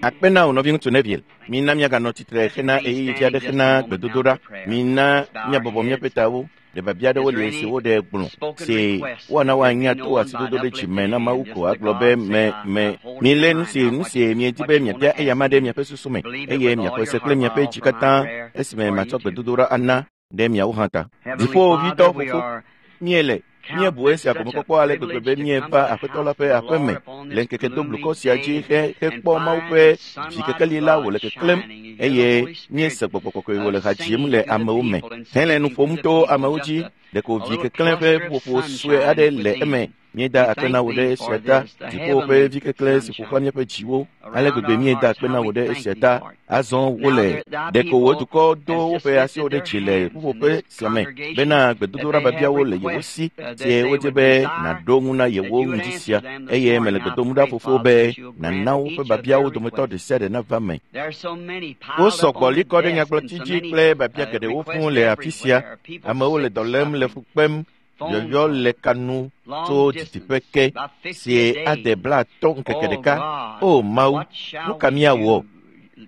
Akpe na wò nɔviŋutsu Neville. Mina míaganɔ tsitre hena ɣeyiɣi vi aɖe hena gbedodoɖa. Mina míabɔbɔ míaƒe tawo. Ɖe biabia aɖewo li si woɖe gblɔ si woana woanya to asidodo ɖe dzime na Mawu ko agblɔ be me me milé nu si nu si miedi be miabia eyama ɖe miaƒe susu me eye miaxɔe se kple miaƒe dzi katã esime matsɔ gbedodoɖa ana ɖe miawo hã ta. Dziƒovitɔ fofo, míele míebu esia gɔmekpɔkpɔ ale gbegbe be míeva Aƒetɔ la ƒe aƒe me le ŋkeke doblukɔ sia dzi he hekpɔ Mawu ƒe vi kekeli la wòle keklẽm eye míese gbɔgbɔ kɔkɔe wòle ha dzim le amewo me hele nu ƒom to amewo dzi. Ɖeko vi keklẽ ƒe ƒuƒoƒo sue aɖe le eme. Míeda akpe na wò ɖe esia ta, dziƒo ƒe vi keklẽ si ƒo xlã míaƒe dziwo. Ale gbegbe míeda akpe na wò ɖe esia ta. Azɔ wole ɖeko wò dukɔ do woƒe asiwo ɖe dzi le ƒuƒoƒe sia me bena gbedodoɖa biabiawo le yewo si sie wodze be nàɖo ŋu na yewo ŋdi sia eye mele gbe dom ɖa fofo be nàna woƒe biabiawo dometɔ ɖe sia ɖe nava me. Wosɔ gbɔ li kɔ ɖe nyagblɔti dzi kple biabia geɖewo fũu le afi sia. Amewo le dɔ lém le fu kpem yɔyɔ le ka nu tso didiƒe ke si ade 50 ŋkeke ɖeka. O Mawu, nu ka míawɔ?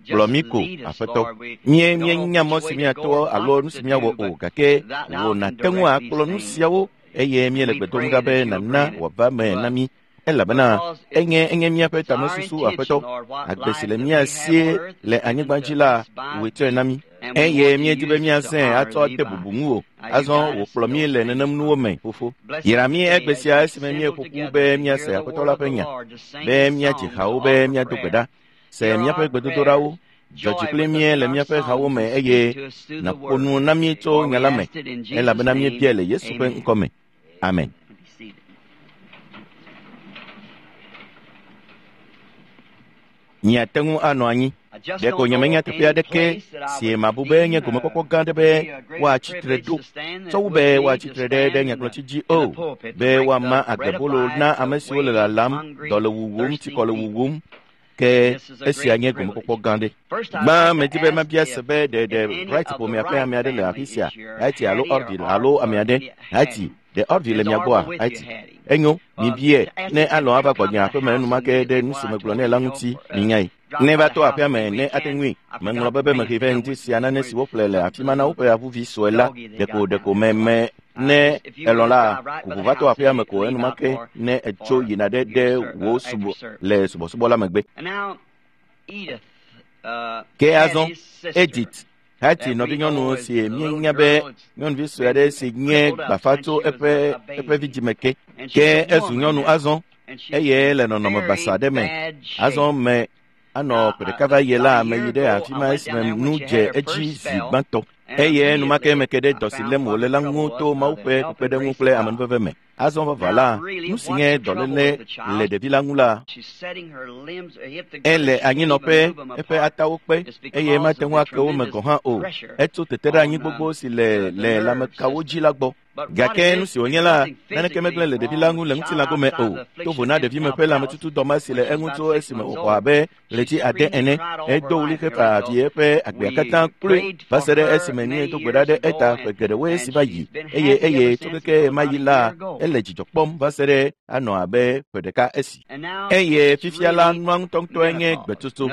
Gblɔ mí ko, Aƒetɔ. Mie míenya mɔ si míato alo nu si míawɔ o, gake wò nàte ŋu akplɔ nu siawo eye míele gbe dom ɖa be nàna wòava me na mí. Elabena enye enye míaƒe tamesusu, Aƒetɔ. Agbe si le mía sie le anyigba dzi la, wòe tsɔe na mí. Eye míedi be míazãe atsɔ ade bubu ŋuwò. Azɔ wò kplɔ mí le nenem nuwo me, fofo. Yra mí egbe sia esime míeƒo ƒu be míase Aƒetɔ la ƒe nya, be míadzi hawo be míado gbe ɖa. Se míaƒe gbedodoɖawo, dzɔ dzi kpli mí le míaƒe hawo me eye nàƒo nu na mí tso nya la me, elabena míebiae le Yesu ƒe ŋkɔ me. Amen. Miate ŋu anɔ anyi. Ɖeko nyemenya teƒe aɖeke si mabu be nye gomekpɔkpɔ gã aɖe be woatsi tre ɖo tsɔ wu be woatsi tre ɖe ɖe nyagblɔtsi dzi o, be woama agbebolo na ame siwo le lalam, dɔ le wuwum, tsikɔ le wuwum. Ke esia nye gomekpɔkpɔ gã ɖe. Gbã medi be mabia se be ɖe ɖe Wright ƒomea ƒe ame aɖe le afi sia, Haiti alo Orville alo ame aɖe, Haiti, ɖe Orville le mia gbɔa, Haiti? Enyo, mibia ne alɔ̃ ava gbɔnye aƒeme enumake ɖe nu si megblɔ nɛ la ŋuti, minyae. Ne va to aƒea me ne ate ŋui, meŋlɔ be be mehe vɛ ŋdi sia nane si woƒle le afi ma na woƒe avuvi sue la, ɖeko ɖeko me me ne elɔ̃ la, ku ʋu va to aƒea me ko enumake ne etso yina ɖe ɖe wò subɔ le subɔsubɔ la megbe. Ke azɔ, Edith, Hati nɔvinyɔnu si míenya be nyɔnuvi sue aɖe si nye gbafa tso eƒe eƒe vidzĩme ke, ke ezu nyɔnu azɔ eye le nɔnɔme basa aɖe me. Azɔ me anɔ ƒe ɖeka va yi la, meyi ɖe afi ma esime nu dze edzi zi gbãtɔ eye enumake meke ɖe dɔ si lém wòle la ŋu to Mawu ƒe kpekpeɖeŋu kple amenuveve me. Azɔ vavã la, nu si nye dɔléle le ɖevi la ŋu la, ele anyinɔƒe, eƒe atawo kpe eye mate ŋu ake wo me gɔ̃ hã o. Etso tete ɖe anyi gbogbo si le le lãmekawo dzi la gbɔ. Gake nu si wònye la, naneke megblẽ le ɖevi la ŋu le ŋutilã gome o. To vo na ɖevime ƒe lãmetutudɔ ma si le eŋu tso esime wòxɔ abe ɣleti 9 ene, edo ɣli hefa avi eƒe agbea katã kloe va se ɖe esime míedo gbe ɖa ɖe eta ƒe geɖewoe si va yi eye eye tso keke ɣemaɣi la, ele dzidzɔ kpɔm va se ɖe anɔ abe ƒe ɖeka esi. Eye fifia la, nua ŋutɔŋutɔe nye gbetsotso.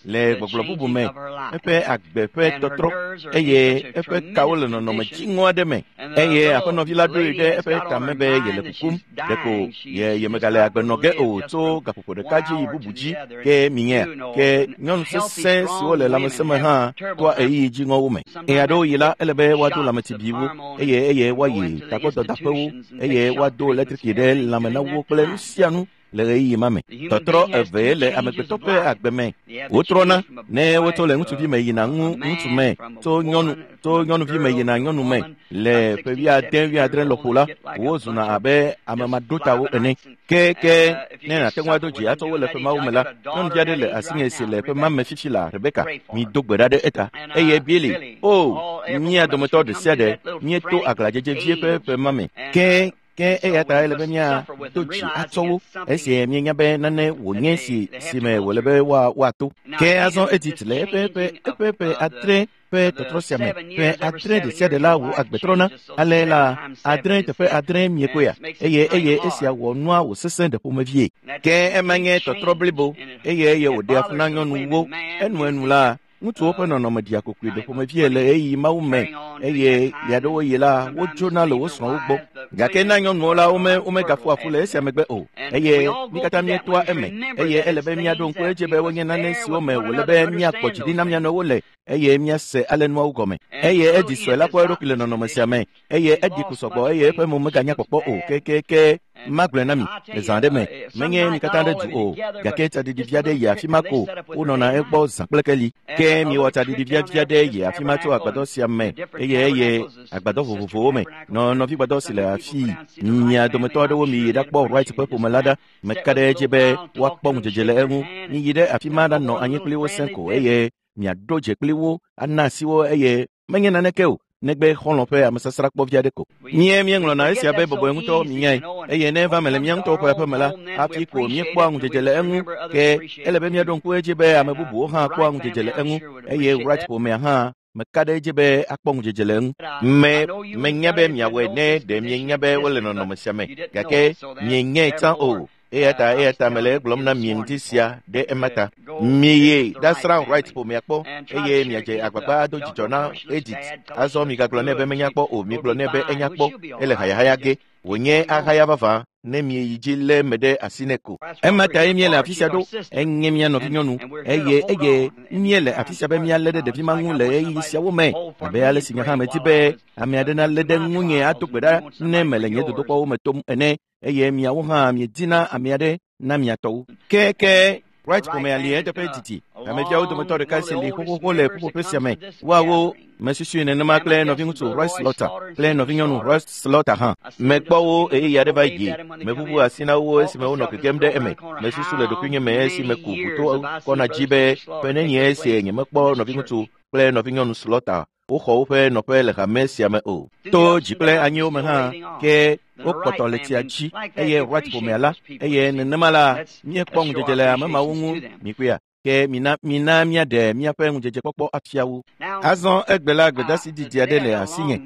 Le gbɔgblɔ bubu me, eƒe agbe ƒe tɔtrɔ eye eƒe kawo le nɔnɔme dziŋɔ aɖe me eye aƒenɔvi la ɖoe ɖe eƒe tame be yele kukum ɖeko ye yemegale agbe nɔ ge o tso gaƒoƒo ɖeka dzi yi bubu dzi ke minyea ke nyɔnu sesẽ siwo le lãmesẽ me hã toa ɣeyiɣi dziŋɔwo me. Ɣe aɖewo yi la, ele be woado lãmetsibiwo eye eye woayi tagbɔdɔdaƒewo eye woado eletriki ɖe lãme na wo kple nu sia nu le ɣeyiɣi ma me. Tɔtrɔ evee le amegbetɔ ƒe agbe me. Wotrɔna ne wotso le ŋutsuvi me yina ŋu ŋutsu me, tso nyɔnu tso nyɔnuvi me yina nyɔnu me. Le ƒe 70, 80 lɔƒo la, wozuna abe ame maɖotawo ene. Ke ke ne nàte ŋu ado dzi atsɔ wo le ƒe mawo me la, nyɔnuvi aɖe le asinye si le ƒe ma me fifi la, Rebeka, mido gbe ɖa ɖe eta. Eye Billy, o, mía dometɔ ɖe sia ɖe míeto aglãdzedze vie ƒe ƒe ma me. Ke Ke eya ta ele be míado dzi atsɔ wo esi míenya be nane wònye si si me wòle be woato. Ke azɔ Edith le eƒe ƒe 6 ƒe tɔtrɔ sia me ƒe 6 ɖe sia ɖe la wò agbe trɔna ale la 6 teƒe 6 miekoya eye esia wɔ nua wòsesẽ ɖe ƒomevie. Ke ema nye tɔtrɔ blibo eye wòɖea fu na nyɔnuwo enuenu la ŋutsuwo ƒe nɔnɔme ɖia kokoe ɖe ƒomevie le ɣeyiɣi mawo me eye ɣeaɖewoɣi la wodzona le wo srɔ̃wo gbɔ. Gake na nyɔnuwo la womegaƒoa ƒu le esia megbe o eye mí katã míetoa eme eye ele be míaɖo ŋku edzi be wonye nane siwo me wòle be míakpɔ dzi ɖi na mía nɔewo le eye míase ale nuawo gɔme. Eye Edi sue la kpɔ eɖokui le nɔnɔme sia me eye Edi ku sɔgbɔ eye eƒe mo meganya kpɔkpɔ o kekeke. Magblɔe na mi le zã aɖe me menye mi katã ɖe du o gake tsaɖiɖi vi aɖe yi afi ma ko wonɔna egbɔ zã kple keli. Ke miwɔ tsaɖiɖi vi aɖe yi afi ma tso agbadɔ sia me eye agbadɔ vovovowo me nɔ nɔvigbadɔ si le afii. Mia dometɔ aɖewo miyi ɖakpɔ Wright ƒe ƒome la ɖa. Meka ɖe edzi be woakpɔ ŋudzedze le eŋu. Miyi ɖe afi ma ɖanɔ anyi kpli wo sẽ ko eye miaɖo dze kpli wo ana asi wo eye menye naneke o negbe xɔlɔ̃ ƒe amesasrakpɔ vi aɖe ko. Míeŋlɔna esia be bɔbɔe ŋutɔ minyae eye ne eva me le mía ŋutɔwo ƒe aƒeme la hafi ko míekpɔa ŋudzedze le eŋu. Ke ele be míaɖo ŋku edzi be ame bubuwo hã kpɔa ŋudzedze le eŋu eye Wright ƒomea hã meka ɖe edzi be akpɔ ŋudzedze le eŋu. Menya be miawɔe ne ɖe mienya be wole nɔnɔme sia me gake mienyae tsã o. Eya ta mele egblɔm na mi ŋdi sia ɖe ema ta. Miyi ɖasrã Wright ƒomea kpɔ eye miadze agbagba ado dzidzɔ na Edith. Azɔ migagblɔ nɛ be menya kpɔ o, migblɔ nɛ be enya kpɔ ele hayahaya ge. Wònye ahaya vavã ne mieyi dzi lé me ɖe asi nɛ ko. Ema tae míele afi sia ɖo. Enye mía nɔvinyɔnu eye míele afi sia be míalé ɖe ɖevi ma ŋu le ɣeyiɣi siawo me abe ale si nye hã medi be ame aɖe nalé ɖe ŋunye ado gbe ɖa ne mele nye dodokpɔwo me tom ene eye miawo hã miedina ame aɖe na mia tɔwo. Ke Wright ƒomea li eteƒe didi. Ameviawo dometɔ ɖeka si li xoxoxo le ƒuƒoƒe sia me. Woawo mesusui nenema kple nɔviŋutsu Roy Slaughter kple nɔvinyɔnu Roy Slaughter hã. Mekpɔ wo ɣeyiɣi aɖe va yi. Meʋuʋu asi na wo esime wonɔ gegem ɖe eme. Mesusu le ɖokuinye me esime ku ʋuto kɔna dzi be ƒe nenye esi nyemekpɔ nɔviŋutsu kple nɔvinyɔnu Slaughter woxɔ woƒe nɔƒe le hame sia me o. To dzi kple anyiwo me hã ke wokpɔtɔ le tsia dzi eye Wright ƒomea la eye nenema la míekpɔ ŋudzedze le ame mawo ŋu mikpɔea. Ke mina míaɖe míaƒe ŋudzedzekpɔkpɔ afia wo. Azɔ egbe la gbedasi didi aɖe le asinye.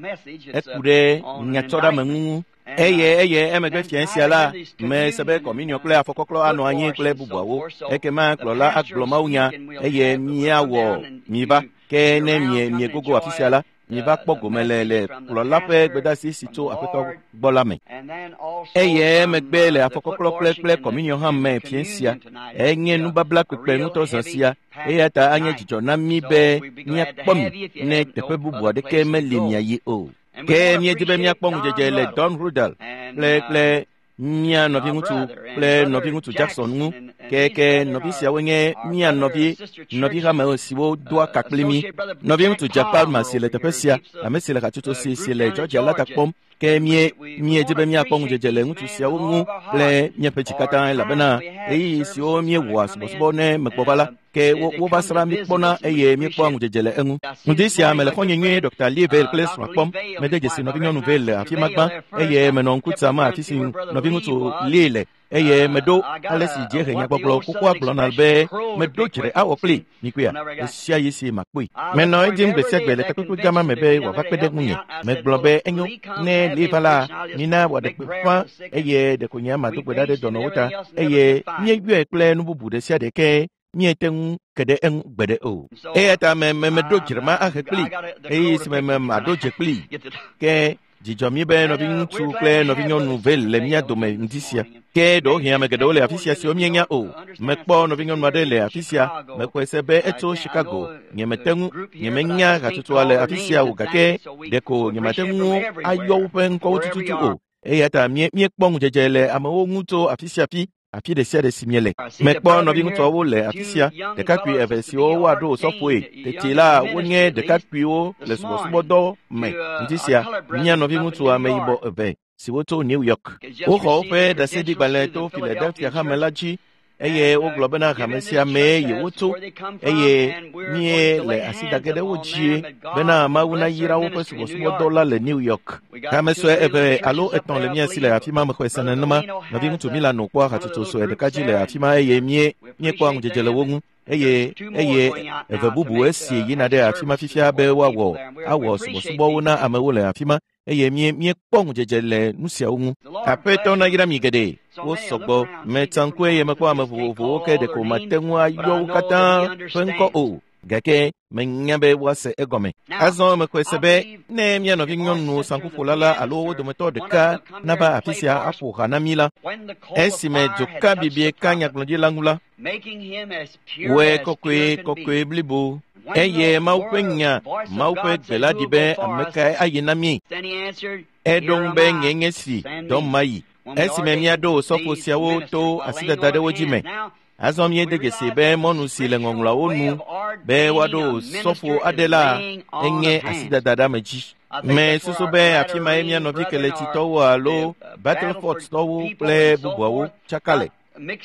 Eku ɖe nyatsɔɖeameŋu ŋu. Eye emegbe fiẽ sia la mese be kɔminiɔ kple afɔkɔklɔ anɔ anyi kple bubuawo. Ekema kplɔla agblɔ mawunya eye míawɔ miva. Ke ne miegogo afi sia la miva kpɔ gome le kplɔla ƒe gbedasi si tso Aƒetɔ gbɔ la me. Eye emegbe le afɔkɔklɔ kple kɔminiɔ hã me fiẽ sia enye nubabla kpekpe ŋutɔ zã sia eya ta anye dzidzɔ na mí be míakpɔ mi ne teƒe bubu aɖeke meli miayi o. Ke míedi be míakpɔ ŋudzedze le Don Rudal kple mía nɔviŋutsu kple nɔviŋutsu Jackson ŋu. Ke nɔvi siawo nye mía nɔvi hame siwo doa ka kpli mí. Nɔviŋutsu Jack Palmer si le teƒe sia, ame si le hatsotso si le Georgia la ta kpɔm. Ke míedi be míakpɔ ŋudzedze le ŋutsu siawo ŋu kple míaƒe dzi katã elabena ɣeyiɣi siwo míewɔa subɔsubɔ ne megbɔ va la ke wova srã mí kpɔna eye míekpɔa ŋudzedze le eŋu. Ŋdi sia mele xɔ̃nye nyuie Dr. Lee Vayle kple srɔ̃a kpɔm. Mede dzesi nɔvinyɔnu Vayle le afi ma gbã eye menɔ ŋku tsam afi si nɔviŋutsu Lee le eye meɖo ale si dziehe nyagbɔgblɔ xoxoa gblɔna be meɖo dzre awɔ kpli mikpɔea ɣesia ɣi si makpɔe. Menɔ edim gbe sia gbe le takpekpe gã ma me be wòava kpe ɖe ŋunye. Megblɔ be enyo ne Lee va la mina wòaɖe gbeƒã eye ɖeko nye mado gbe ɖa ɖe dɔnɔwo ta eye míeyɔe kple nu bubu ɖe sia ɖe ke míete ŋu ke ɖe eŋu gbe ɖe o. Eya ta meɖo dzre ma ahe kpli eye si me maɖo dze kpli. Ke dzidzɔ mí be nɔviŋutsu kple nɔvinyɔnu Vayle le mía dome ŋdi sia. Ke ɖewohĩ ame geɖewo le afi sia siwo míenya o. Mekpɔ nɔvinyɔnu aɖe le afi sia. Mexɔe se be etso Chicago. Nyemete ŋu nyemenya hatsotsoa le afi sia o gake ɖeko nyemate ŋu ayɔ woƒe ŋkɔwo tututu o. Eya ta míekpɔ ŋudzedze le amewo ŋu tso afi sia afi afi ɖe sia ɖe si miele. Mekpɔ nɔviŋutsuawo le afi sia, ɖekakpui eve siwo woaɖo osɔfoe. Tete la wonye ɖekakpuiwo le subɔsubɔdɔ me. Ŋdi sia mía nɔviŋutsu ameyibɔ eve siwo tso New York. Woxɔ woƒe ɖaseɖigbalẽ to Philadelphia hame la dzi Eye wogblɔ bena hame sia mee yewotso eye mie le asi da ge ɖe wo dzie bena Mawu nayra woƒe subɔsubɔdɔ la le New York. Hame sue eve alo etɔ̃ le mía si le afi ma mexɔe se nenema. Nɔviŋutsu Milano kpɔa hatsotso sue ɖeka dzi le afi ma eye mie míekpɔa ŋudzedze le wo ŋu. Eye eye eve bubu esi yina ɖe afi ma fifia be woawɔ awɔ subɔsubɔwo na amewo le afi ma eye mie míekpɔ ŋudzedze le nu siawo ŋu. Aƒetɔ nayra mi geɖe. Wo sɔgbɔ. Metsa ŋku eye mekpɔ ame vovovowo ke ɖeko mate ŋu ayɔ wo katã ƒe ŋkɔ o. Gake menya be woase egɔme. Azɔ mexɔe se be ne mía nɔvinyɔnu saŋkuƒola la alo wo dometɔ ɖeka nava afi sia aƒo ha na mí la, esime dzoka bibie ka nyagblɔɖila ŋu la, wɔe kɔkɔe kɔkɔe blibo. Eye Mawu ƒe nya, Mawu ƒe gbe la ɖi be ame kae ayi na mí? Eɖo ŋu be nye nye si dɔm mayi. Esime míaɖo osɔfo siawo to asidada ɖe wo dzi me. Azɔ míede dzesi be mɔnu si le ŋɔŋlɔawo nu be woaɖo osɔfo aɖe la enye asidada ɖe ame dzi. Mesusu be afi mae mía nɔvi Keletsitɔwo alo Battlefordtɔwo kple bubuawo tsaka le.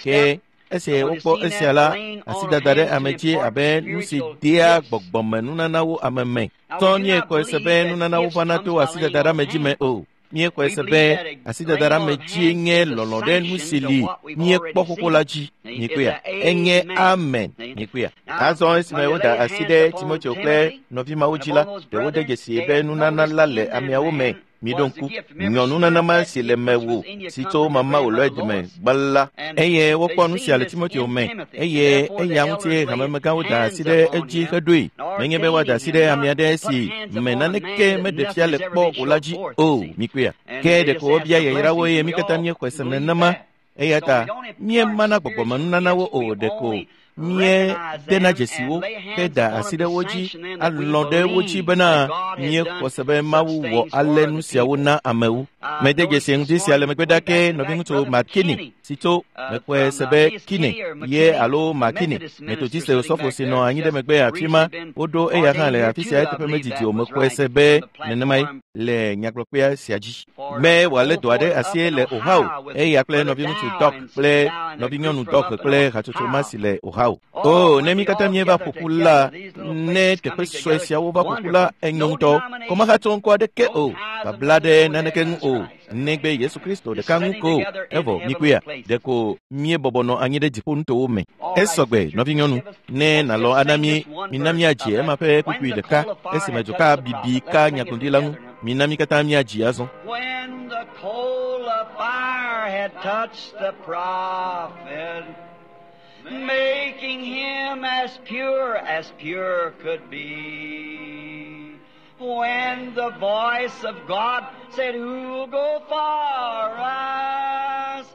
Ke esi wokpɔ esia la, asidada ɖe ame dzi abe nu si dea gbɔgbɔmenunanawo ame me. Tɔ míexɔe se be nunanawo vana to asidada ɖe ame dzi me o. Míexɔe se be asidada ɖe ame dzie nye lɔlɔ̃ ɖe nu si li míekpɔ xoxo la dzi. Mikpɔea? Enye amen. Mikpɔea? Azɔ esime woda asi ɖe Timoteo kple nɔvi mawo dzi la, ɖe wode dzesi be nunana la le ameawo me. Miɖo ŋku nyɔnunana ma si le mewò si tso mama wòlɔe dome gbã la. Eye wokpɔ nu sia le Timoteo me eye eya ŋutie hamemegãwo da asi ɖe edzi heɖoe. Menye be woada asi ɖe ame aɖe si me naneke meɖe fia le kpɔ o la dzi o. Mikpɔea? Ke ɖeko wobia yayrawo eye mí katã míexɔe se nenema. Eya ta míemana gbɔgbɔmenunanawo o ɖeko míedena dzesiwo heda asi ɖe wo dzi alɔ̃ ɖe wo dzi bena míexɔ se be Mawu wɔ ale nu siawo na amewo. Mede dzesi ŋdi sia le megbe ɖa ke nɔviŋutsu Makini si tso mexɔe se be Kine ye alo Makini Methodiste osɔfo si nɔ anyi ɖe megbe afi ma woɖo eya hã le afi sia eteƒe medidi o. Mexɔe se be nenemae le nyagblɔkpea sia dzi. Be wòalé dɔ aɖe asie le Ohio eya kple nɔviŋutsu Doc kple nɔvinyɔnu Doc kple hatsotso ma si le Ohio. O, ne mí katã míeva ƒoƒu la, ne teƒe sue siawo va ƒoƒu la, enyo ŋutɔ. Kɔmahatsɔ ŋkɔ aɖeke o, babla ɖe naneke ŋu o, negbe Yesu Kristo ɖeka ŋu ko. Evɔ mikpɔea, ɖeko míebɔbɔ nɔ anyi ɖe dziƒonutowo me. Esɔgbe, nɔvinyɔnu, ne nàlɔ̃ ana mí, mina míadzi ema ƒe kpukpui ɖeka esime dzoka bibi ka nyagblɔɖila ŋu. Mina mí katã míadzi azɔ. When the coal of fire had touched the prophet, making him as pure as pure could be. When the voice of God said, Who'll go for us?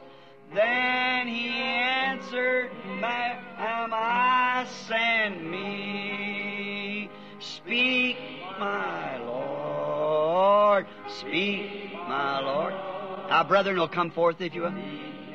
Then he answered, Am I, send me. Speak, my Lord. Speak, my Lord. Our brethren will come forth if you will.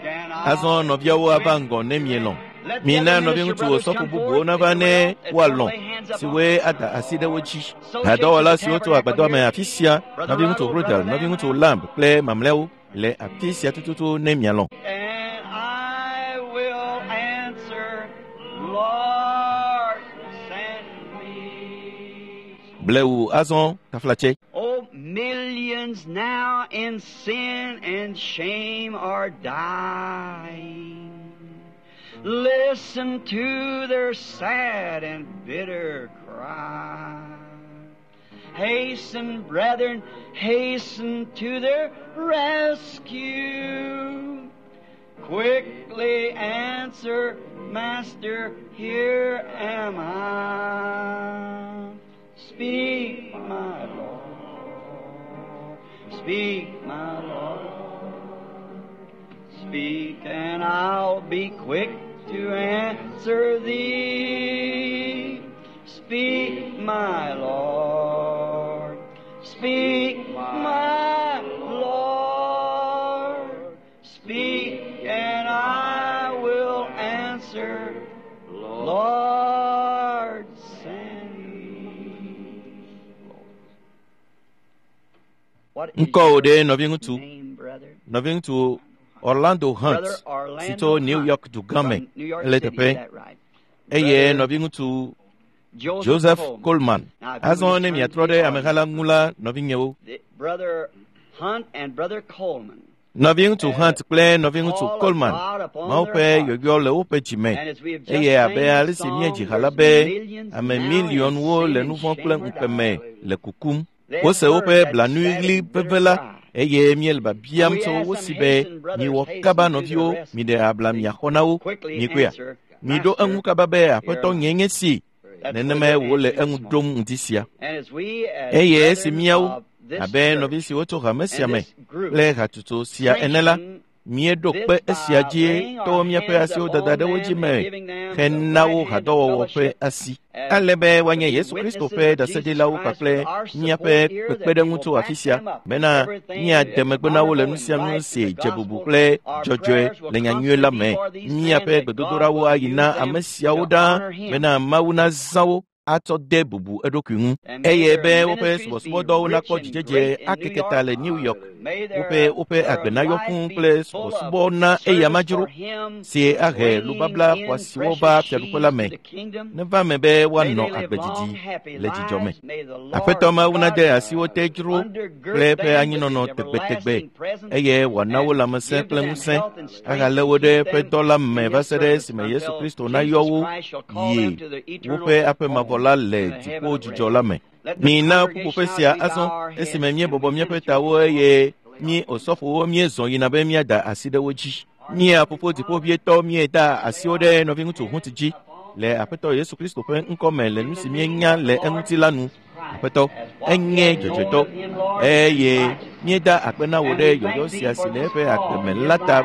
Can I Azɔ nɔviawo ava ŋgɔ ne mielɔ̃. Mina nɔviŋutsu osɔfo bubuwo nava ne woalɔ̃ siwoe ada asi ɖe wo dzi. Hadɔwɔla siwo tso agbadɔa me afi sia, nɔviŋutsu Rodel, nɔviŋutsu Lamb kple mamlɛawo le afi sia tututu ne mialɔ̃. And I will answer, Lord, send me. Blewu azɔ taflatse. Oh, millions now in sin and shame are dying. Listen to their sad and bitter cry. Hasten, brethren, hasten to their rescue. Quickly answer, Master, here am I. Speak, my Lord. Speak, my Lord. Speak, and I'll be quick to answer thee. Speak, my Lord. Speak, my Lord. Speak, and I will answer. Lord, send me. What is Ŋkɔwò your ɖe nɔviŋutsu, name, brother? nɔviŋutsu Orlando Hunt si tso New York dugã me ele teƒe eye nɔviŋutsu Joseph Coleman. Azɔ ne miatrɔ ɖe ameha la ŋu la, nɔvinyewo. Nɔviŋutsu Hunt kple nɔviŋutsu Coleman, Mawu ƒe yɔyɔ le woƒe dzi me eye abe ale si míedzi ha la be ame miliɔnwo le nu vɔ̃ kple ŋukpe me le kukum. Wose woƒe blanuiɣli veve la eye míele biabiam tso wo si be miwɔ kaba nɔviwo, miɖe abla miaxɔ na wo, mikoea. Miɖo eŋu kaba be Aƒetɔ nye nye si. Nenemae wòle eŋu ɖom ŋdi sia. Eye esi míawo, abe nɔvi siwo tso hame sia me kple hatsotso sia ene la, míeɖo kpe esia dzi to míaƒe asiwo dada ɖe wo dzi me hena wo hadɔwɔwɔ ƒe asi. Ale be woanye Yesu Kristo ƒe ɖaseɖilawo kpakple míaƒe kpekpeɖeŋu tso afi sia bena míade megbe na wo le nu sia nu si dze bubu kple dzɔdzɔe le nyanyui la me. Míaƒe gbedodoɖawo ayi na ame siawo ɖaa bena Mawu nazã wo atsɔ de bubu eɖokui ŋu eye be woƒe subɔsubɔdɔwo nakpɔ dzidzedze akeke ta le New York. Woƒe woƒe agbe nayɔ fũu kple subɔsubɔ na eya madzro si ahe lubabla xɔasiwo va fiaɖuƒe la me. Neva eme be woanɔ agbe didi le dzidzɔ me. Aƒetɔ Mawu nade asi wo te dzro kple eƒe anyinɔnɔ tegbetegbe eye wòana wo lãmesẽ kple ŋusẽ ahalé wo ɖe eƒe dɔ la me va se ɖe esime Yesu Kristo nayɔ wo yi woƒe aƒe mavɔ la le dziƒo dzidzɔ la me. Mina ƒuƒoƒe sia azɔ esime míebɔbɔ míaƒe tawo eye mí osɔfowo míezɔ yina be míada asi ɖe wo dzi. Mía fofo dziƒovietɔ míeda asiwo ɖe nɔviŋutsu Hunt dzi le Aƒetɔ Yesu Kristo ƒe ŋkɔ me le nu si míenya le eŋuti la nu. Aƒetɔ, enye dzɔdzɔetɔ eye míeda akpe na wò ɖe yɔyɔ sia si le eƒe agbe me la ta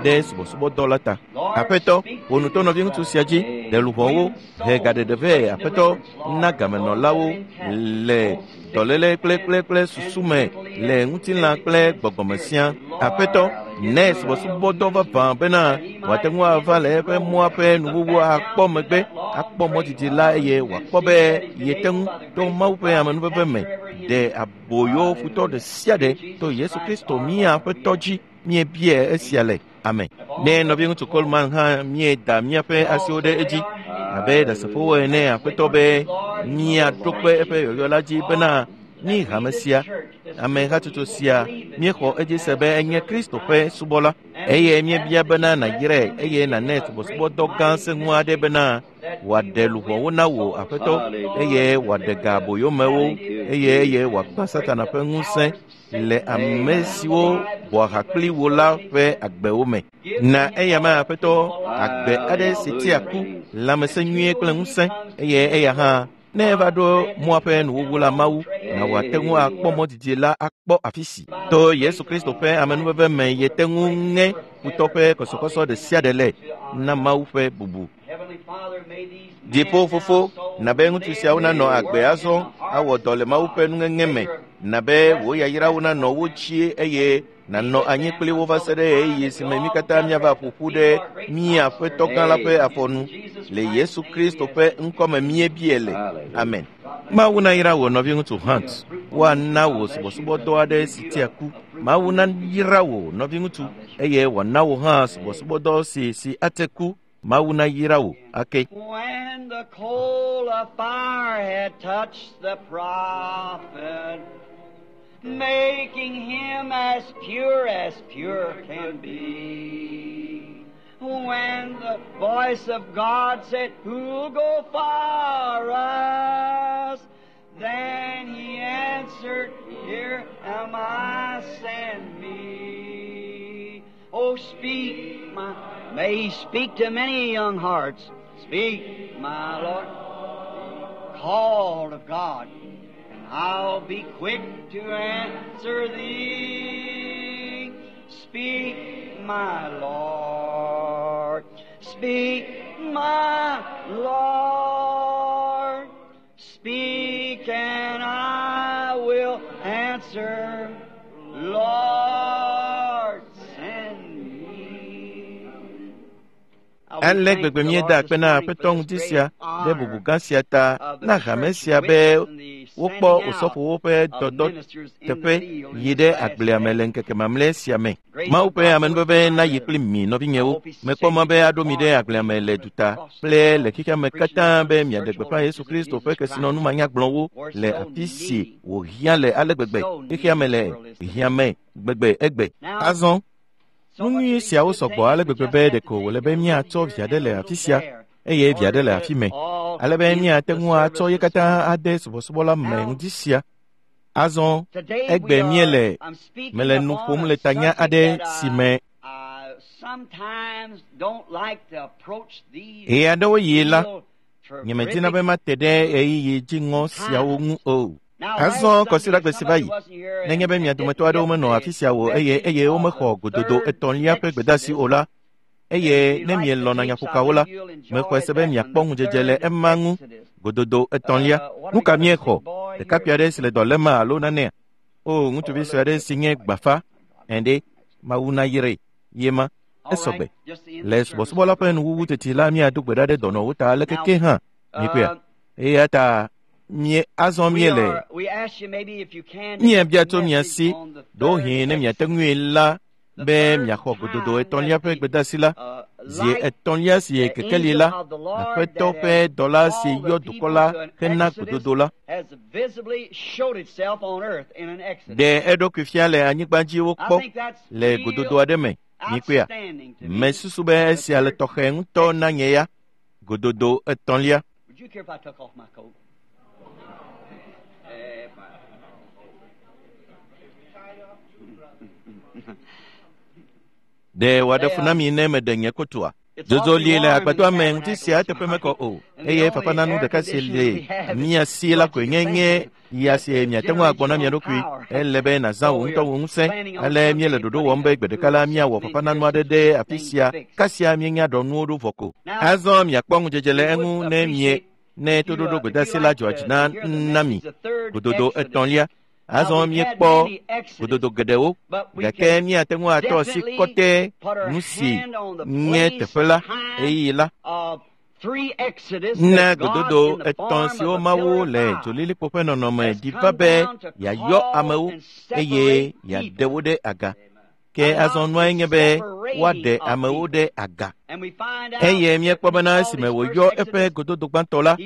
ɖe subɔsubɔdɔ la ta. Aƒetɔ, wò nu to nɔviŋutsu sia dzi, ɖe luʋɔwo, he gaɖeɖe vɛ. Aƒetɔ, na gamenɔlawo le dɔléle kple kple susu me le ŋutilã kple gbɔgbɔme sia. Aƒetɔ, ne subɔsubɔdɔ vavã bena wòate ŋu ava le eƒe mɔa ƒe nuwuwu akpɔ megbe, akpɔ mɔ didi la eye wòakpɔ be yete ŋu to Mawu ƒe amenuveve me ɖe aboyo futɔ ɖe sia ɖe to Yesu Kristo mía Aƒetɔ dzi. Míebia esia le. Amen. Ne nɔviŋutsu Coleman hã míeda míaƒe asiwo ɖe edzi abe ɖasefowo ene Aƒetɔ be míaɖo kpe eƒe yɔyɔ la dzi bena mí hame sia, ame hatsotso sia, míexɔ edzi se be enye Kristo ƒe subɔla eye míebia bena nàyrae eye nànɛ subɔsubɔdɔ gã sẽŋu aɖe bena wòaɖe luʋɔwo na wò Aƒetɔ eye wòaɖe ga aboyomewo eye eye wòagbã Satana ƒe ŋusẽ le ame siwo bɔa ha kpli wo la ƒe agbewo me. Na eya ma Aƒetɔ agbe aɖe si tea ku, lãmesẽ nyuie kple ŋusẽ eye eya hã ne eva ɖo mɔa ƒe nuwuwu la Mawu na wòate ŋu akpɔ mɔ didi la akpɔ afi si. To Yesu Kristo ƒe amenuveve me yete ŋu ŋe futɔ ƒe kɔsɔkɔsɔ ɖe sia ɖe le na Mawu ƒe bubu. Dziƒo fofo, na be ŋutsu siawo nanɔ agbe azɔ awɔ dɔ le Mawu ƒe nuŋeŋe me, na be wò yayrawo nanɔ wo dzi eye nànɔ anyi kpli wo va se ɖe ɣeyiɣi si me mí katã míava ƒo ƒu ɖe mía Aƒetɔ gã la ƒe afɔnu. Le Yesu Kristo ƒe ŋkɔ me míebia le. Amen. Mawu nayra wò nɔviŋutsu Hunt. Woana wò subɔsubɔdɔ aɖe si tea ku. Mawu nayra wò nɔviŋutsu eye wòana wò hã subɔsubɔdɔ si si ate ku. Mawu nayra wò ake. When the coal of fire had touched the prophet, making him as pure as pure can be. When the voice of God said, Who'll go for us? Then he answered, Here am I, send me. Oh, speak, my, may he speak to many young hearts. Speak, my Lord, called of God, and I'll be quick to answer thee. Speak, my Lord. Speak, my Lord. Speak, and I will answer. Lord, send me. Ale gbegbe míeda akpe na Aƒetɔ ŋuti sia ɖe bubu gã sia ta na hame sia be wokpɔ osɔfowo ƒe dɔdɔ teƒe yi ɖe agblea me le ŋkeke mamlɛ sia me. Mawu ƒe amenuveve nayi kpli mi nɔvinyewo. Mekpɔ mɔ be aɖo mi ɖe agblea me le duta kple le xexea me katã be miaɖe gbeƒã Yesu Kristo ƒe kesinɔnu manyagblɔwo le afi si wòhiã le ale gbegbe xexea me le hiã me gbegbe egbe. Azɔ nu nyui siawo sɔgbɔ ale gbegbe be ɖeko wòle be míatsɔ via ɖe le afi sia eye via ɖe le afi mɛ ale be míate ŋu atsɔ ye katã ade subɔsubɔ la me ŋdi sia. Azɔ egbe míele mele nu ƒom le tanya aɖe si me ɣe aɖewo yi la nyemedina be mate ɖe ɣeyiɣi dziŋɔ siawo ŋu o. Azɔ kɔsiɖagbe si va yi, nenye be mia dometɔ aɖewo menɔ afi sia o eye eye womexɔ gododo etɔ̃lia ƒe gbedeasi o la, eye ne mielɔ̃na nyaƒokawo la, mexɔe se be miakpɔ ŋudzedze le ema ŋu. Gododo etɔ̃lia, nu ka miexɔ? Ɖekakpui aɖe si le dɔ lém alo nanea? O, ŋutsuvi sue aɖe si nye gbafa. Ɛ̃ ɖe, Mawu nayrae. Ye ma, esɔgbe. Le subɔsubɔ la ƒe nuwuwu teti la, míado gbe ɖa ɖe dɔnɔwo ta aleke ke hã. Mikpɔea? Eya ta mie azɔ míele míabia tso mia si ɖewohĩ ne miate ŋui la be miaxɔ gododo etɔ̃lia ƒe gbedeasi la zi etɔ̃lia si kekeli la Aƒetɔ ƒe dɔla si yɔ dukɔ la hena gododo la ɖe eɖokui fia le anyigba dzi wokpɔ le gododo aɖe me. Mikpɔea? Mesusu be esia le tɔxɛ ŋutɔ na nye ya. Gododo etɔ̃lia. Would you care if I took off my coat? Ɖe wòaɖe fu na mi ne meɖe nye kotoa? Zozo li le agbadɔa me ŋuti sia eteƒe mekɔ o eye fafananu ɖeka si le mia si la koe nye nye ya si miate ŋu agbɔ na mia ɖokui. Ele be nàzã wò ŋutɔ wò ŋusẽ. Ale míele ɖoɖo wɔm be gbe ɖeka la míawɔ fafananu aɖe ɖe afi sia kasia míenya ɖɔ nuwo ɖo vɔ ko. Azɔ miakpɔ ŋudzedze le eŋu ne mie ne toɖoɖo gbedeasi la dzɔa dzi na na mi. Gododo etɔ̃lia. Azɔ míekpɔ gododo geɖewo gake míate ŋu atɔ asi kɔtɛ nu si nye teƒe la ɣeyiɣi la. Na gododo etɔ̃ siwo Mawu le dzolilikpo ƒe nɔnɔme ɖi va be yeayɔ amewo eye yeaɖe wo ɖe aga. Ke azɔ nuae nye be woaɖe amewo ɖe aga. Eye míekpɔ bena esime wòyɔ eƒe gododo gbãtɔ la,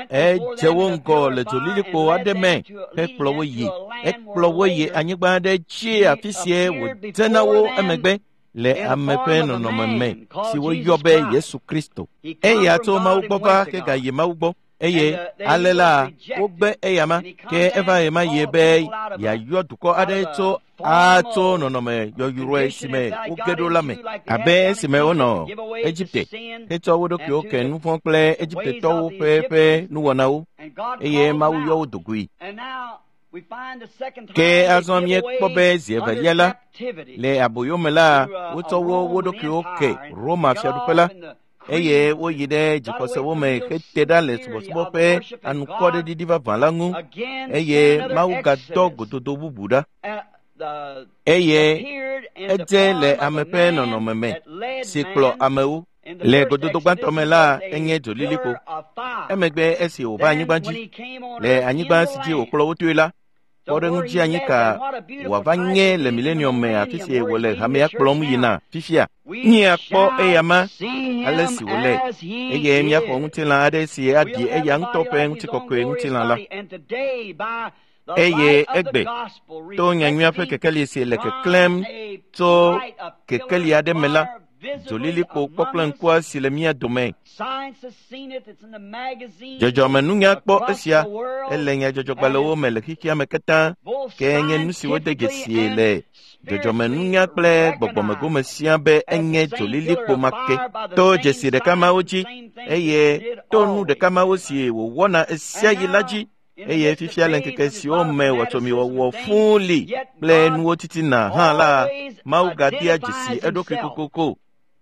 edze wo ŋgɔ le dzolilikpo aɖe me hekplɔ wo yi. Ekplɔ wo yi anyigba aɖe dzi afi sie wòdze na wo emegbe le ame ƒe nɔnɔme me si woyɔ be Yesu Kristo. Eya tso Mawu gbɔ va hegayi Mawu gbɔ. Eye ale la wogbe eyama ke eva ɣema yie be yeayɔ dukɔ aɖe tso atso nɔnɔme yɔyrɔe si me woge ɖo la me abe esime wonɔ Egipte hetsɔ wo ɖokuiwo ke nu vɔ̃ kple Egiptetɔwo ƒe ƒe nuwɔnawo eye Mawu yɔ wo do goe. Ke azɔ míekpɔ be zi evelia la le aboyome la wotsɔ wo wo ɖokuiwo ke Roma fiaɖuƒe la eye woyi ɖe dzixɔsewo me hete ɖa le subɔsubɔ ƒe anukɔɖeɖiɖi vavã la ŋu eye Mawu gadɔ gododo bubu ɖa. Eye edze le ame ƒe nɔnɔme me si kplɔ amewo. Le gododo gbãtɔ me la enye dzolilikpo. Emegbe esi wòva anyigba dzi, le anyigba si dzi wòkplɔ wo toe la, kpɔɖeŋudzi anyi ka wòava nye le milenium me afi si wòle hamea kplɔm yina fifia. Míakpɔ eyama ale si wòle eye míaxɔ ŋutilã aɖe si aɖi eya ŋutɔ ƒe ŋutikɔkɔe ŋutilã la. Eye egbe to nyanyuia ƒe kekeli si le keklẽm tso kekeli aɖe me la, dzolilikpo kpɔkple ŋkua si le mía dome. Dzɔdzɔmenunya kpɔ esia, ele nyadzɔdzɔgbalẽwo me le xexea me katã, ke nye nu si wode dzesie le dzɔdzɔmenunya kple gbɔgbɔmegome sia be enye dzolilikpo ma ke. To dzesi ɖeka mawo dzi eye to nu ɖeka mawo si wòwɔna esia yi la dzi eye fifia le ŋkeke siwo me wɔtsɔmiwɔwɔ fũu li kple nuwo titina hã la, Mawu gadea dzesi eɖokui kokoko.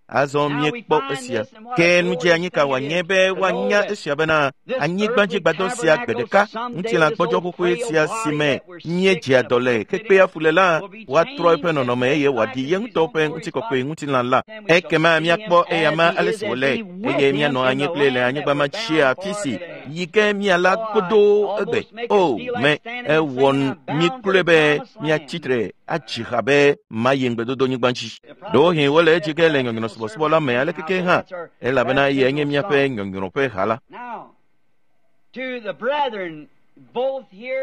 Azɔ míekpɔ esia. Ke nudzeanyi ka wòanye be woanya esia bena anyigbadzigbadɔ sia gbe ɖeka ŋutilã gbɔdzɔ xoxoe sia si me míedzea dɔ le hekpea fu le la, woatrɔ eƒe nɔnɔme eye wòaɖi ye ŋutɔ ƒe ŋutikɔkɔe ŋutilã la. Ekema míakpɔ eyama ale si wòle eye míanɔ anyi kple le anyigba ma dzi afi si yi ke míala godoo egbe. O me ewɔ mí kloe be míatsitre atsi ha be mayi ŋugbedodonyigba dzi. Ɖewohĩ wole edzi ge le nyɔnyrɔ subɔsubɔ la me alekeke hã, elabena eyae nye míaƒe nyɔnyrɔ ƒe ha la.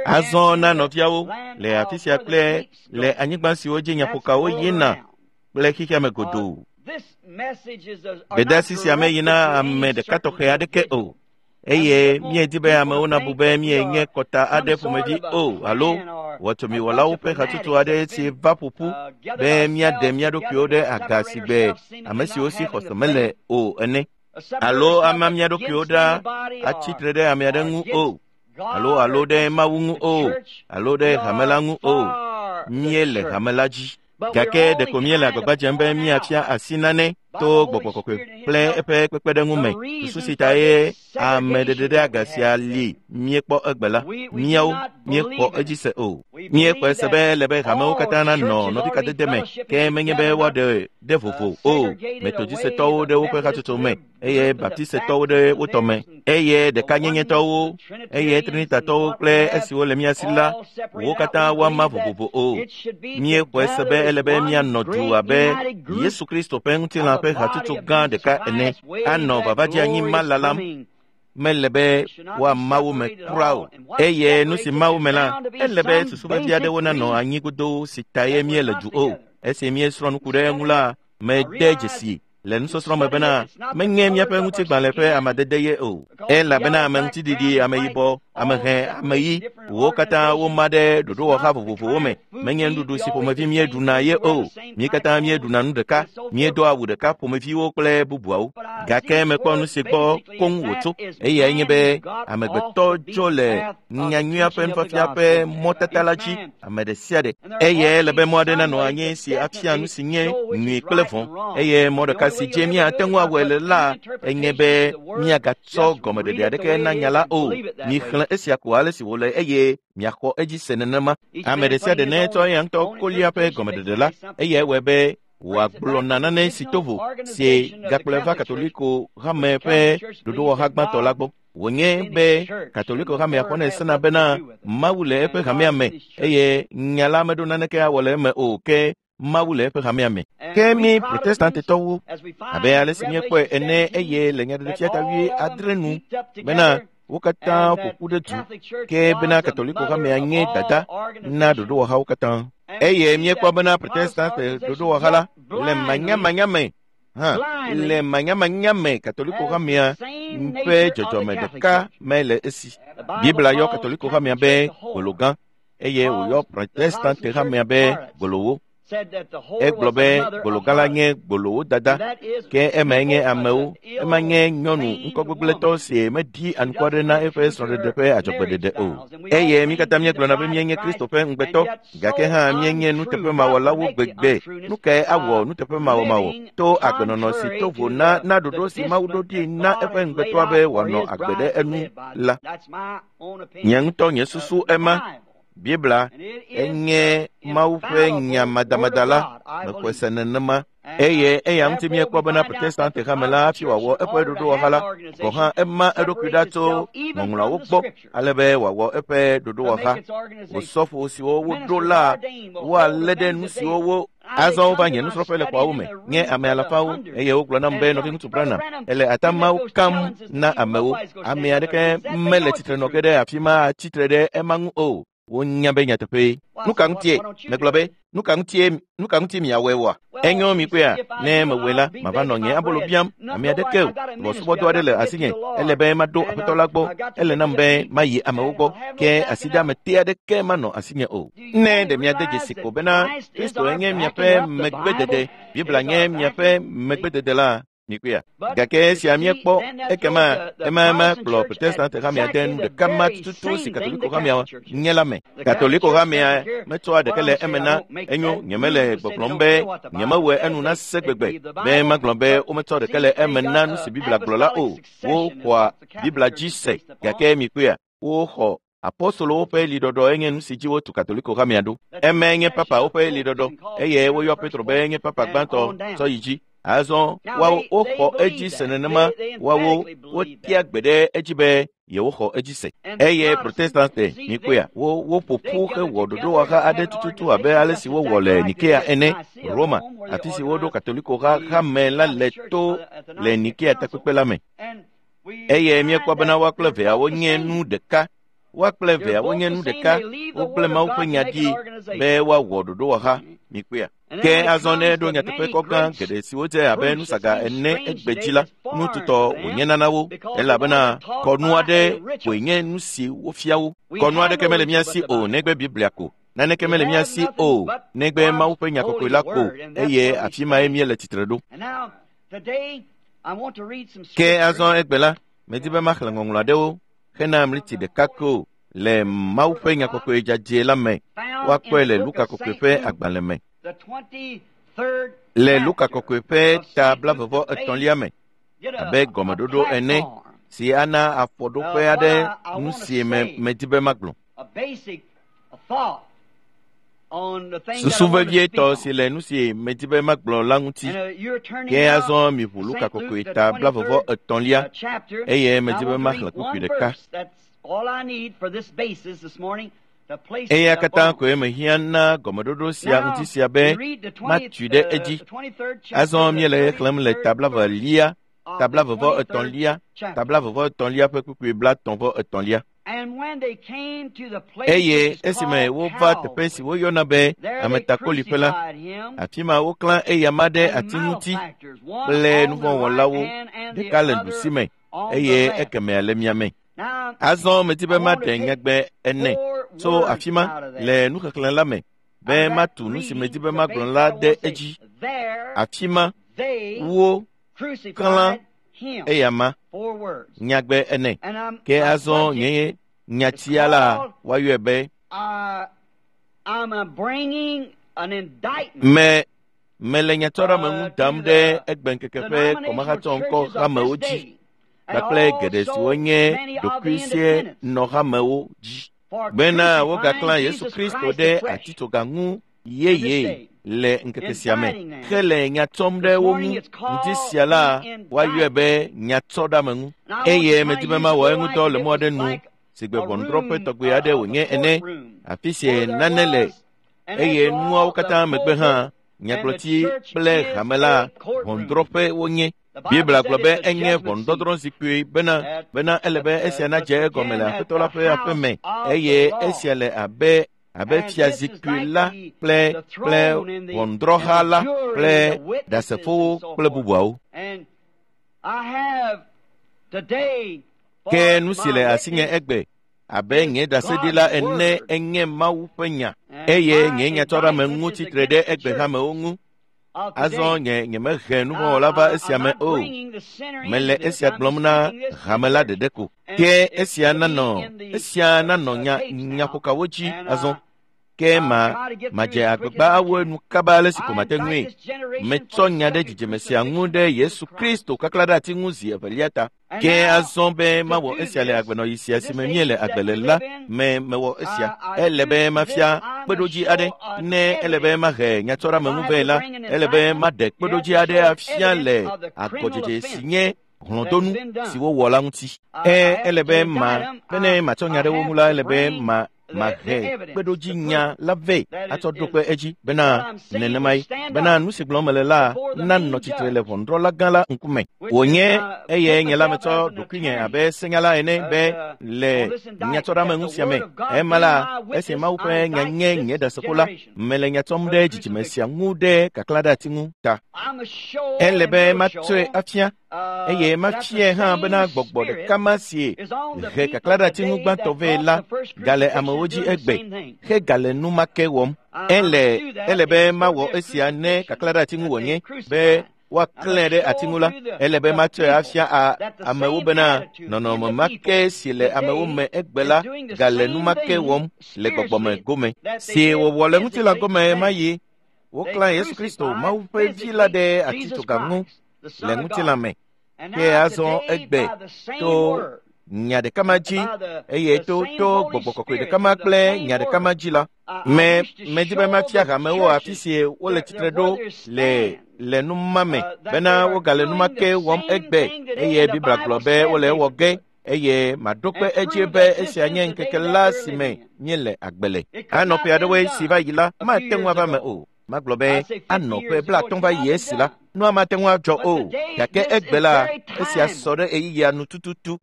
Azɔ na nɔviawo le afi sia kple le anyigba siwo dzi nyaƒokawo yina kple xexea me godoo. Gbedeasi sia meyina ame ɖeka tɔxɛ aɖeke o. Eye míedi be amewo nabu be míenye kɔta aɖe ƒomevi o alo wɔtomiwɔlawo ƒe hatsotso aɖe si va ƒoƒu be míaɖe mía ɖokuiwo ɖe aga si gbe ame siwo si xɔse mele o ene, alo ama mía ɖokuiwo ɖa atsitre ɖe ame aɖe ŋu o, alo alo ɖe Mawu ŋu o, alo ɖe hame la ŋu o. Míele hame la dzi. Gake ɖeko míele agbagba dzem be míafia asi nane to gbɔgbɔ kɔkɔe kple eƒe kpekpeɖeŋu me. Susu si ta ye ameɖeɖe ɖe aga sia li míekpɔ egbe la, míawo míexɔ edzi se o. Míexɔe se be ele be hamewo katã nanɔ nɔvikadede me, ke menye be woaɖe ɖe vovo o. Metodisetɔwo ɖe woƒe hatsotso me, eye baptisetɔwo ɖe wo tɔ me, eye ɖekanyenyetɔwo, eye trinitatɔwo kple esiwo le mía si la, wo katã woama vovovo o. Míexɔe se be ele be míanɔ du abe Yesu Kristo ƒe ŋutilã ƒe hatsotso gã ɖeka ene, anɔ vavadzi ma lalam. Mele be woama wo me kura o. Eye nu si ma wo me la, ele be susu vevi aɖewo nanɔ anyi godoo si ta ye míele du o. Esi míesrɔ̃ nu ku ɖe eŋu la, mede dzesi le nusɔsrɔ̃ me bena menye míaƒe ŋutigbalẽ ƒe amadede ye o. Elabena ame ŋutiɖiɖi, ame yibɔ, ame hẽ, ame ɣi, wo katã woma ɖe ɖoɖowɔha vovovowo me. Menye nuɖuɖu si ƒomevi míeɖuna ye o. Mí katã míeɖuna nu ɖeka, míedoa awu ɖeka ƒomeviwo kple bubuawo. Gake mekpɔ nu si gbɔ koŋ wòtso. Eyae nye be amegbetɔ dzo le nyanyuia ƒe nufiafia ƒe mɔtata la dzi ame ɖe sia ɖe. Eye ele be mɔ aɖe nanɔ anyi si afia nu si nye nyui kple vɔ̃. Eye mɔ ɖeka si dzi míate ŋu awɔe le la enye be míagatsɔ gɔmeɖeɖe aɖeke na nya la o. Mixlẽ esia ko ale si wòle eye miaxɔ edzi se nenema. Ame ɖe sia ɖe netsɔ eya ŋutɔ kolia ƒe gɔmeɖeɖe la, eyae wɔe be wòagblɔna nane si to vo si gakplɔe va Katoliko hame ƒe ɖoɖowɔha gbãtɔ la gbɔ. Wònye be Katoliko hamea xɔnɛ sena bena Mawu le eƒe hamea me eye nya la meɖo naneke awɔ le eme o, ke Mawu le eƒe hamea me. Ke mí Protestantetɔwo, abe ale si míekpɔe ene eye le nyaɖeɖefia ta 8 nu bena wo katã ƒo ƒu ɖe du, ke bena Katoliko hamea nye dada na ɖoɖowɔhawo katã. Eye míekpɔ bena Protestante ɖoɖowɔha la le manyamanya me hã le manyamanya me Katoliko hamea ƒe dzɔdzɔme ɖeka me le esi. Biblia yɔ Katoliko hamea be gbologã eye wòyɔ Protestante hamea be gbolowo. Egblɔ be gbologã la nye gbolowo dada, ke emae nye amewo, ema nye nyɔnu ŋkɔgbegblẽtɔ si meɖi anukware na eƒe srɔ̃ɖeɖe ƒe adzɔgbeɖeɖe o. Eye mí katã míegblɔna be míenye Kristo ƒe ŋugbetɔ, gake hã míenye nuteƒemawɔlawo gbegbe. Nu kae awɔ nuteƒemawɔmawɔ to agbenɔnɔ si to vo na na ɖoɖo si Mawu ɖo ɖi na eƒe ŋugbetɔa be wòanɔ agbe ɖe enu la? Nye ŋutɔ nye susu ema. Biblia enye Mawu ƒe nya madamada la, mexɔe se nenema. Eye eya ŋuti míekpɔ bena Protestante hame la hafi wòawɔ eƒe ɖoɖowɔha la, gɔ̃ hã ema eɖokui ɖa tso ŋɔŋlɔawo gbɔ ale be wòawɔ eƒe ɖoɖowɔha. Osɔfo siwo woɖo la woalé ɖe nu siwo wo azɔ wova nye nusrɔ̃ƒe le xɔawo me, nye ame alafawo, eye wogblɔ nam be nɔviŋutsu Branham ele atamawo kam na amewo. Ame aɖeke mele tsitre nɔ ge ɖe afi ma atsitre ɖe ema ŋu o. Wonya be nyateƒee. Nu ka ŋutie? Megblɔ be, nu ka ŋuti miawɔe oa? Enyo mi kpɔea, ne mewɔe la, mava nɔ nye abolo biam ame aɖeke o. Subɔsubɔdɔ aɖe le asinye, ele be maɖo aƒetɔ la gbɔ, ele nam be mayi amewo gbɔ, ke asiɖeamete aɖeke manɔ asinye o. Ne ɖe miade dzesi ko bena Kristo enye miaƒe megbedede, Biblia nye miaƒe megbedede la, Mikpɔea? Gake esia míekpɔ ekema ema kplɔ Protestant hamea de nu ɖeka ma tututu si Katoliko hamea nye la me. Katoliko hamea metsɔa ɖeke le eme na enyo nyemele gbɔgblɔm be nyemewɔe enu na se gbegbe be magblɔ be wometsɔ ɖeke le eme na nu si Biblia gblɔ la o. Woxɔa Biblia dzi se gake mikpɔea woxɔ apostolowo ƒe liɖɔɖɔ enye nu si dzi wotu Katoliko hamea ɖo. Emae nye papawo ƒe liɖɔɖɔ eye woyɔ Petro be enye papa gbãtɔ tsɔ yi dzi. Azɔ woawo woxɔ edzi se nenema woawo wotia gbe ɖe edzi be yewoxɔ edzi se. Eye Protestante mikpɔea wo woƒo ƒu hewɔ ɖoɖowɔha aɖe tututu abe ale si wowɔ le Nikea ene, Roma, afi si woɖo Katoliko ha hame la le to le Nikea takpekpe la me. Eye míekpɔ bena woa kple veawo nye nu ɖeka. Woa kple veawo nye nu ɖeka. Wogblẽ Mawu ƒe nya ɖi be woawɔ ɖoɖowɔha. Mikpɔea? Ke azɔ ne eɖo nyateƒe kɔ gã geɖe siwo dze abe nusaga ene egbe dzi la, nututɔ wònyena na wo elabena kɔnu aɖe koe nye nu si wofia wo. Kɔnu aɖeke mele mía si o negbe Biblia ko. Naneke mele mía si o negbe Mawu ƒe nya kɔkɔe la ko eye afi mae míele tsitre ɖo. Ke azɔ egbe la, medi be maxlẽ ŋɔŋlɔ aɖewo hena mliti ɖeka ko le Mawu ƒe nya kɔkɔe dzadzɛ la me. Woakpɔe le Luka kɔkɔe ƒe agbalẽ me. Le Luka kɔkɔe ƒe ta 23 me abe gɔmeɖoɖo ene si ana afɔɖoƒe aɖe nu si me medi be magblɔ. Susu vevietɔ si le nu si medi be magblɔ la ŋuti. Ke azɔ miʋu Luka kɔkɔe ta 23 eye medi be maxlẽ kpukpui ɖeka. Eya katã koe mehiã na gɔmeɖoɖo sia ŋuti sia be matui ɖe edzi. Azɔ míele xlẽm le ta 22, ta 23, ta 23 ƒe kpukpui 33. Eye esime wova teƒe si woyɔna be ametakoliƒe la, afi ma woklã eyama ɖe ati ŋuti kple nuvɔ̃wɔlawo, ɖeka le ɖusime eye ekemɛa le miame. Azɔ medi be maɖe nyagbe ene tso afi ma le nuxexlẽ la me be matu nu si medi be magblɔ la ɖe edzi. Afi ma wo klã eyama nyagbe ene. Ke azɔ nye nyatia la woayɔe be me mele nyatsɔɖeameŋu dam ɖe egbeŋkeke ƒe kɔmahatsɔŋkɔ hamewo dzi kpakple geɖe siwo nye ɖokuisienɔhamewo dzi bena wogaklã Yesu Kristo ɖe atitsoga ŋu yeye le ŋkeke sia me hele nya tsɔm ɖe wo ŋu. Ŋdi sia la woayɔe be nyatsɔɖeameŋu eye medi be mawɔ eŋudɔ le mɔ aɖe nu si gbe ʋɔnudrɔ̃ƒe tɔgbe aɖe wònye ene, afi si nane le eye nuawo katã megbe hã nyagblɔti kple hame la ʋɔnudrɔ̃ƒe wonye. Biblia gblɔ be enye ʋɔnudɔdrɔ̃ zikpui bena ele be esia nadze egɔme le Aƒetɔ la ƒe aƒe me eye esia le abe fiazikpui la kple ʋɔnudrɔ̃ha la kple ɖasefowo kple bubuawo. Ke nu si le asinye egbe abe nye ɖaseɖila ene enye Mawu ƒe nya eye nye nyatsɔɖeameŋu tsitre ɖe egbe hamewo ŋu. Azɔ nye nyemehe nuvɔ̃wɔla va esia me o. Mele esia gblɔm na hame la ɖeɖe ko. Ke esia nanɔ nyaƒokawo dzi azɔ. Ke madze agbagba awɔ enu kaba ale si ko mate ŋui. Metsɔ nya ɖe dzidzime sia ŋu ɖe Yesu Kristo kakla ɖe ati ŋu zi evelia ta. Ke azɔ be mawɔ esia le agbenɔɣi sia si me míele agbe le la me mewɔ esia. Ele be mafia kpeɖodzi aɖe. Ne ele be mahe nyatsɔɖeameŋu vɛ la, ele be maɖe kpeɖodzi aɖe afia le agɔdzedze si nye hlɔ̃donu si wowɔ la ŋuti. Ele be bene matsɔ nya ɖe wo ŋu la, ele be mahe kpeɖodzi nya la vɛ atsɔ ɖo kpe edzi bena nenemae bena nu si gblɔm mele la nanɔ tsitre le ʋɔnudrɔ̃la gã la ŋkume. Wònye eye nye la metsɔ ɖokuinye abe senyala ene be le nyatsɔɖeameŋu sia me. Ema la esi Mawu ƒe nya nye nye ɖasefo la, mele nya tsɔm ɖe dzidzime sia ŋu ɖe kaklã ɖe ati ŋu ta. Ele be matsɔe afia eye mafiae hã bena gbɔgbɔ ɖeka ma si he kaklã ɖe ati ŋu gbãtɔ vɛ la gale amewo dzi egbe hegale nu ma ke wɔm. Ele be mawɔ esia ne kaklã ɖe ati ŋu wònye be woaklẽ ɖe ati ŋu la, ele be matsɔe afia amewo bena nɔnɔme ma ke si le amewo me egbe la gale nu ma ke wɔm le gbɔgbɔme gome. Si wòwɔ le ŋutilã gome ma yi, woklã Yesu Kristo, Mawu ƒe Vi la ɖe atitsoga ŋu le ŋutilã me. Ke azɔ egbe to nya ɖeka ma dzi eye to gbɔgbɔ kɔkɔe ɖeka ma kple nya ɖeka ma dzi la, me medi be mafia hamewo afi si wole tsitre ɖo le nu ma me bena wogale nu ma ke wɔm egbe eye Biblia gblɔ be wole ewɔ ge eye maɖo kpe edzi be esia nye ŋkeke la si me míele agbe le. Anɔ ƒe aɖewoe si va yi la, mate ŋu ava me o. Magblɔ be anɔ ƒe 50 va yi esi la, nua mate ŋu adzɔ o. Gake egbe la, esia sɔ ɖe ɣeyiɣia nu tututu.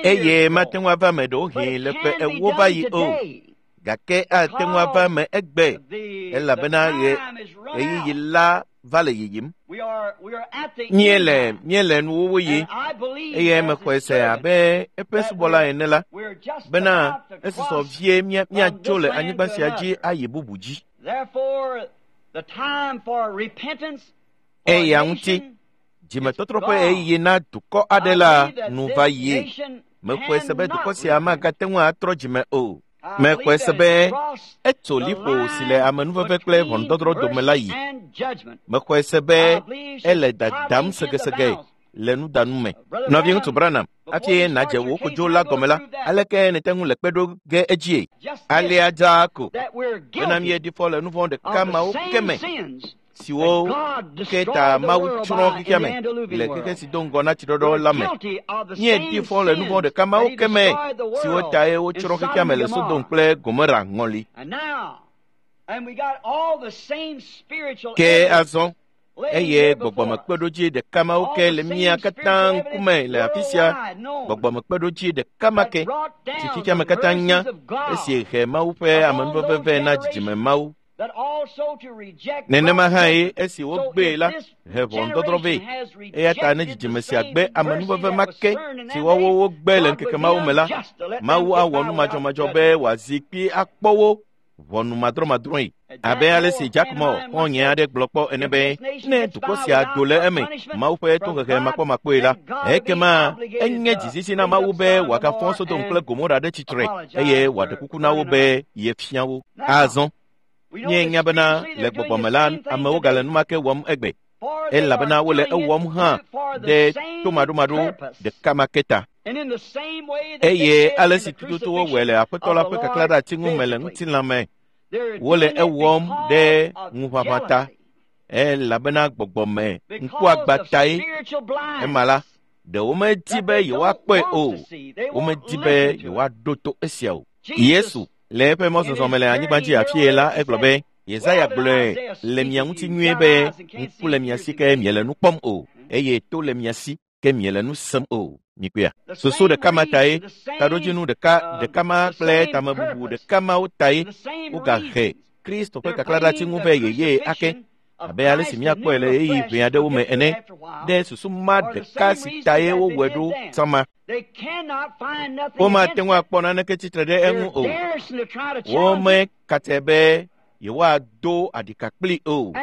Eye mate ŋu ava me ɖewohĩ le ƒe 40 va yi o. Gake ate ŋu ava me egbe, elabena ɣeyiɣi la va le yiyim. Míele nuwuwu yi, eye mexɔe se abe eƒe subɔla ene la, bena esusɔ vie míatso le anyigba sia dzi ayi bubu dzi. Eya ŋuti, dzimetɔtrɔ ƒe ɣeyiɣi na dukɔ aɖe la nu va yie. Mexɔe se be dukɔ sia magate ŋu atrɔ dzime o. Mexɔe se be etso liƒo si le amenuveve kple ʋɔnudɔdrɔ̃ dome la yi. Mexɔe se be ele dadam segesege le nudanu me. Nɔviŋutsu Branham, hafi nàdze wò kodzo la gɔme la, aleke nète ŋu le kpe ɖo ge edzie? Alea dzaa ko bena míeɖi fɔ le nu vɔ̃ ɖeka mawo ke me siwo ke ta Mawu tsrɔ̃ xexea me le xexe si do ŋgɔ na tsiɖɔɖɔ la me. Míeɖi fɔ le nu vɔ̃ ɖeka mawo ke me siwo tae wotsrɔ̃ xexea me le Sodom kple Gomora ŋɔli. Ke azɔ eye gbɔgbɔmekpeɖodzi ɖeka mawo ke le mía katã ŋkume le afi sia, gbɔgbɔmekpeɖodzi ɖeka ma ke si xexea me katã nya esi he Mawu ƒe amenuveve vɛ na dzidzime Mawu. Nenema hãe esi wogbee la he ʋɔnudɔdrɔ̃ vɛ. Eya ta ne dzidzime sia gbe amenuveve ma ke si woawo wogbe le ŋkeke mawo me la, Mawu awɔ nu madzɔmadzɔ be wòazi kpi akpɔ wo ʋɔnu madrɔmadrɔ̃e. Abe ale si Jack Moore xɔ̃nye aɖe gblɔ kpɔ ene be, ne dukɔ sia do le eme Mawu ƒe tohehe makpɔmakpɔe la, ekema enye dzizisi na Mawu be wòagafɔ Sodom kple Gomora ɖe tsitre eye wòaɖe kuku na wo be yefia wo. Azɔ míenya bena le gbɔgbɔme la amewo gale nu ma ke wɔm egbe, elabena wole ewɔm hã ɖe tomaɖomaɖo ɖeka ma ke ta. Eye ale si tututu wowɔe le Aƒetɔ la ƒe kaklã ɖe ati ŋu me le ŋutilã me, wole ewɔm ɖe ŋuʋaʋã ta, elabena gbɔgbɔme ŋkuagbã tae. Ema la, ɖe womedi be yewoakpɔe o, womedi be yewoaɖo to esia o. Yesu le eƒe mɔzɔzɔ me le anyigba dzi afie la, egblɔ be, Yesaya gblɔe le mia ŋuti nyuie be ŋku le mia si ke miele nu kpɔm o, eye to le mia si ke miele nu sem o. Mikpɔea? Susu ɖeka ma tae, taɖodzinu ɖeka ma kple tamebubu ɖeka mawo tae wogahe Kristo ƒe kaklã ɖe ati ŋu vɛ yeye ake, abe ale si míakpɔe le ɣeyiɣi ʋɛ aɖewo me ene, ɖe susu ma ɖeka si tae wowɔe ɖo tsã ma. Womate ŋu akpɔ naneke tsitre ɖe eŋu o. Womekatɛ be yewoado aɖika kpli o.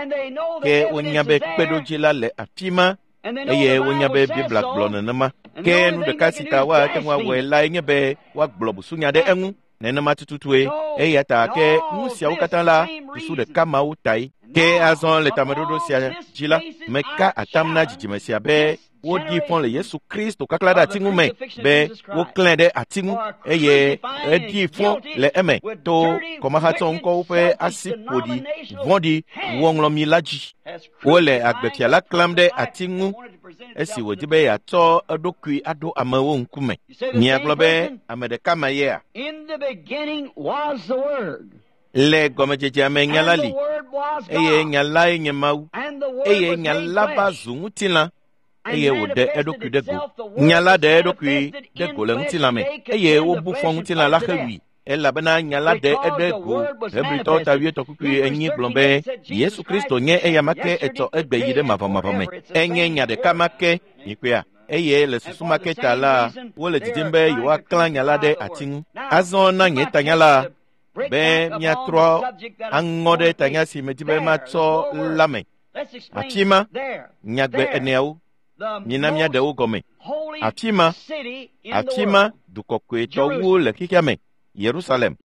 Ke wonya be kpeɖodzi la le afi ma eye wonya be Biblia gblɔ nenema. Ke nu ɖeka si ta woate ŋu awɔe lae nye be woagblɔ busunya ɖe eŋu. Nenema tututue. Eya ta ke nu siawo katã la susu ɖeka mawo tae. Ke azɔ le tameɖoɖo sia dzi la, meka atam na dzidzime sia be woɖi fɔ le Yesu Kristo kaklã ɖe ati ŋu me be woklãe ɖe ati ŋu eye eɖi fɔ le eme to kɔmahatsɔ ŋkɔwo ƒe asi ƒoɖi vɔ̃ɖi wɔŋlɔmi la dzi. Wole agbefia la klãm ɖe ati ŋu esi wòdi be yeatsɔ eɖokui aɖo amewo ŋkume. Miagblɔ be ame ɖeka ma yea? Le gɔmedzedzea me nya la li, eye nya lae nye Mawu, eye nya la va zu ŋutilã eye wòɖe eɖokui ɖe go. Nya la ɖe eɖokui ɖe go le ŋutilã me eye wobu fɔ ŋutilã la hewui, elabena nya la ɖe eɖe go. Hebritɔwo ta 8:4 gblɔ be Yesu Kristo nye eya ma ke etsɔ egbe yi ɖe mavɔmavɔ me. Enye nya ɖeka ma ke, mikpɔea? Eye le susu ma ke ta la, wole didim be yewoaklã nya la ɖe ati ŋu. Azɔ na nye tanya la be míatrɔ aŋɔ ɖe tanya si medi be matsɔ la me. Afi ma, nyagbe eneawo, mina míaɖe wo gɔme. Afi ma, afi ma du kɔkɔetɔwo le xexea me, Yerusalem.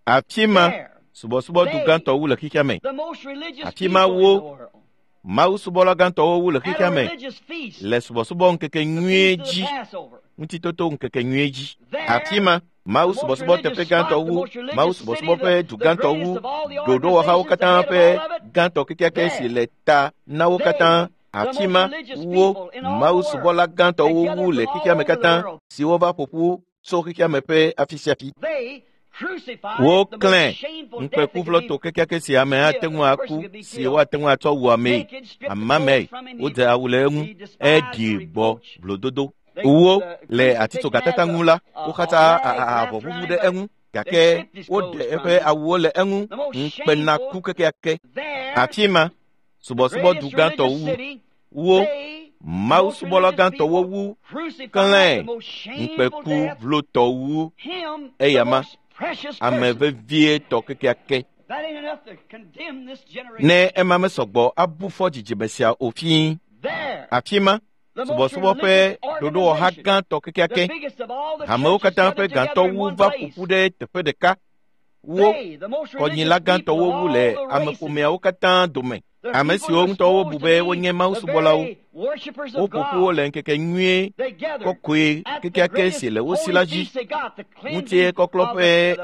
Afi ma, subɔsubɔdu gãtɔ wu le xexea me. Afi ma wo Mawu subɔla gãtɔwo wu le xexea me le subɔsubɔ ŋkeke nyuie dzi, ŋutitoto ŋkeke nyuie dzi. Afi ma, Mawu subɔsubɔ teƒe gãtɔ wu, Mawu subɔsubɔ ƒe du gãtɔ wu, ɖoɖowɔhawo katã ƒe gãtɔ kekeake si le ta na wo katã. Afi ma wo Mawu subɔla gãtɔwo wu le xexea me katã siwo va ƒo ƒu tso xexea me ƒe afi sia afi. Woklẽ ŋukpekuvlɔto kekeake si ame ate ŋu aku si woate ŋu atsɔ wu amee. Amamee wodze awu le eŋu eɖi gbɔ vlododo. Wo le atitsogatata ŋu la, woxatsa avɔ ʋuʋu ɖe eŋu gake woɖe eƒe awuwo le eŋu ŋukpenaku kekeake. Afi ma, subɔsubɔdu gãtɔ wu wo Mawu subɔla gãtɔwo wu klẽ ŋukpeku vlotɔ wu eyama ame vevietɔ kekeake. Ne ema mesɔgbɔ abu fɔ dzidzime sia o fii. Afi ma, subɔsubɔ ƒe ɖoɖowɔha gãtɔ kekeake, hamewo katã ƒe gãtɔ wu va ƒo ƒu ɖe teƒe ɖeka. Wo kɔnyila gãtɔwo wu le ameƒomeawo katã dome. Ame siwo ŋutɔ wobu be wonye Mawu subɔlawo, woƒo ƒu wo le ŋkeke nyuie kɔkɔe kekeake si le wo si la dzi, ŋutikɔklɔ ƒe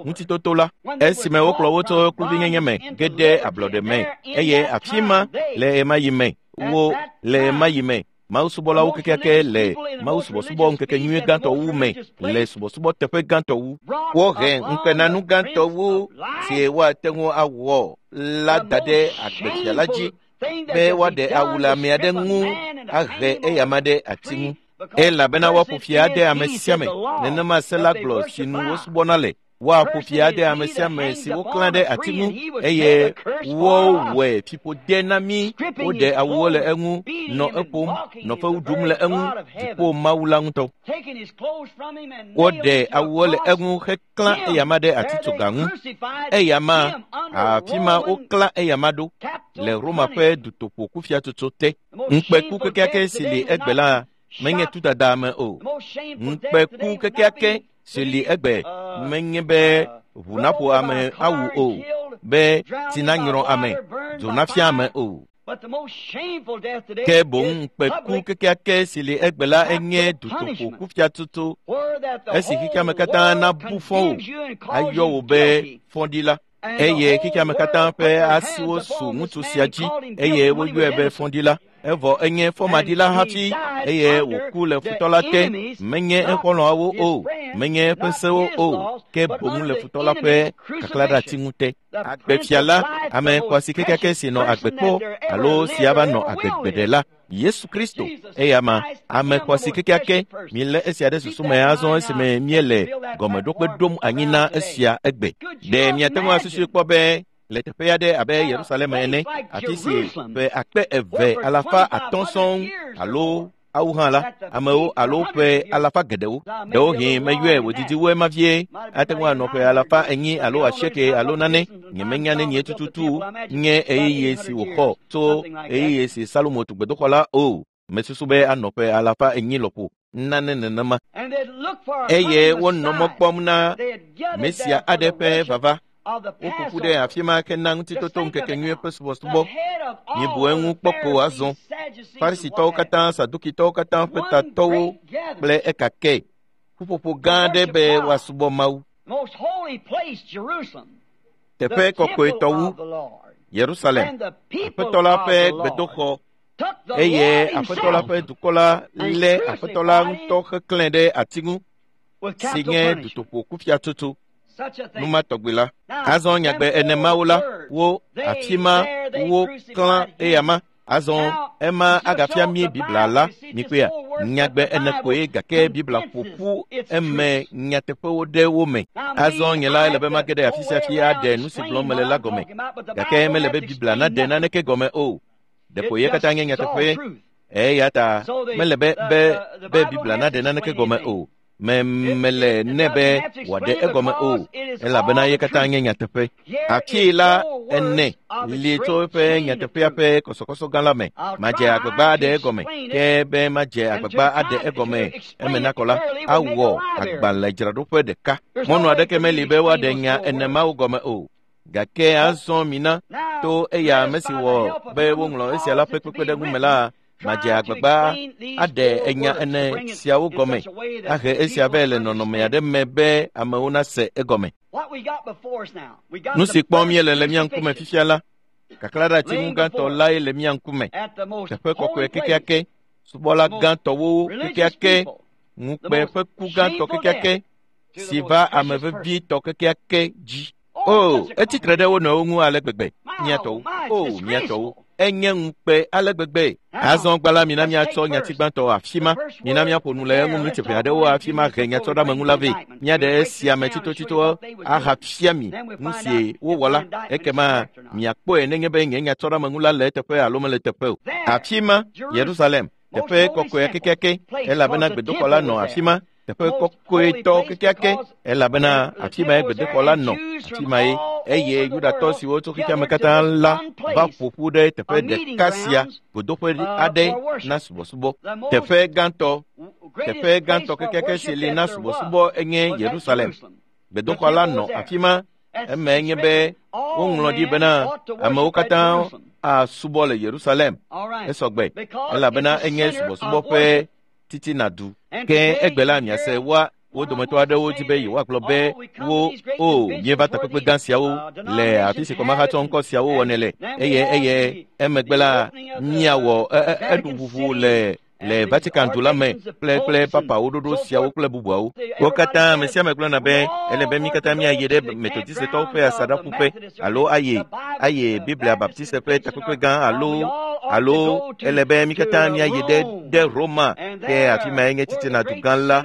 ŋutitoto la, esime wokplɔ wo tso kluvinyenye me ge ɖe ablɔɖe me, eye afi ma le ɣemaɣi me wo le ɣemaɣi me Mawu subɔlawo kekeake le Mawu subɔsubɔ ŋkeke nyuie gãtɔ wu me le subɔsubɔ teƒe gãtɔ wu. Wohe ŋukpenanu gãtɔ wu si woate ŋu awɔ la da ɖe agbefia la dzi be woaɖe awu le ame aɖe ŋu ahe eyama ɖe ati ŋu. Elabena woaƒo fi ade ame sia ame, nenema se la gblɔ si nu wosubɔna le. Woaƒo fi ade ame sia ame si woklã ɖe ati ŋu eye wowɔe fiƒode na mí. Woɖe awuwo le eŋu, nɔ eƒom, nɔ fewu ɖum le eŋu, dziƒo Mawu la ŋutɔ. Woɖe awuwo le eŋu heklã eyama ɖe atitsoga ŋu. Eyama, afi ma woklã eyama ɖo le Roma ƒe dutoƒo kufiatsotso te. Ŋukpeku kekeake si li egbe la menye tudada me o. Ŋukpeku kekeake si li egbe menye be ʋu naƒo ame awu o, be tsi nanyrɔ ame, dzo nafia ame o. Ke boŋ ŋukpeku kekeake si li egbe la enye dutoƒo kufiatsotso esi xexeame katã nabu fɔ wò, ayɔ wò be fɔɖila. Eye xexeame katã ƒe asiwo su ŋutsu sia dzi eye woyɔe be fɔɖila. Evɔ enye fɔmaɖila hafi eye wòku le futɔ la te. Menye exɔlɔ̃awo o, menye eƒe sewo o, ke boŋ le futɔ la ƒe kaklaɖeati ŋu te. Agbefia la, ame xɔasi kekeake si nɔ agbe kpɔ alo si ava nɔ agbe gbeɖe la, Yesu Kristo, eyama ame xɔasi kekeake. Milé esia ɖe susu me azɔ esime míele gɔmeɖokpe ɖom anyi na esia egbe. Ɖe miate ŋu asusui kpɔ be le teƒe aɖe abe Yerusalem ene, afi si ƒe 2500 sɔŋ alo awu hã la, amewo alo ƒe alafa geɖewo. Ɖewohĩ meyɔe wòdidi wu ema vie, ate ŋu anɔ ƒe 400 alo 8 alo nane. Nyemenya nenie tututu nye ɣeyiɣi si wòxɔ tso ɣeyiɣi si Salomo tu gbedoxɔ la o. Mesusu be anɔ ƒe 400 lɔƒo nane nenema. Eye wonɔ mɔ kpɔm na Mesia aɖe ƒe vava. Woƒo ƒu ɖe afi ma ke na ŋutitoto ŋkeke nyuie ƒe subɔsubɔ. Mibu eŋu kpɔ ko azɔ. Farisitɔwo katã, Sadukitɔwo katã ƒe tatɔwo kple ekake. Ƒuƒoƒo gã aɖe be woasubɔ Mawu. Teƒe kɔkɔetɔ wu, Yerusalem, Aƒetɔ la ƒe gbedoxɔ, eye Aƒetɔ la ƒe dukɔ la lé Aƒetɔ la ŋutɔ heklãe ɖe ati ŋu, si nye dutoƒo kufiatsotso. Numa tɔgbi la. Azɔ nyagbe ene mawo la, wo afi ma wo klã eyama. Azɔ ema agafia mí Biblia la, mikpɔea, nyagbe ene koe gake Biblia ƒo ƒu eme nyateƒewo ɖe wo me. Azɔ nye la ele be mage ɖe afi sia fi aɖe nu si gblɔm mele la gɔme, gake mele be Biblia naɖe naneke gɔme o. Ɖeko ye katã nye nyateƒe. Eya ta mele be be Biblia naɖe naneke gɔme o. Me mele nɛ be wòaɖe egɔme o, elabena ye katã nye nyateƒe. Afii la ene li tso eƒe nyateƒea ƒe kɔsɔkɔsɔ gã la me. Madze agbagba aɖe egɔme, ke be madze agbagba aɖe egɔme eme nakɔ la, awɔ agbalẽdzraɖoƒe ɖeka. Mɔnu aɖeke meli be woaɖe nya ene mawo gɔme o. Gake azɔ mina to eya ame si wɔ be woŋlɔ esia la ƒe kpekpeɖeŋu me la, madze agbagba aɖe enya ene siawo gɔme, ahe esia vɛ le nɔnɔme aɖe me be amewo nase egɔme. Nu si kpɔm míele le mía ŋkume fifia la, kaklaɖeatsiŋu gãtɔ lae le mía ŋkume. Teƒe kɔkɔe kekeake, subɔla gãtɔwo kekeake, ŋukpe ƒe ku gãtɔ kekeake si va ame vevitɔ kekeake dzi. O, etsi tre ɖe wo nɔewo ŋu ale gbegbe, mía tɔwo. O, mía tɔwo. Enye ŋukpe ale gbegbe. Azɔ gbã la, mina míatsɔ nyati gbãtɔ afi ma. Mina míaƒo nu le eŋu miniti ʋɛ aɖewo hafi mahe nyatsɔɖeameŋu la vɛ. Míaɖe esia me tsitotsito ahafia mi nu si wowɔ la. Ekema miakpɔe nenye be nye nyatsɔɖeameŋu la le eteƒe alo mele eteƒe o. Afi ma, Yerusalem, teƒe kɔkɔe kekeake, elabena gbedoxɔ la nɔ afi ma. Teƒe kɔkɔetɔ kekeake, elabena afi mae gbedoxɔ la nɔ, afi mae eye Yudatɔ siwo tso xexeame katã la va ƒo ƒu ɖe teƒe ɖeka sia, godoƒe aɖe na subɔsubɔ. Teƒe gãtɔ, teƒe gãtɔ kekeake si li na subɔsubɔ enye Yerusalem. Gbedoxɔ la nɔ afi ma. Eme nye be woŋlɔ ɖi bena amewo katã asubɔ le Yerusalem. Esɔgbe, elabena enye subɔsubɔ ƒe titina du. Ke egbe la miase woa wo dometɔ aɖewo dzi be yewoagblɔ be wo o míeva takpekpe gã siawo le afi si kɔmahatsɔ ŋkɔ siawo wɔnɛ le eye eye emegbe la míawɔ enuʋuʋu le le Vatican du la me kple kple papawo ɖoɖo siawo kple bubuawo. Wo katã ame sia ame gblɔna be ele be mí katã míayi ɖe Methodistetɔwo ƒe asaɖaƒuƒe alo ayi ayi Biblia Baptiste ƒe takpekpe gã alo alo ele be mí katã míayi ɖe ɖe Roma ke afi mae nye titina du gã la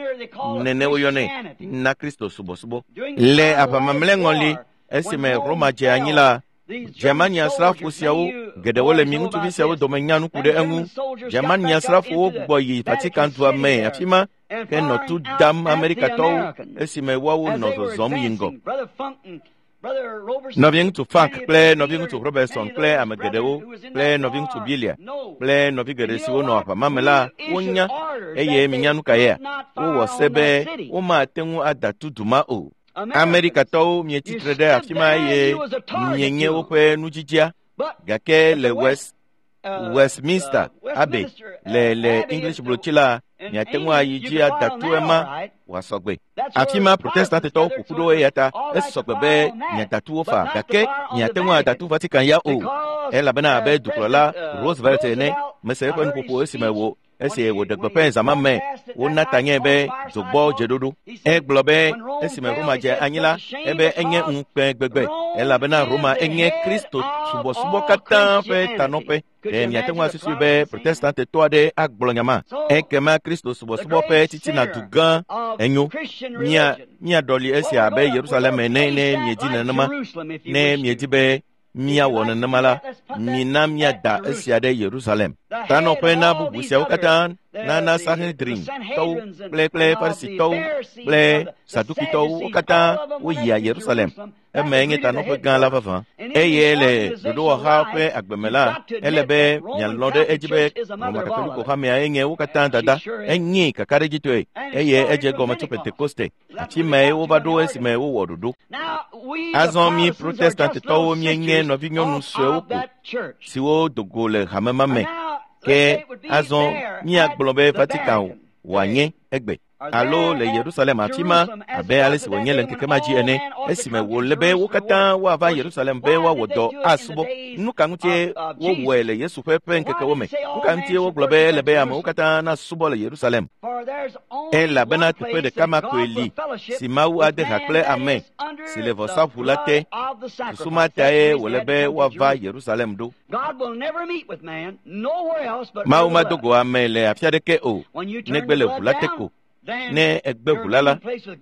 nene woyɔnɛ na Kristo subɔsubɔ. Le aʋamamlɛ ŋɔli esime Roma dze anyi la, Germania srafo siawo geɖewo le mi ŋutsuvi siawo dome nya nu ku ɖe eŋu. Germania srafowo gbugbɔ yi Vatican dua me afi ma ke nɔ tu dam Amerikatɔwo esime woawo nɔ zɔzɔm yi ŋgɔ. Nɔviŋutsu Funk kple nɔviŋutsu Robertson kple ame geɖewo kple nɔviŋutsu Bilia kple nɔvi geɖe siwo nɔ aʋa ma me la wonya eye minya nu ka yea? Wowɔ se be womate ŋu ada tu du ma o. Amerikatɔwo mietsi tre ɖe afi ma eye mienye woƒe nudzidzia gake le Westminster Abbey le le English blotsi la miate ŋu ayi dzi ada tu ema wòasɔgbe. Afi ma Protestantetɔwo ƒo ƒu ɖo eya ta esɔgbe be miada tu wo faa gake miate ŋu ada tu Vatican ya o elabena abe dukplɔla Roosevelt ene mese eƒe nuƒoƒo esime wo esi wòɖe gbeƒã zã ma me wona ta nɛ be dzogbɔ dzeɖoɖo. Egblɔ be esime Roma dze anyi la, ebe enye ŋukpe gbegbe elabena Roma enye Kristo subɔsubɔ katã ƒe tanɔƒe. Ɖe miate ŋu asusui be Protestantetɔ aɖe agblɔ nya ma? Ekema Kristo subɔsubɔ ƒe titina du gã enyo. Mía míaɖɔli esia abe Yerusalem ene ne miedi nenema. Ne miedi be míawɔ nenema la, mina míada esia ɖe Yerusalem. Tanɔƒe na bubu siawo katã nana Sanhedrin tɔwo kple kple Farisitɔwo kple Sadukitɔwo wo katã woyia Yerusalem. Eme nye tanɔƒe gã la vavã. Eye le ɖoɖowɔha ƒe agbeme la, ele be mialɔ̃ ɖe edzi be Roma Katoliko hamea enye wo katã dada. Enye kakaɖedzitɔe eye edze gɔme tso Pentekoste. Afi mae wova ɖo esime wowɔ ɖoɖo. Azɔ mí Protestantetɔwo míenye nɔvinyɔnu suewo ko siwo do go le hame ma me. Ke azɔ míagblɔ be Vatican wòanye egbe alo le Yerusalem afi ma abe ale si wònye le ŋkeke ma dzi ene esime wòle be wo katã woava Yerusalem be woawɔ dɔ asubɔ. Nu ka ŋutie wowɔe le Yesu ƒe ƒe ŋkekewo me? Nu ka ŋutie wogblɔ be ele be amewo katã nasubɔ le Yerusalem? Elabena teƒe ɖeka ma koe li si Mawu ade ha kple ame si le vɔsaʋu la te. Susu ma tae wòle be woava Yerusalem ɖo. Mawu mado go ame le afi aɖeke o negbe le ʋu la te ko. Ne ègbe ʋu la la,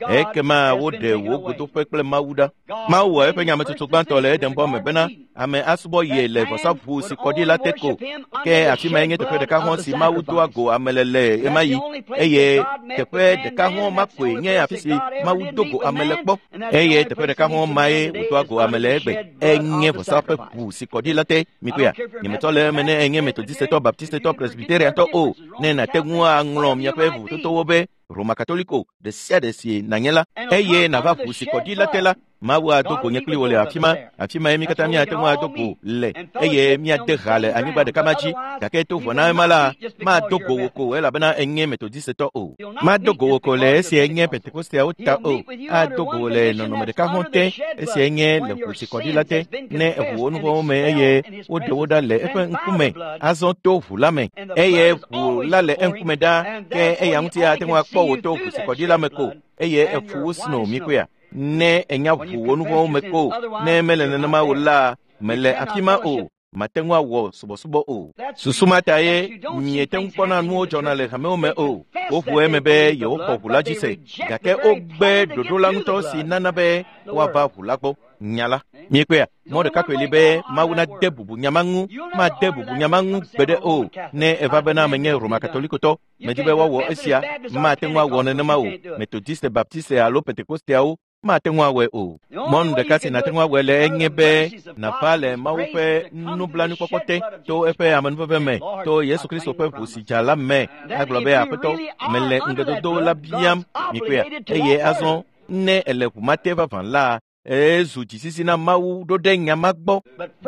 ekema woɖe wò godoƒe kple Mawu ɖa. Mawu wɔ eƒe nyametsotso gbãtɔ le Edenbɔ me bena ame asubɔ ye le vɔsaʋu si kɔ ɖi la te ko. Ke afi mae nye teƒe ɖeka hɔ̃ si Mawu doa go ame le le ɣemaɣi eye teƒe ɖeka hɔ̃ ma koe nye afi si Mawu do go ame le kpɔ eye teƒe ɖeka hɔ̃ mae wòdoa go ame le egbe. Enye vɔsa ƒe ʋu si kɔ ɖi la te. Mikpɔea? Nyemetɔ le eme ne enye Metodistetɔ, Baptistetɔ, Presbyteriantɔ o. Ne nàte ŋu aŋlɔ miaƒe vovototowo be Roma Katoliko ɖe sia ɖe si nànye la, eye nàva ʋu si kɔ ɖi la te la, Mawu ado go nye kpli wò le afi ma. Afi mae mí katã míate ŋu ado go le eye míade ha le anyigba ɖeka ma dzi. Gake to vɔ na ema la, mado go wò ko elabena enye Metodistetɔ o. Mado go wò ko le esi enye Pentekosteawo ta o. Ado go wò le nɔnɔme ɖeka hɔ̃ te, esi enye le ʋu si kɔ ɖi la te, ne eʋu wò nuvɔ̃wo me eye woɖe wo ɖa le eƒe ŋkume azɔ to ʋu la me. Eye ʋu la le eŋkume ɖaa, ke eya ŋuti ate ŋu akpɔ wò to ʋu si kɔ ɖi la me ko eye efu wo sno mikpɔea. Ne ènya ʋu wò nuvɔ̃wo me ko, ne mele nenema o la, mele afi ma o, mate ŋu awɔ subɔsubɔ o. Susu ma ta ye miete ŋu kpɔna nuwo dzɔna le hamewo me o. Woʋu eme be yewoxɔ ʋu la dzi se, gake wogbe ɖoɖo la ŋutɔ si nana be woava ʋu la gbɔ. Nya la. Miekpɔea? Mɔ ɖeka koe li be Mawu nade bubu nya ma ŋu, made bubu nya ma ŋu gbeɖe o. Ne eva bena menye Roma Katolikotɔ, medi be woawɔ esia, mate ŋu awɔ nenema o. Metodiste, Baptiste alo Pentekosteawo mate ŋu awɔe o. Mɔnu ɖeka si nàte ŋu awɔe le enye be nàva le Mawu ƒe nublanuikpɔkpɔ te to eƒe amenuveve me, to Yesu Kristo ƒe ʋu si dza la me, agblɔ be, Aƒetɔ, mele ŋugbedodo la biam, mikpɔea, eye azɔ ne èle ʋu ma te vavã la, ezu dzisisi na Mawu ɖo ɖe nya ma gbɔ.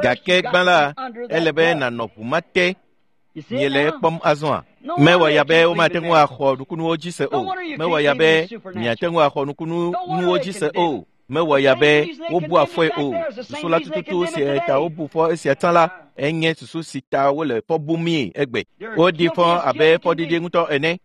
Gake gbã la, ele be nànɔ ʋu ma te. Miele ekpɔm azɔa? Mewɔ ya be womate ŋu axɔ nukunuwo dzi se o. Mewɔ ya be miate ŋu axɔ nukunuwo dzi se o. Mewɔ ya be wobua fɔe o. Susu la tututu si ta wobu fɔ esia tsã la, enye susu si ta wole fɔ bumii egbe. Woɖi fɔ abe fɔɖiɖi ŋutɔ ene,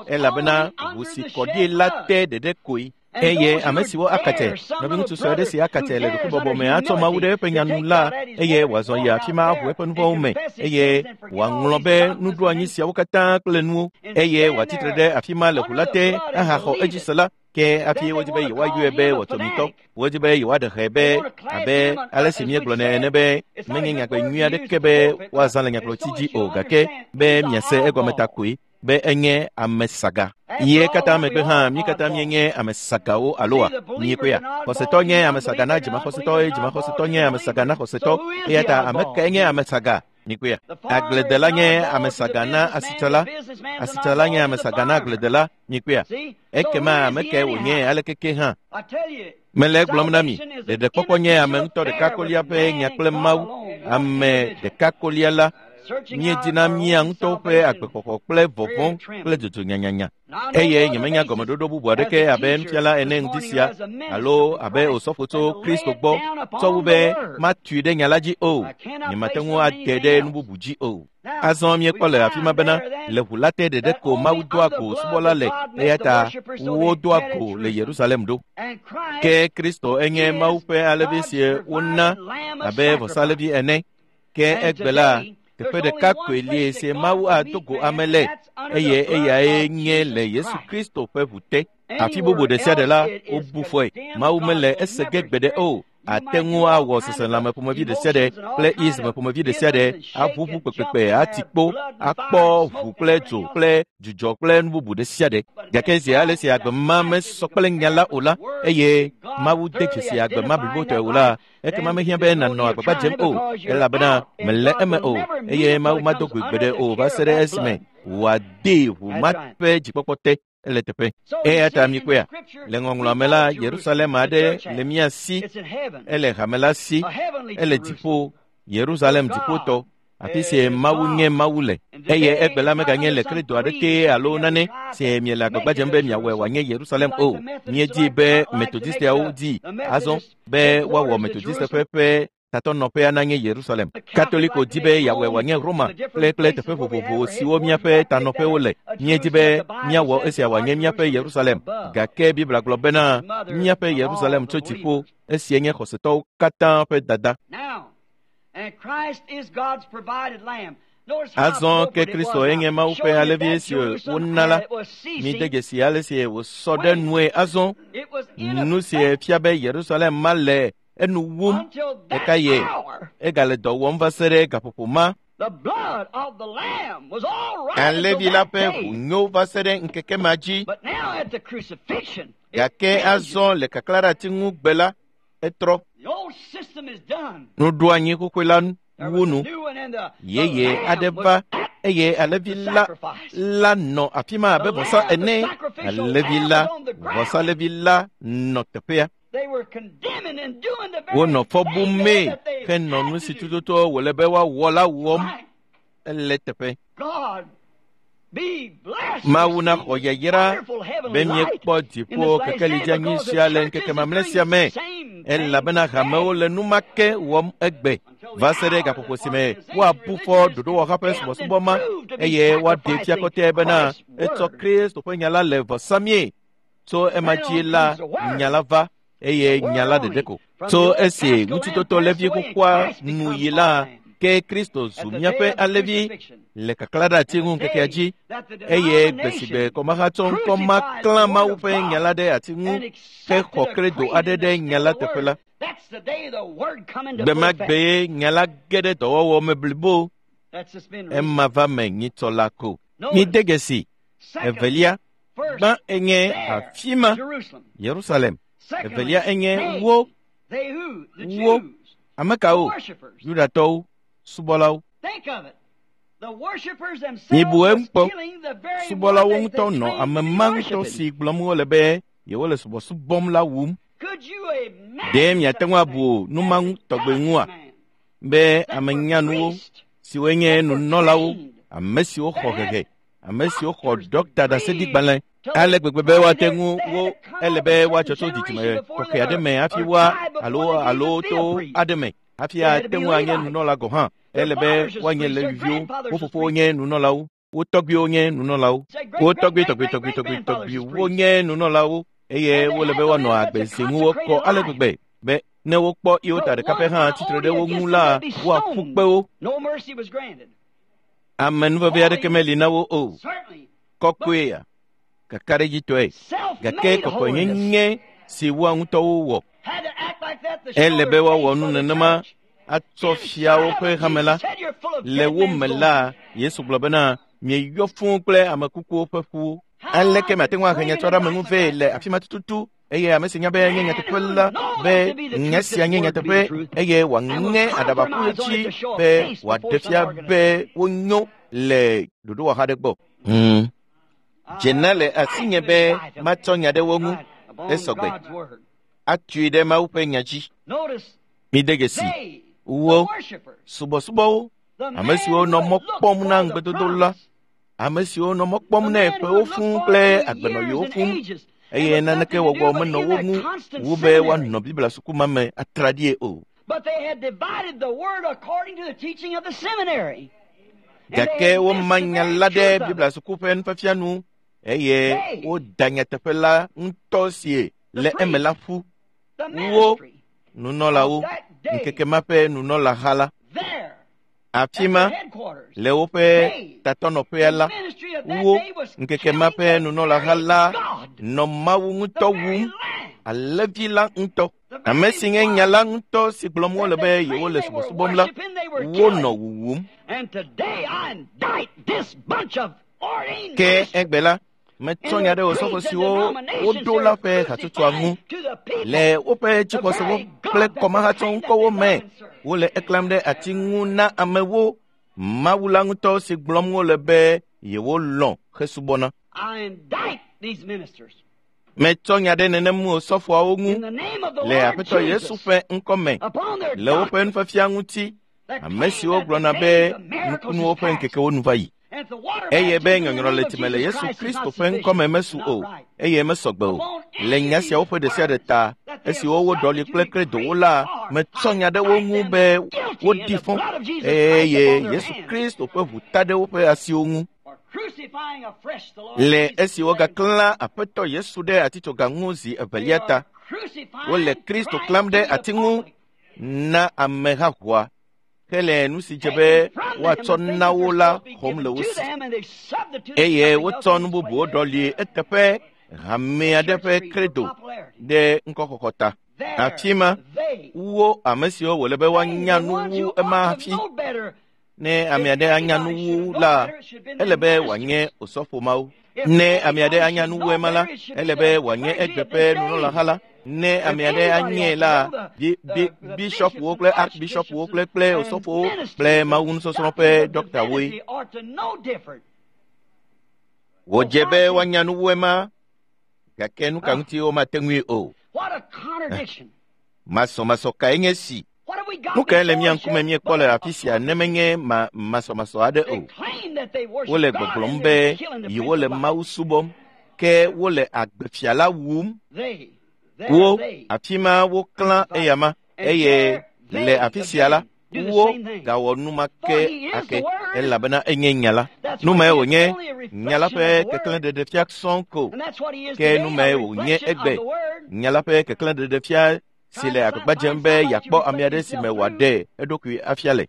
elabena ʋu si kɔ ɖi la te ɖeɖe koe. Eye ame siwo akatse, nɔviŋutsu sue aɖe si akatse le ɖokuibɔbɔ me atsɔ Mawu ɖe eƒe nya nu la, eye wòazɔ yi afi ma aʋu eƒe nuvɔ̃wo me, eye wòaŋlɔ be nuɖoanyi siawo katã kple nuwo, eye wòatsitre ɖe afi ma le ʋu la te ahaxɔ edzi se la, ke hafi wodi be yewoayɔe be wɔtɔmitɔ. Wodi be yewoaɖe hɛ be abe ale si míegblɔnɛ ene be menye nyagbe nyui aɖeke be woazã le nyagblɔtsi dzi o, gake be miase egɔme ta koe be enye ame saga. Ye katã megbe hã mí katã míenye ame sagawo aloa? Miekpɔea? Xɔsetɔ nye ame saga na dzimaxɔsetɔ eye dzimaxɔsetɔ nye ame saga na xɔsetɔ. Eya ta ame kae nye ame saga? Mikpɔea? Agbledela nye ame saga na asitsala, asitsala nye ame saga na agbledela. Mikpɔea? Ekema ame kae wònye alekeke hã? Mele egblɔm na mi, ɖeɖekpɔkpɔ nye ame ŋutɔ ɖeka kolia ƒe nya kple Mawu. Ame ɖeka kolia la, míedina mía ŋutɔwo ƒe agbexɔxɔ kple vɔvɔ̃ kple dzodzo nyanyanya. Eye nyemenya gɔmeɖoɖo bubu aɖeke abe nufiala ene ŋdi sia alo abe osɔfo tso Kristo gbɔ tsɔ wu be matui ɖe nya la dzi o. Nyemate ŋu ate ɖe nu bubu dzi o. Azɔ míekpɔ le afi ma bena le ʋu la te ɖeɖe ko Mawu doa go subɔla le, eya ta wodoa go le Yerusalem ɖo. Ke Kristo enye Mawu ƒe alẽvi si wona abe vɔsalẽvi ene. Ke egbe la, teƒe ɖeka koe li si Mawu ado go ame le, eye eyae nye le Yesu Kristo ƒe ʋu te. Afi bubu ɖe sia ɖe la, wobu fɔe. Mawu mele ese ge gbeɖe o. Ate ŋu awɔ seselãme ƒomevi ɖe sia ɖe kple isme ƒomevi ɖe sia ɖe, aʋuʋu kpekpekpe, ati kpo, akpɔ ʋu kple dzo kple dzudzɔ kple nu bubu ɖe sia ɖe. Gake zi ale si agbe ma mesɔ kple nya la o la, eye Mawu de dzesi agbe ma blibotɔe o la, ekema mehiã be nànɔ agbagba dzem o, elabena mele eme o, eye Mawu mado goe gbeɖe o va se ɖe esime wòadee ʋu ma ƒe dzikpɔkpɔ te ele teƒe. Eya ta mikpɔea, le ŋɔŋlɔa me la, Yerusalem aɖe le mía si, ele hame la si, ele dziƒo, Yerusalem dziƒotɔ, afi si Mawu nye Mawu le. Eye egbe la meganye le kredo aɖeke alo nane si miele agbagba dzem be miawɔe wòanye Yerusalem o. Míedi be Metodisteawo di azɔ be woawɔ Metodiste ƒe ƒe tatɔnɔƒea nanye Yerusalem. Katoliko di be yeawɔe wòanye Roma kple kple teƒe vovovo siwo míaƒe tanɔƒewo le. Míedi be míawɔ esia wòanye míaƒe Yerusalem. Gake Biblia gblɔ bena míaƒe Yerusalem tso dziƒo, esia nye xɔsetɔwo katã ƒe dada. And Christ is God's provided lamb. Azɔ ke Kristo enye Mawu ƒe alẽvi si wona la, mide dzesi ale si wòsɔ ɖe nue azɔ. Nu si fia be Yerusalem ma le enu wum ɖeka ye egale dɔ wɔm va se ɖe gaƒoƒo ma. Alẽvi la ƒe ʋu nyo va se ɖe ŋkeke ma dzi. Gake azɔ le kaklã ɖe ati ŋu gbe la, etrɔ. Nuɖoanyi xoxoe la wu nu. Yeye aɖe va eye alẽvi la nɔ afi ma abe vɔsa ene. Alẽvi la, vɔsalẽvi la nɔ teƒea. Wonɔ fɔ bumee henɔ nu si tututu wòle be woawɔ la wɔm ele teƒe. Mawu naxɔ yayra be míekpɔ dziƒo kekeli dzeanyi sia le ŋkeke mamlɛ sia me elabena hamewo le nu ma ke wɔm egbe va se ɖe gaƒoƒo si me woabu fɔ ɖoɖowɔha ƒe subɔsubɔ ma eye woaɖe fia kɔtɛ bena etsɔ Kristo ƒe nya la le vɔ samie. Tso ema dzi la nya la va eye nya la ɖeɖe ko. Tso esi ŋutitoto levi xoxoa nu yi la, ke Kristo zu míaƒe alẽvi le kaklã ɖe ati ŋu ŋkekea dzi eye gbe si gbe kɔmahatsɔ ŋkɔ ma klã Mawu ƒe nya la ɖe ati ŋu hexɔ kredo aɖe ɖe nya la teƒe la. Gbe ma gbee nya la ge ɖe dɔwɔwɔ me blibo. Ema va me nyitsɔ la ko. Mide dzesi evelia, gbã enye afi ma, Yerusalem. Evelia enye wo, wo, ame kawo? Yudatɔwo, subɔlawo. Mibu eŋu kpɔ, subɔlawo ŋutɔ nɔ ame ma ŋutɔ si gblɔm wole be yewole subɔsubɔm la wum. Ɖe miate ŋu abu nu ma ŋu tɔgbe ŋua? Be ame nyanuwo siwoe nye nunɔlawo, ame siwo xɔ hehe, ame siwo xɔ ɖɔkta ɖaseɖigbalẽ ale gbegbe be woate ŋu wo ele be woatsɔ tso dzidzime tɔxɛ aɖe me hafi woa alo alo to aɖe me hafi ate ŋu anye nunɔla gɔ̃ hã. Ele be woanye Leviviwo, wo fofowo nye nunɔlawo, wo tɔgbuiwo nye nunɔlawo, wo tɔgbui tɔgbui tɔgbui tɔgbui tɔgbuiwo nye nunɔlawo eye wole be woanɔ agbe si ŋu wokɔ ale gbegbe be ne wokpɔ yewo ta ɖeka pɛ hã tsitre ɖe wo ŋu la, woaƒu kpe wo. Ame nuveve aɖeke meli na wo o. Kɔkɔea, kakaɖedzitɔe, gake kɔkɔenyenye si woa ŋutɔwo wɔ. Ele be woawɔ nu nenema atsɔ fia woƒe hame la. Le wo me la, Yesu gblɔ bena, mieyɔ fũu kple ame kukuwo ƒe ƒuwo. Aleke miate ŋu ahe nyatsɔɖeameŋu vɛ le afi ma tututu eye ame si nya be nye nyateƒe la be nya sia nye nyateƒe eye wòaŋe aɖaba ƒu edzi be wòaɖe fia be wonyo le ɖoɖowɔha aɖe gbɔ. Dzena le asinye be matsɔ nya ɖe wo ŋu esɔgbe atui ɖe Mawu ƒe nya dzi. Mide dzesi wo subɔsubɔwo, ame siwo nɔ mɔ kpɔm na ŋugbedodo la, ame siwo nɔ mɔ kpɔm na ƒewo fũu kple agbenɔɣiwo fũu eye naneke wɔwɔ menɔ wo ŋu wu be woanɔ Biblia suku ma me atraɖie o. Gake woma nya la ɖe Biblia suku ƒe nufiafia nu eye woda nyateƒe la ŋutɔ si le eme la ƒu. Wo nunɔlawo, ŋkeke ma ƒe nunɔlaha la, afi ma le woƒe tatɔnɔƒea la, wo ŋkeke ma ƒe nunɔlaha la nɔ Mawu ŋutɔ wum, alẽvi la ŋutɔ. Ame si nye nya la ŋutɔ si gblɔm wole be yewole subɔsubɔm la, wonɔ wuwum. Ke egbe la, metsɔ nya ɖe osɔfo siwo woɖo la ƒe hatsotsoa ŋu le woƒe dzixɔsewo kple kɔmahatsɔ ŋkɔwo me. Wole eklãm ɖe ati ŋu na amewo, Mawu la ŋutɔ si gblɔm wole be yewolɔ̃ hesubɔna. Metsɔ nya ɖe nenem osɔfoawo ŋu le Aƒetɔ Yesu ƒe ŋkɔ me le woƒe nufiafia ŋuti, ame siwo gblɔna be nukunuwo ƒe ŋkekewo nu va yi eye be nyɔnyrɔ le time le Yesu Kristo ƒe ŋkɔme mesu o eye mesɔgbe o. Le nya siawo ƒe ɖe sia ɖe ta, esiwo woɖɔli kple kredowo la, metsɔ nya ɖe wo ŋu be woɖi fɔ eye Yesu Kristo ƒe ʋu ta ɖe woƒe asiwo ŋu. Le esi wogaklã Aƒetɔ Yesu ɖe atitsoga ŋu zi evelia ta, wole Kristo klãm ɖe ati ŋu na ameha ʋua. Hele nu si dze be woatsɔ na wo la xɔm le wo si eye wotsɔ nu bubuwo ɖɔli eteƒe hame aɖe ƒe kredo ɖe ŋkɔxɔxɔ ta. Afi ma wo ame siwo wòle be woanya nu wu ema hafi. Ne ame aɖe anya nu wu la, ele be wòanye osɔfo mawo. Ne ame aɖe anya nu wu ema la, ele be wòanye egbe ƒe nunɔlaha la. Ne ame aɖe anye la, bishɔpwo kple archbishɔpwo kple osɔfowo kple mawunusɔsrɔ̃ ƒe dɔktawoe. Wòdze be woanya nu wu ema, gake nu ka ŋuti womate ŋui o. Masɔmasɔ kae nye si? Nu kae le mía ŋkume míekpɔ le afi sia ne menye masɔmasɔ aɖe o? Wole gbɔgblɔm be yewole Mawu subɔm, ke wole agbefia la wum. Wo afi ma woklã eyama eye le afi sia la, wo gawɔ nu ma ke ake elabena enye nya la. Nu mae wònye nya la ƒe keklẽɖeɖefia sɔŋ ko, ke nu mae wònye egbe nya la ƒe keklẽɖeɖefia si le agbagba dzem be yeakpɔ ame aɖe si me wòaɖe eɖokui afia le.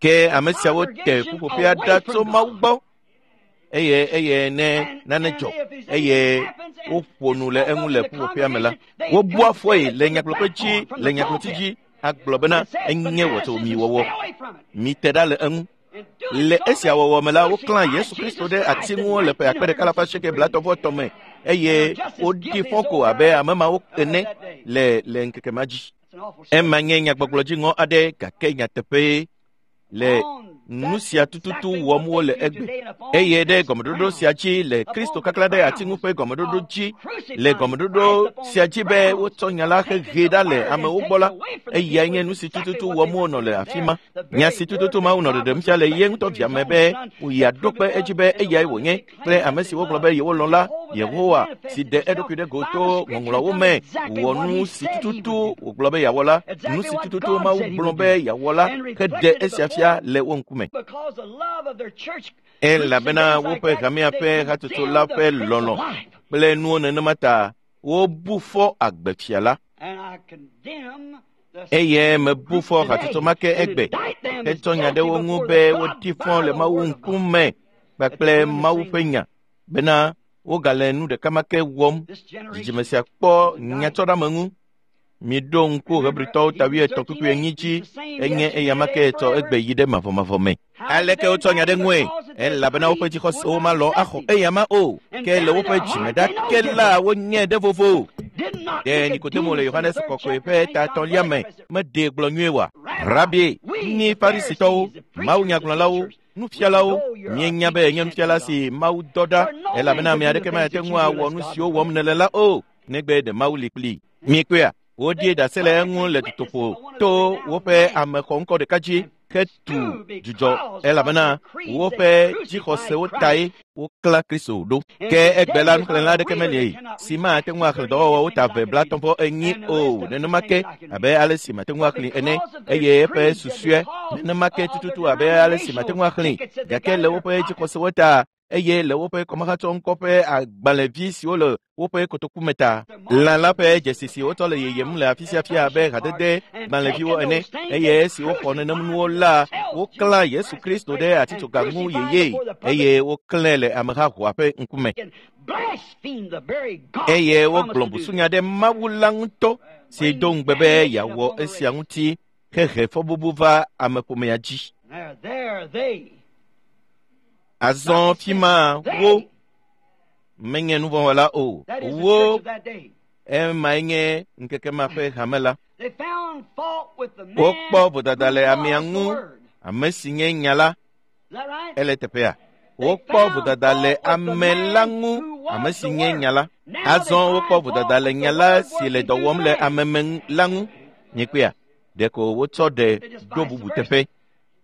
Ke ame siawo te ƒuƒoƒea ɖa tso Mawu gbɔ eye ne nane dzɔ eye woƒo nu le eŋu le ƒuƒoƒea me la, wobua fɔe le nyagblɔƒe dzi le nyagblɔti dzi agblɔ bena enye wɔtsomiwɔwɔ. Mite ɖa le eŋu. Le esia wɔwɔ me la, woklã Yesu Kristo ɖe ati ŋu le ƒe akpe ɖeka alafa asieke blaetɔ̃ me eye woɖi fɔ ko abe ame mawo ene le ŋkeke ma dzi. Ema nye nyagbɔgblɔ dziŋɔ aɖe gake nyateƒee le nu sia tututu wɔm wole egbe eye ɖe gɔmeɖoɖo sia dzi le Kristo kakla ɖe ati ŋu ƒe gɔmeɖoɖo dzi le gɔmeɖoɖo sia dzi be wotsɔ nya la hehe ɖa le amewo gbɔ la, eyae nye nu si tututu wɔm wonɔ le afi ma. Nya si tututu Mawu nɔ ɖeɖem fia le ye ŋutɔ via me be yeaɖo kpe edzi be eyae wònye kple ame si wogblɔ be yewolɔ̃ la, Yehowa si ɖe eɖokui ɖe go to ŋɔŋlɔawo me wɔ nu si tututu wògblɔ be yeawɔ la, nu si tututu Mawu gblɔ be yeawɔ la heɖe esia fia le wo ŋkume. Elabena woƒe hamea ƒe hatsotso la ƒe lɔlɔ̃ kple nuwo nenema ta wobu fɔ agbefia la. Eye mebu fɔ hatsotso ma ke egbe hetsɔ nya ɖe wo ŋu be wodi fɔ le Mawu ŋkume kpakple Mawu ƒe nya bena wogale nu ɖeka ma ke wɔm. Dzidzime sia kpɔ nyatsɔɖameŋu. Miɖo ŋku Hebritɔwo ta 8:4 dzi enye eyama ke tsɔ egbe yi ɖe mavɔmavɔ me. Aleke wotsɔ nya ɖe ŋue? Elabena woƒe dzixɔsewo malɔ axɔ eyama o, ke le woƒe dzime ɖake la wonye ɖe vovo. Ɖe Nikodemo le Yohanes Kɔkɔe ƒe ta 3 me meɖee gblɔ nyuie wa? Rabi, mi Farisitɔwo, mawunyagblɔlawo, nufialawo, mienya be nye nufiala si Mawu dɔ ɖa, elabena ame aɖeke mate ŋu awɔ nu siwo wɔm nèle la o, negbe ɖe Mawu li kplii. Mikpɔea? Woɖie ɖase le eŋu le dutoƒo to woƒe amexɔŋkɔ ɖeka dzi hetu dzudzɔ elabena woƒe dzixɔsewo tae woklã Kristo ɖo. Ke egbe la nuxlẽla aɖeke meli si mate ŋu axlẽ dɔwɔwɔwo ta 235 o nenema ke abe ale si mate ŋu axlẽ ene eye eƒe susue nenema ke tututu abe ale si mate ŋu axlẽ gake le woƒe dzixɔsewo ta eye le woƒe kɔmahatsɔŋkɔ ƒe agbalẽvi siwo le woƒe kotoku me ta. Lã la ƒe dzesi si wotsɔ le yeyem le afi sia fia abe hadede gbalẽviwo ene eye esi woxɔ nenem nuwo la, woklã Yesu Kristo ɖe atitsoga ŋu yeye eye woklãe le amehahoa ƒe ŋkume. Eye wogblɔ busunya ɖe Mawu la ŋutɔ si do ŋugbe be yeawɔ esia ŋuti hehe fɔbubu va ameƒomea dzi. Azɔ fi ma wo menye nuvɔ̃wɔla o. Wo emae nye ŋkeke ma ƒe hame la. Wokpɔ vodada le amea ŋu, ame si nye nya la. Ele teƒea. Wokpɔ vodada le ame la ŋu, ame si nye nya la. Azɔ wokpɔ vodada le nya la si le dɔ wɔm le ame me la ŋu. Nyekpea, ɖeko wotsɔ ɖe ɖo bubu teƒe.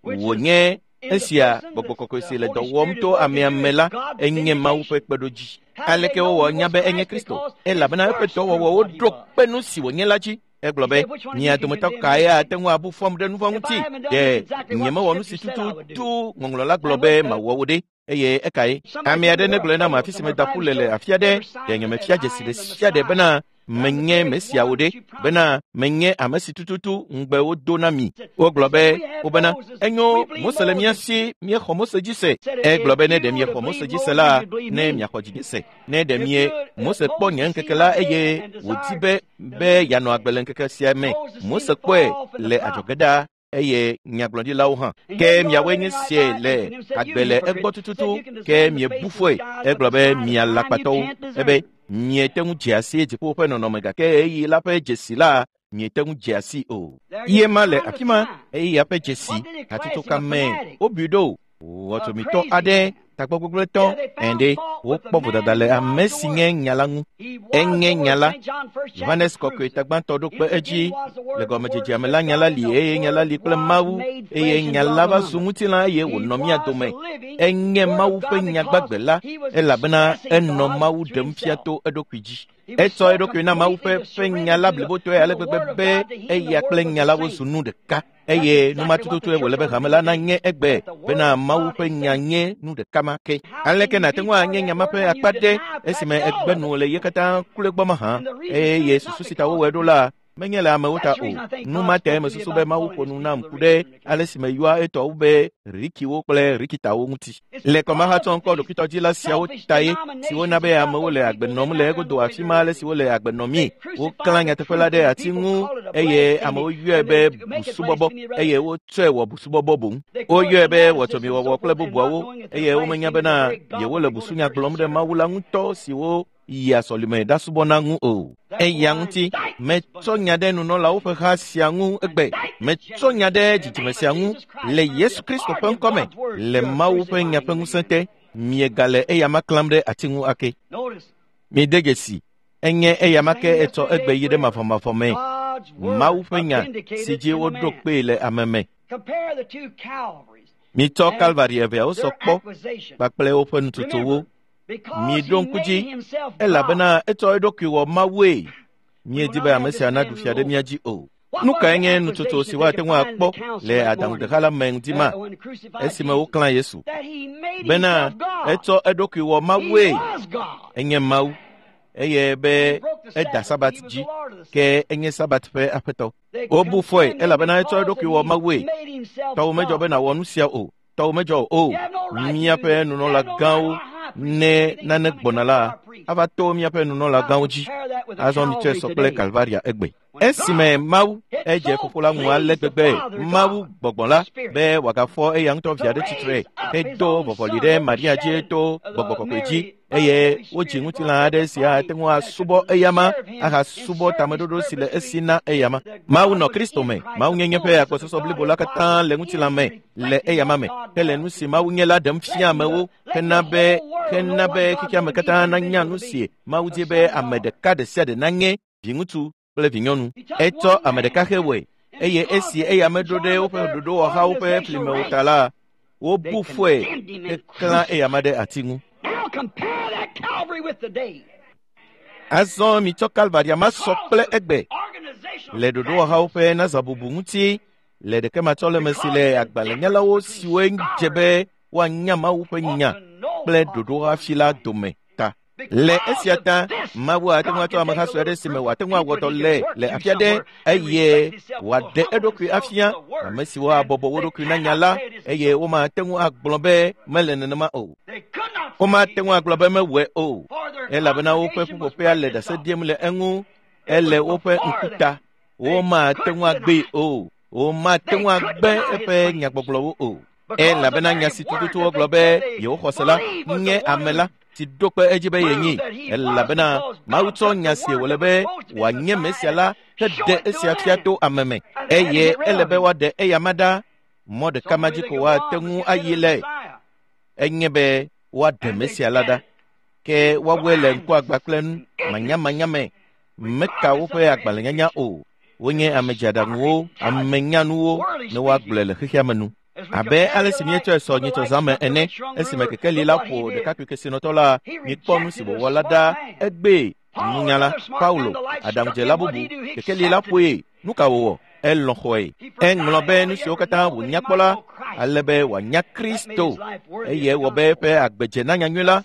Wònye esia gbɔgbɔ kɔkɔe si le dɔ wɔm to amea me la enye Mawu ƒe kpeɖodzi. Aleke wowɔ nya be enye Kristo? Elabena eƒe dɔwɔwɔwo ɖo kpe nu si wònye la dzi. Egblɔ be, mia dometɔ kae ate ŋu abu fɔm ɖe nu vɔ̃ ŋuti? Ɖe nyemewɔ nu si tututu ŋɔŋlɔ la gblɔ be mawɔ wo ɖe? Eye ekae ame aɖe negblɔe nam afi si meda ƒu le le afi aɖe, ɖe nyemefia dzesi ɖe sia ɖe bena menye Mesiawo ɖe, bena menye ame si tututu ŋugbe wodo na mi. Wogblɔ be wobena enyo Mose le mía si, míexɔ Mose dzi se. Egblɔ be ne ɖe miexɔ Mose dzi se la, ne miaxɔ dzinye se. Ne ɖe mie Mose kpɔ nye ŋkeke la eye wòdi be yeanɔ agbe le ŋkeke sia me. Mose kpɔe le adzɔge ɖaa eye nyagblɔɖilawo hã. Ke miawoe nye sie le agbe le egbɔ tututu, ke miebu fɔe. Egblɔ be mialakpatɔwo, ebe miete ŋu dze asi dziƒo ƒe nɔnɔme gake ɣeyiɣi la ƒe dzesi la miete ŋu dze asi o. Ye ma le afi ma ɣeyiɣia ƒe dzesi hatsotso ka me wobui ɖo wɔtsomitɔ aɖe tagbɔgbɔgblẽtɔ ene wokpɔ vodada le ame si nye nya la ŋu. Enye nya la. Yohanes Kɔkɔe tagbãtɔ ɖo kpe edzi le gɔmedzedzea me la nya la li eye nya la li kple Mawu eye nya la va zu ŋutilã eye wònɔ mía dome. Enye Mawu ƒe nya gbagbe la elabena enɔ Mawu ɖem fia to eɖokui dzi. Etsɔ eɖokui na Mawu ƒe nya la blibotɔe ale gbegbe be eya kple nya la wozu nu ɖeka. Eye numatututu wòle be hame la nanye egbe bena Mawu ƒe nya nye nu ɖeka ma ke. Aleke nàte ŋu anye nya ma ƒe akpa ɖe esime egbe nu le ye katã kloe gbɔ mahã eye susu si ta wowɔe ɖo la menye le amewo ta o. Nu ma tae mesusu be Mawu ƒo nu nam ku ɖe ale si meyɔa etɔwo be Rikiwo kple Rikitawo ŋuti. Le kɔmahatsɔ ŋkɔ ɖokuitɔdzila siawo tae siwo na be amewo le agbe nɔm le egodo afi ma ale si wole agbe nɔmii. Woklã nyateƒe la ɖe ati ŋu eye amewo yɔe be busubɔbɔ eye wotsɔe wɔ busubɔbɔ boŋ. Woyɔe be wɔtsɔmiwɔwɔ kple bubuawo eye womenya bena yewole busunya gblɔm ɖe Mawu la ŋutɔ siwo yia sɔlime ɖasubɔna ŋu o. Eya ŋuti metsɔ nya ɖe nunɔlawo ƒe ha sia ŋu egbe. Metsɔ nya ɖe dzidzime sia ŋu le Yesu Kristo ƒe ŋkɔme le Mawu ƒe nya ƒe ŋusẽ te. Miegale eya ma klãm ɖe ati ŋu ake. Mide dzesi, enye eya ma ke etsɔ egbe yi ɖe mavɔmavɔ me. Mawu ƒe nya si dzi woɖo kpee le ame me. Mitsɔ Kalvari eveawo sɔ kpɔ kpakple woƒe nutsotsowo. Miɖo ŋku dzi elabena etsɔ eɖokui wɔ Mawue. Míedi be ame sia naɖu fia ɖe mía dzi o. Nu kae nye nutsotso si woate ŋu akpɔ le aɖaŋudeha la me ŋdi ma esime woklã Yesu? Bena etsɔ eɖokui wɔ Mawue. Enye Mawu eye be eda Sabat dzi ke enye Sabat ƒe aƒetɔ. Wobu fɔe elabena etsɔ eɖokui wɔ Mawue. Tɔwò medzɔ be nàwɔ nu sia o. Tɔwò medzɔ o. Míaƒe nunɔlagãwo ne nane gbɔna la ava to míaƒe nunɔlagãwo dzi. Azɔ mitsɔe sɔ kple Kalvaria egbe. Esime Mawu edze fofo la ŋu ale gbegbe Mawu gbɔgbɔ la be wòagafɔ eya ŋutɔ via ɖe tsitre hedo vɔvɔli ɖe Maria dzi to gbɔgbɔ kɔkɔe dzi eye wodzi ŋutilã aɖe si ate ŋu asubɔ eyama ahasubɔ tameɖoɖo si le esi na eyama. Mawu nɔ Kristo me. Mawu nyenye ƒe agbɔsɔsɔ blibo la katã le ŋutilã me le eyama me hele nu si Mawu nye la ɖem fia amewo hena be xexeame katã nanya nu si Mawu di be ame ɖeka ɖe sia ɖe nanye viŋutsu kple vinyɔnu. Etsɔ ame ɖeka hewɔe eye esi eya meɖo ɖe woƒe ɖoɖowɔhawo ƒe flimewo ta la, wobu fɔe heklã eyama ɖe ati ŋu. Azɔ mitsɔ Kalvaria ma sɔ kple egbe le ɖoɖowɔhawo ƒe nazãbubu ŋuti le ɖekematsɔleme si le agbalẽnyalawo siwoe dze be woanya Mawu ƒe nya kple ɖoɖohafi la dome ta. Le esia ta, Mawu ate ŋu atsɔ ameha sue aɖe si me wòate ŋu awɔ dɔ le afi aɖe eye wòaɖe eɖokui afia ame siwo abɔbɔ wo ɖokui na nya la eye womate ŋu agblɔ be mele nenema o. Womate ŋu agblɔ be mewɔe o elabena woƒe ƒuƒoƒea le ɖase ɖim le eŋu ele woƒe ŋkuta. Womate ŋu agbee o. Womate ŋu agbe eƒe nyagbɔgblɔwo o. Elabena nya si tututu wogblɔ be yewoxɔ se la nye ame la si ɖo kpe edzi be yenyi. Elabena Mawu tsɔ nya si wòle be wòanye Mesia la heɖe esia fia to ame me eye ele be woaɖe eyama ɖa. Mɔ ɖeka ma dzi ko woate ŋu ayi le enye be woaɖe Mesia la ɖa. Ke woawoe le ŋkuagba kple nu manyamanya me meka woƒe agbalẽnyanya o. Wonye ame dzeaɖaŋuwo, amenyanuwo ne woagblɔe le xexea me nu. Abe ale si míetsɔe sɔ nyitsɔzãme ene esime kekeli la ƒo ɖekakpui kesinɔtɔ la, mikpɔ nu si wòwɔ la ɖa egbee. Nunyala Paulo, aɖaŋudzela bubu, kekeli la ƒoe. Nu ka wòwɔ? Elɔ̃ xɔe. Eŋlɔ be nu siwo katã wònya kpɔ la, ale be wòanya Kristo eye ewɔ be eƒe agbe dze na nyanyui la.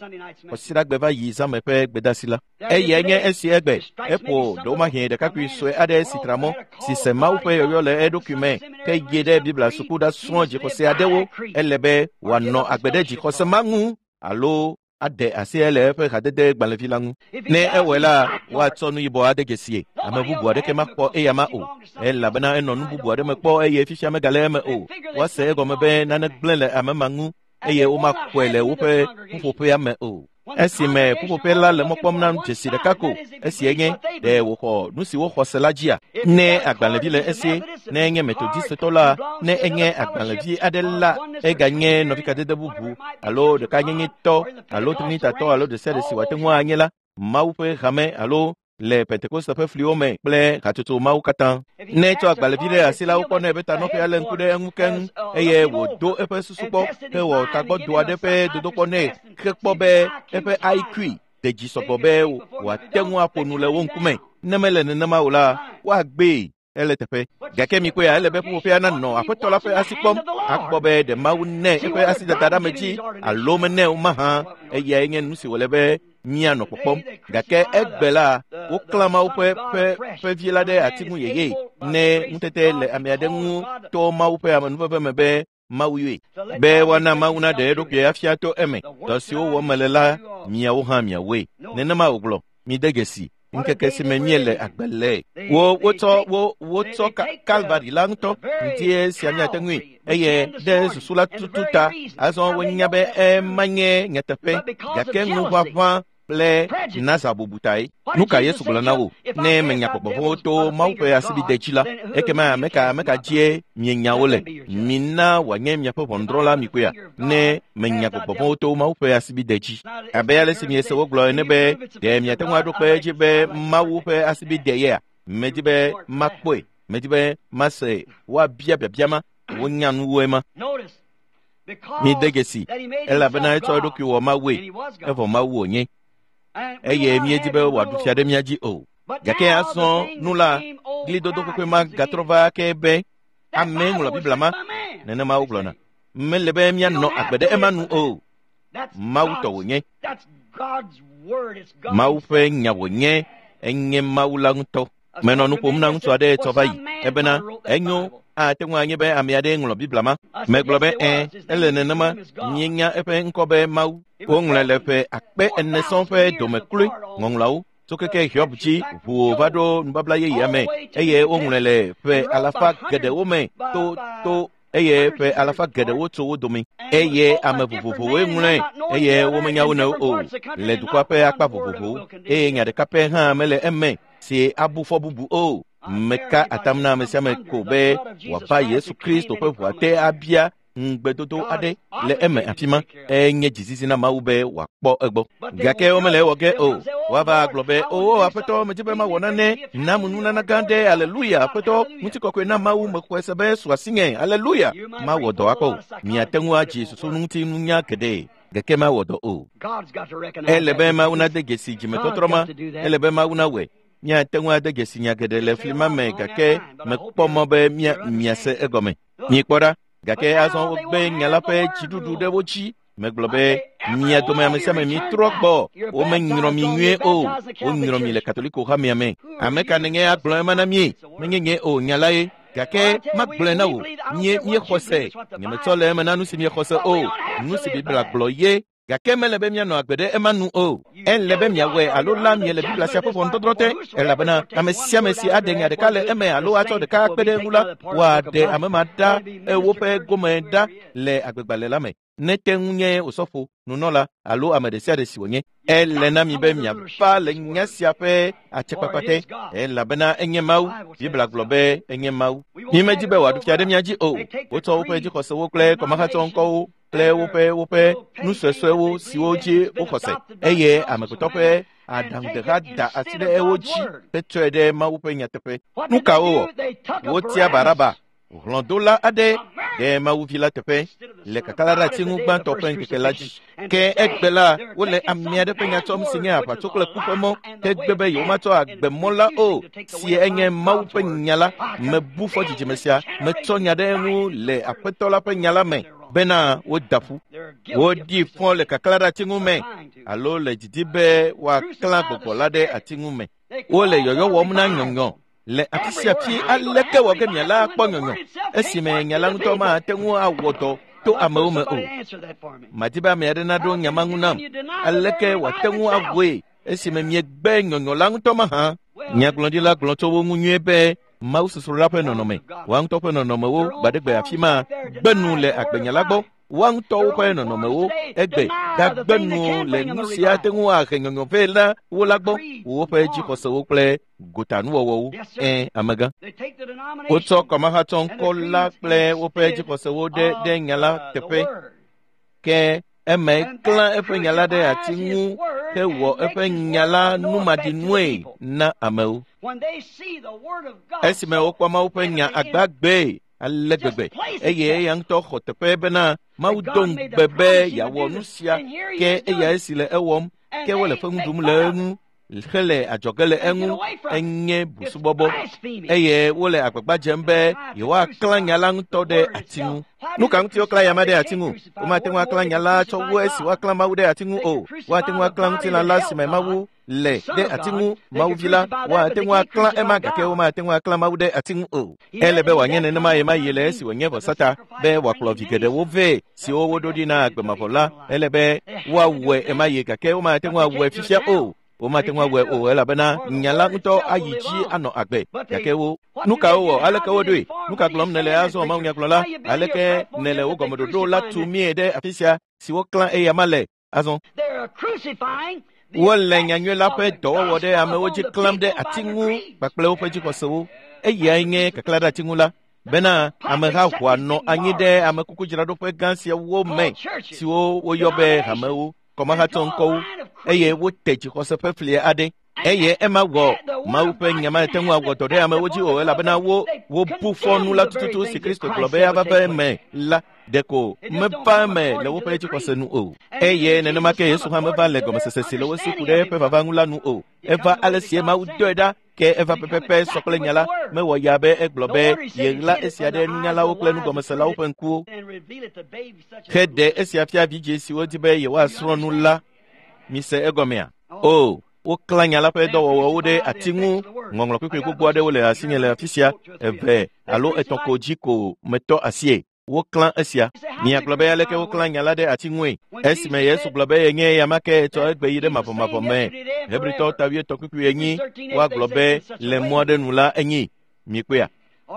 Kɔsiɖagbe va yi zãme ƒe gbedasi la. Eyae nye esi egbe eƒo ɖewomahi ɖekakpui sue aɖe si tra mɔ si se Mawu ƒe yɔyɔ le eɖokui me ke yi ɖe Biblia suku ɖasrɔ̃ dzixɔse aɖewo. Ele be wòanɔ agbe ɖe dzixɔse ma ŋu alo aɖe asi le eƒe hadede gbalẽvi la ŋu. Ne ewɔe la, woatsɔ nu yibɔ ade dzesie. Ame bubu aɖeke makpɔ eya ma o, elabena enɔ nu bubu aɖe me kpɔ eye fifia megale eme o. Woase egɔme be nane gblẽ le ame ma ŋu eye womakpɔe le woƒe ƒuƒoƒea me o. Esime ƒuƒoƒe la le mɔ kpɔm na dzesi ɖeka ko, esie nye ɖe wòxɔ nu si woxɔ se la dzia. Ne agbalẽvi le esi, ne enye metodistetɔ la, ne enye agbalẽvi aɖe la, eganye nɔvikadede bubu alo ɖekanyenyetɔ alo trinitatɔ alo ɖe sia ɖe si wòate ŋu anye la, Mawu ƒe hame alo le Pentekoste ƒe fliwo me kple hatsotso mawo katã. Ne etsɔ agbalẽvi ɖe asi la, wokpɔnɛ be tanɔƒea lé ŋku ɖe eŋu keŋ eye wòdo eƒe susu kpɔ hewɔ tagbɔdo aɖe ƒe dodokpɔ nɛ hekpɔ be eƒe IQ de dzi sɔgbɔ be wòate ŋu aƒo nu le wo ŋkume. Ne mele nenema o la, woagbee ele teƒe. Gake mikpɔea, ele be ƒuƒoƒea nanɔ Aƒetɔ la ƒe asi kpɔm akpɔ be ɖe Mawu nɛ eƒe asidada ɖe ame dzi alo menɛ o mahã. Eyae nye nu si wòle be míanɔ kpɔkpɔm. Gake egbe la, woklã Mawu ƒe ƒe vi la ɖe ati ŋu yeye ne ŋutete le ame aɖe ŋu to Mawu ƒe amenuveve me be Mawu yɔe be woana Mawu naɖe eɖokui afia to eme. Dɔ siwo wɔm mele la, miawo hã miawoe. Nenema wògblɔ. Mide dzesi ŋkeke si me míele agbe le. Wotsɔ Kalvari la ŋutɔ ŋutie sia míate ŋui eye ɖe susu la tutu ta. Azɔ wonya be ema nye nyateƒe, gake ŋuʋaʋã kple naza bubu tae. Nu ka Yesu gblɔ na wo? Ne menya gbɔgbɔvɔ̃wo to Mawu ƒe asibide dzi la, ekema ame ka dzie mienya wo le? Mina wòanye miaƒe ʋɔnudrɔ̃la mikpɔea? Ne menya gbɔgbɔvɔ̃wo to Mawu ƒe asibide dzi. Abe ale si miese wogblɔ ene be ɖe miate ŋu aɖo kpe edzi be Mawu ƒe asibide yea? Medi be makpɔe, medi be mase woabia biabia ma, wonya nuwoe ma. Mide dzesi, elabena etsɔ eɖokui wɔ Mawue, evɔ Mawu wònye. Eye míedi be wòaɖu fia ɖe mía dzi o. Gake azɔ nu la, glidodo kɔkɔe ma gatrɔ va ke be ame ŋlɔ Biblia ma, nenema wogblɔna. Mele be míanɔ agbe ɖe ema nu o. Mawu tɔ wònye. Mawu ƒe nya wònye, enye Mawu la ŋutɔ. Menɔ nu ƒom na ŋutsu aɖe tsɔ va yi ebena enyo ate ŋu anye be ame aɖe ŋlɔ Biblia ma. Megblɔ be ẽ, ele nenema, míenya eƒe ŋkɔ be Mawu. Woŋlɔe le ƒe 4000 sɔŋ ƒe dome kloe ŋɔŋlɔawo tso keke Hiob dzi ʋuo va ɖo nubabla yeyea me eye woŋlɔe le ƒe alafa geɖewo me to eye ƒe alafa geɖewo tso wo dome eye ame vovovowoe ŋlɔe eye womenya wo nɔewo o le dukɔa ƒe akpa vovovowo eye nya ɖeka pɛ hã mele eme si abu fɔ bubu o. Meka atam na ame sia ame ko be wòava Yesu Kristo ƒe ʋua te abia ŋugbedodo aɖe le eme afi ma. Enye dzizizi na Mawu be wòakpɔ egbɔ. Gake womele ewɔ ge o. Woava gblɔ be, o Aƒetɔ, medzi be mawɔ nane, nam nunana gã ɖe, aleluya, Aƒetɔ, ŋutikɔkɔe na Mawu, mexɔe se be su asinye, aleluya. Mawɔ dɔ akpɔ o. Miate ŋu adzi susu ŋuti nunya geɖe, gake mawɔ dɔ o. Ele be Mawu nade dzesi dzimetɔtrɔ ma, ele be Mawu nawɔe. Miate ŋu ade dzesi nya geɖe le fli ma me gake mekpɔ mɔ be miase egɔme. Mikpɔ ɖa, gake azɔ wogbe nya la ƒe dziɖuɖu ɖe wo dzi. Megblɔ be mia dome ame sia ame mitrɔ gbɔ, womenyrɔ mi nyuie o, wonyrɔ mi le Katoliko hamea me. Ame ka nenye agblɔ ema na mie? Menye nye o, nya la ye. Gake magblɔe na wò, míexɔ se. Nyemetsɔ le eme na nu si miexɔ se o, nu si Biblia gblɔ ye. Gake mele be míanɔ agbe ɖe ema nu o. Ele be miawɔe alo la miele Biblia sia ƒe ʋɔnudɔdrɔ̃ te, elabena ame sia ame si aɖe nya ɖeka le eme alo atsɔ ɖeka akpe ɖe eŋu la, woaɖe ame ma ɖa woƒe gome ɖa le agbegbalẽ la me. Ne te ŋu nye osɔfo, nunɔla alo ame ɖe sia ɖe si wònye. Ele na mi be miava le nya sia ƒe atsekpakpa te, elabena enye Mawu. Biblia gblɔ be enye Mawu. Mímedi be wòaɖu fia ɖe mía dzi o. Wotsɔ woƒe dzixɔsewo kple kɔmahatsɔ ŋkɔwo kple woƒe nu suesuewo siwo dzi woxɔ se eye amegbetɔ ƒe aɖaŋudeha da asi ɖe ewo dzi hetsɔe ɖe Mawu ƒe nyateƒe. Nu ka wowɔ? Wotia Baraba. Hlɔ̃dola aɖe ɖe Mawuvi la teƒe le kakala ɖe ati ŋu gbãtɔ ƒe ŋkeke la dzi. Ke egbe la, wole ame aɖe ƒe nya tsɔm si nye aʋatso kple ku ƒe mɔ hegbe be yewomatsɔ agbemɔ la o, si enye Mawu ƒe nya la. Mebu fɔ dzidzime sia, metsɔ nya ɖe eŋu le Aƒetɔ la ƒe nya la me bena woda ƒu. Woɖi fɔ le kakala ɖe ati ŋu me alo le didi be woaklã gbɔgbɔ la ɖe ati ŋu me. Wole yɔyɔ wɔm na nyɔnyɔ le afi sia afi. Aleke wɔ ke miala akpɔ nyɔnyɔ esime nya la ŋutɔ mate ŋu awɔ dɔ to amewo me o? Madi be ame aɖe naɖo nya ma ŋu nam. Aleke wòate ŋu awɔe esime miegbe nyɔnyɔ la ŋutɔ mahã? Nyagblɔɖila gblɔ tso wo ŋu nyuie be Mawu sosro la ƒe nɔnɔme, woa ŋutɔ ƒe nɔnɔmewo gbaɖegbe afi ma gbe nu le agbenya la gbɔ. Woa ŋutɔwo ƒe nɔnɔmewo egbe gagbe nu le nu si ate ŋu ahe nyɔnyɔ vɛ na wo la gbɔ, woƒe dzixɔsewo kple gotanuwɔwɔwo. Ẽ, amegã. Wotsɔ kɔmahatsɔŋkɔ la kple woƒe dzixɔsewo ɖe nya la teƒe. Ke eme klã eƒe nya la ɖe ati ŋu hewɔ eƒe nya la numaɖinue na amewo. Esime wokpɔ Mawu ƒe nya agbagbee ale gbegbe eye eya ŋutɔ xɔ teƒe bena Mawu do ŋugbe be yeawɔ nu sia, ke eya esi le ewɔm, ke wole fe ŋu ɖum le eŋu hele adzɔge le eŋu, enye busubɔbɔ eye wole agbagba dzem be yewoaklã nya la ŋutɔ ɖe ati ŋu. Nu ka ŋuti woklã ya ma ɖe ati ŋu? Womate ŋu aklã nya la tsɔ wu esi woaklã Mawu ɖe ati ŋu o. Woate ŋu aklã ŋutilã la si me Mawu le ɖe ati ŋu, Mawuvi la, woate ŋu aklã ema gake womate ŋu aklã Mawu ɖe ati ŋu o. Ele be wòanye nenema ɣemaɣi le esi wònye vɔsata be wòakplɔ vi geɖewo vɛ siwo woɖo ɖi na agbemavɔ la. Ele be woawɔe ɣemaɣi gake womate ŋu awɔe fifia o. Womate ŋu awɔe o elabena nya la ŋutɔ ayi dzi anɔ agbe. Gake wo nu ka wowɔ? Aleke woɖoe? Nu ka gblɔm nèle azɔ, mawunyagblɔla? Aleke nèle wo gɔmeɖoɖo la tu mie ɖe afi sia si woklã eya ma le azɔ? Wole nyanyui la ƒe dɔwɔwɔ ɖe amewo dzi klãm ɖe ati ŋu kpakple woƒe dzixɔsewo. Eyae nye kaklã ɖe ati ŋu la, bena ameha ʋua nɔ anyi ɖe amekukudzraɖoƒe gã siawo me siwo woyɔ be hamewo, kɔmahatsɔŋkɔwo, eye wote dzixɔse ƒe fli aɖe. Eye ema wɔ Mawu ƒe nya mate ŋu awɔ dɔ ɖe amewo dzi o elabena wo wobu fɔ nu la tututu si Kristo gblɔ be ava va eme la ɖeko meva eme le woƒe dzixɔse nu o. Eye nenema ke Yesu hã meva le gɔmesese si le wo si ku ɖe eƒe vava ŋu la nu o. Eva ale si Mawu dɔe ɖa, ke eva pɛpɛpɛ sɔ kple nya la. Mewɔ ya be egblɔ be yeɣla esia ɖe nunyalawo kple nugɔmeselawo ƒe ŋkuwo heɖe esia fia vidzĩ siwo di be yewoasrɔ̃ nu la. Mise egɔmea? O, woklã nya la ƒe dɔwɔwɔwo ɖe ati ŋu. Ŋɔŋlɔ kpekpe gbogbo aɖewo le asinye le afi sia, 2 alo 3 ko dzi ko metɔ asie. Woklã esia. Miagblɔ be aleke woklã nya la ɖe ati ŋue? Esime Yesu gblɔ be yenye eya ma ke etsɔ egbe yi ɖe mavɔmavɔ me. Hebritɔwo ta 8:4 woagblɔ be le mɔ aɖe nu la enyi. Miekpɔea?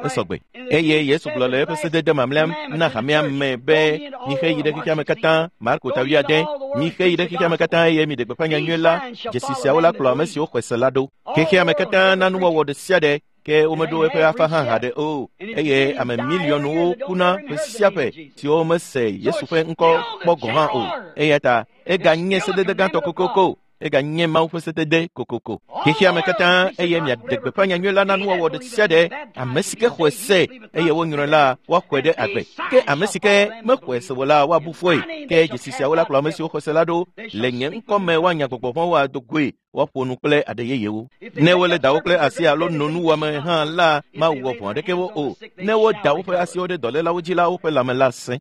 Esɔgbe. Eye Yesu gblɔ le eƒe sedede mamlɛa na hamea me be mixe yi ɖe xexea me katã. Marko ta 8 mixe yi ɖe xexea me katã eye miɖe gbeƒã nyanyui la. Dzesi siawo la kplɔ ame siwo xɔe se la ɖo. Xexea me katã na nuwɔwɔ ɖe sia ɖe ke womeɖo eƒe afa hã haɖe o. Eye ame miliɔnwo kuna ƒe sia ƒe siwo mese Yesu ƒe ŋkɔ kpɔ gɔ̃ hã o. Eya ta eganye sedede gãtɔ kokoko. Eganye Mawu ƒe sedede kokoko. Xexea me katã eye miaɖe gbeƒã nyanyui la na nuwɔwɔ ɖe sia ɖe. Ame si ke xɔe se eye wonyrɔe la, woaxɔe ɖe agbe. Ke ame si ke mexɔe se o la, woabu fɔe. Ke dzesi siawo la kplɔ ame siwo xɔe se la ɖo. Le nye ŋkɔ me woanya gbɔgbɔ vɔ̃wo ado goe, woaƒo nu kple aɖe yeyewo. Ne wole dawo kple asi alo no nuwɔame hã la, mawɔ vɔ̃ aɖeke wo o. Ne woda woƒe asiwo ɖe dɔlélawo dzi la, woƒe lãme la sẽ.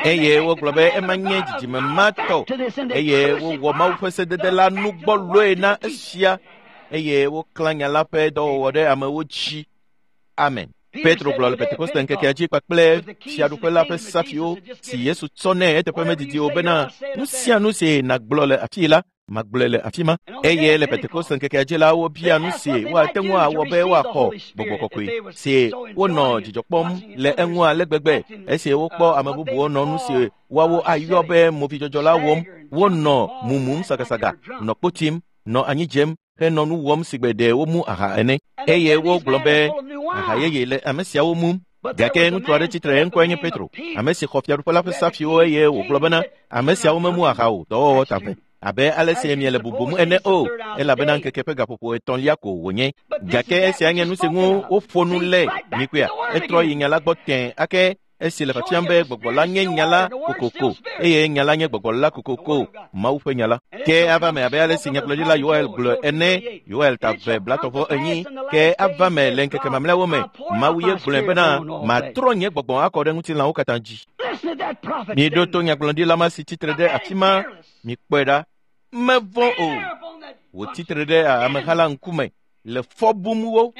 Eye wogblɔ be ema nye dzidzime ma tɔ. Eye wowɔ Mawu ƒe sedede la nugbɔlɔe na esia. Eye woklã nya la ƒe dɔwɔwɔ ɖe amewo dzi. Amen. Petro gblɔ le Pentekoste ŋkekea dzi kpakple fiaɖuƒe la ƒe safiwo si Yesu tsɔ nɛ eteƒe medidi o bena nu sia nu si nàgblɔ le afii la, magblɔe le afi ma. Eye le Pentekoste ŋkekea dzi la, wobia nu si woate ŋu awɔ be woaxɔ gbɔgbɔ kɔkɔe si wonɔ dzidzɔ kpɔm le eŋu ale gbegbe esi wokpɔ ame bubuwo nɔ nu si woawo ayɔ be movidzɔdzɔ la wɔm. Wonɔ mumum sagasaga, nɔ kpo tim, nɔ anyi dzem henɔ nu wɔm si gbe ɖe womu aha ene. Eye wogblɔ be aha yeye le ame siawo mum. Gake ŋutsu aɖe tsitre, eŋkɔe nye Petro, ame si xɔ fiaɖuƒe la ƒe safiwo eye wògblɔ bena ame siawo memu aha o, dɔwɔwɔ ta vɛ. abe ale si miele bubum ene o, elabena ŋkeke ƒe gaƒoƒo etɔ̃lia ko wònye. Gake esia nye nu si ŋu woƒo nu le. Mikpɔea, etrɔ yi nya la gbɔ tẽe ake esi le fiafiam be gbɔgbɔ la nye nya la kokoko eye nya la nye gbɔgbɔ la kokoko, Mawu ƒe nya la. Ke ava me abe ale si nyagblɔɖila Yoel gblɔ ene, Yoel ta 2:34, ke ava me le ŋkeke mamlɛawo me, Mawu ye gblɔe bena, matrɔ nye gbɔgbɔ akɔ ɖe ŋutilãwo katã dzi. Miɖo to nyagblɔɖila ma si tsitre ɖe afi ma, mikpɔe ɖa. Mevɔ̃ o. Wòtsitre ɖe ameha la ŋkume le fɔ bum wo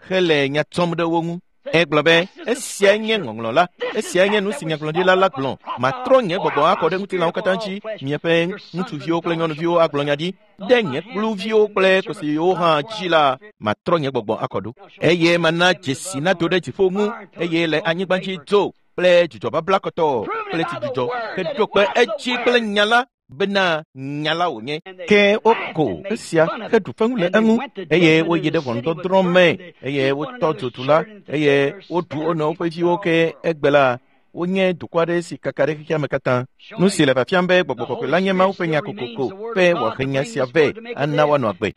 hele nya tsɔm ɖe wo ŋu. Egblɔ be, esiae nye ŋɔŋlɔ la, esiae nye nu si nyagblɔɖila la gblɔ, matrɔ nye gbɔgbɔ akɔ ɖe ŋutilãwo katã dzi, miaƒe ŋutsuviwo kple nyɔnuviwo agblɔ nya ɖi, ɖe nye kluviwo kple kosiwo hã dzi la, matrɔ nye gbɔgbɔ akɔ ɖo. Eye mana dzesi nado ɖe dziƒo ŋu, eye le anyigba dzi dzo kple dzudzɔ babla kɔtɔ kple tsidzudzɔ, heɖo kpe edzi kple nya la, bena nya la wònye. Ke woko esia heɖu fewu le eŋu, eye woyi ɖe ʋɔnudɔdrɔ̃ me, eye wotɔ dzodu la, eye woɖu wo nɔewo ƒe viwo. Ke egbe la, wonye dukɔ aɖe si kaka ɖe xexea me katã. Nu si le fiafiam be gbɔgbɔ kɔkɔe la nye Mawu ƒe nya kokoko be wòahe nya sia vɛ ana woanɔ agbe.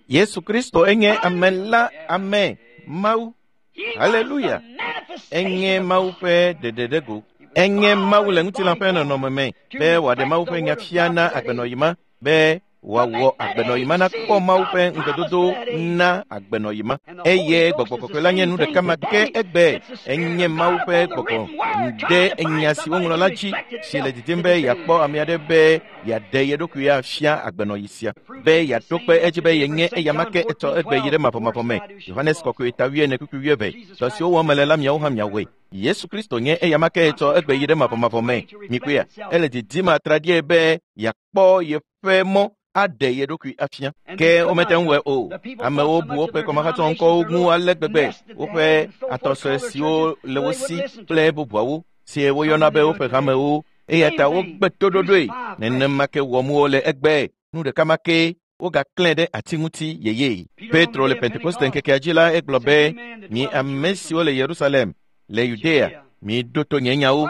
Yesu Kristo enye ame la, ame, Mawu. Haleluya! Enye Mawu ƒe ɖeɖeɖego. Enye Mawu le ŋutilã ƒe nɔnɔme me be wòaɖe Mawu ƒe nya fia na agbenɔyi ma, be wòawɔ agbenɔyi ma nakpɔ Mawu ƒe ŋugbedodo na agbenɔyi ma. Eye gbɔgbɔ kɔkɔe la nye nu ɖeka ma ke egbe. Enye Mawu ƒe gbɔgbɔ ɖe nya si woŋlɔ la dzi, si le didim be yeakpɔ ame aɖe be yeaɖe ye ɖokui afia agbenɔyi sia, be yeaɖo kpe edzi be yenye eyama ke etsɔ egbe yi ɖe mavɔmavɔ me. Yohanes kɔkɔe ta 4:12. Dɔ siwo wɔm mele la miawo hã miawɔe. Yesu Kristo nye eyama ke etsɔ egbe yi ɖe mavɔmavɔ me. Mikpɔea, ele didim atraɖie be yeakpɔ yeƒe mɔ aɖe ye ɖokui afia. Ke womete ŋu wɔe o. Amewo bu woƒe kɔmahatsɔ ŋkɔwo ŋu ale gbegbe, woƒe atɔsɔe siwo le wo si kple bubuawo, si woyɔna be woƒe hamewo, eya ta wogbe toɖoɖoe. Nenema ke wɔm wole egbe. Nu ɖeka ma ke wogaklẽ ɖe ati ŋuti yeye. Petro le Pentekoste ŋkekea dzi la, egblɔ be, mi ame siwo le Yerusalem, le Yudea, miɖo to nye nyawo.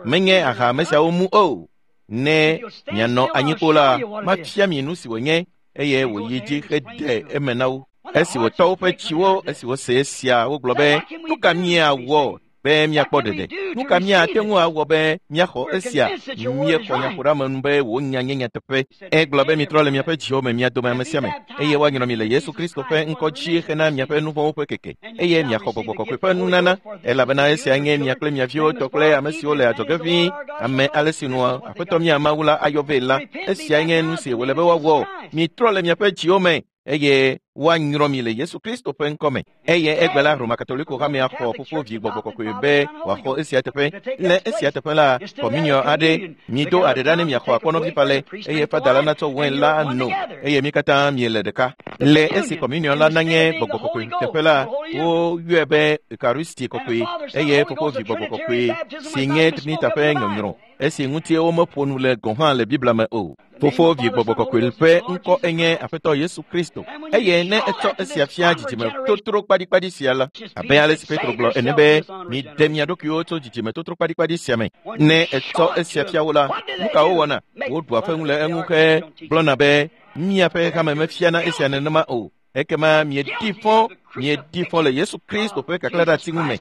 Menye aha ame siawo mu o. Ne mianɔ anyi kpo la, mafia mi nu si wònye, eye wòyi dzi hede eme na wo. Esi wòtɔ woƒe tsiwo, esi wose esia, wogblɔ be, nu ka míawɔ be míakpɔ ɖeɖe? Nu ka míate ŋu awɔ be míaxɔ esia? Míexɔ nyaƒoɖeamenu be wò nya nye nyateƒe. Egblɔ be mitrɔ le miaƒe dziwo me, mia dome ame sia ame, eye woanyrɔ mi le Yesu Kristo ƒe ŋkɔ dzi hena miaƒe nu vɔ̃wo ƒe keke, eye miaxɔ gbɔgbɔ kɔkɔe ƒe nunana, elabena esia nye mia kple mia viwo tɔ kple ame siwo le adzɔge ʋĩi, ame ale si nua Aƒetɔ mia Mawu la ayɔ vɛ la. Esia nye nu si wòle be woawɔ. Mitrɔ le miaƒe dziwo me, eye woanyrɔ mi le Yesu Kristo ƒe ŋkɔ me. Eye egbe la, Roma Katoliko hamea xɔ fofo vi gbɔgbɔ kɔkɔe be wòaxɔ esia teƒe. Le esia teƒe la, kɔmuniɔ aɖe, mido aɖe ɖa ne miaxɔ akpɔnɔvi falɛ, eye fada la natsɔ wɛn la ano, eye mi katã miele ɖeka. Le esi kɔmuniɔ la nanye gbɔgbɔ kɔkɔe teƒe la, woyɔe be Eucharisti kɔkɔe, eye fofo vi gbɔgbɔ kɔkɔe si nye Trinita ƒe nyɔnyrɔ, esi ŋuti womeƒo nu le gɔ̃ hã le Biblia me o. Fofo vi gbɔgbɔ kɔkɔe ƒe ŋkɔ enye Aƒetɔ Yesu Kristo, eye ne etsɔ esia fia dzidzime totro kpaɖikpaɖi sia la, abe ale si Petro gblɔ ene be, miɖe mia ɖokuiwo tso dzidzime totro kpaɖikpaɖi sia me. Ne etsɔ esia fia wo la, nu ka wowɔna? Woɖua fewu le eŋu he gblɔna be, miaƒe hame mefiana esia nenema o. Ekema mieɖi fɔ le Yesu Kristo ƒe kaklã ɖe ati ŋu me.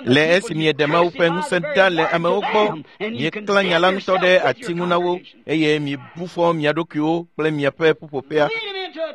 Le esi mieɖe Mawu ƒe ŋusẽ ɖa le amewo gbɔ, mieklã nya la ŋutɔ ɖe ati ŋu na wo, eye miebu fɔ mia ɖokuiwo kple miaƒe ƒuƒoƒea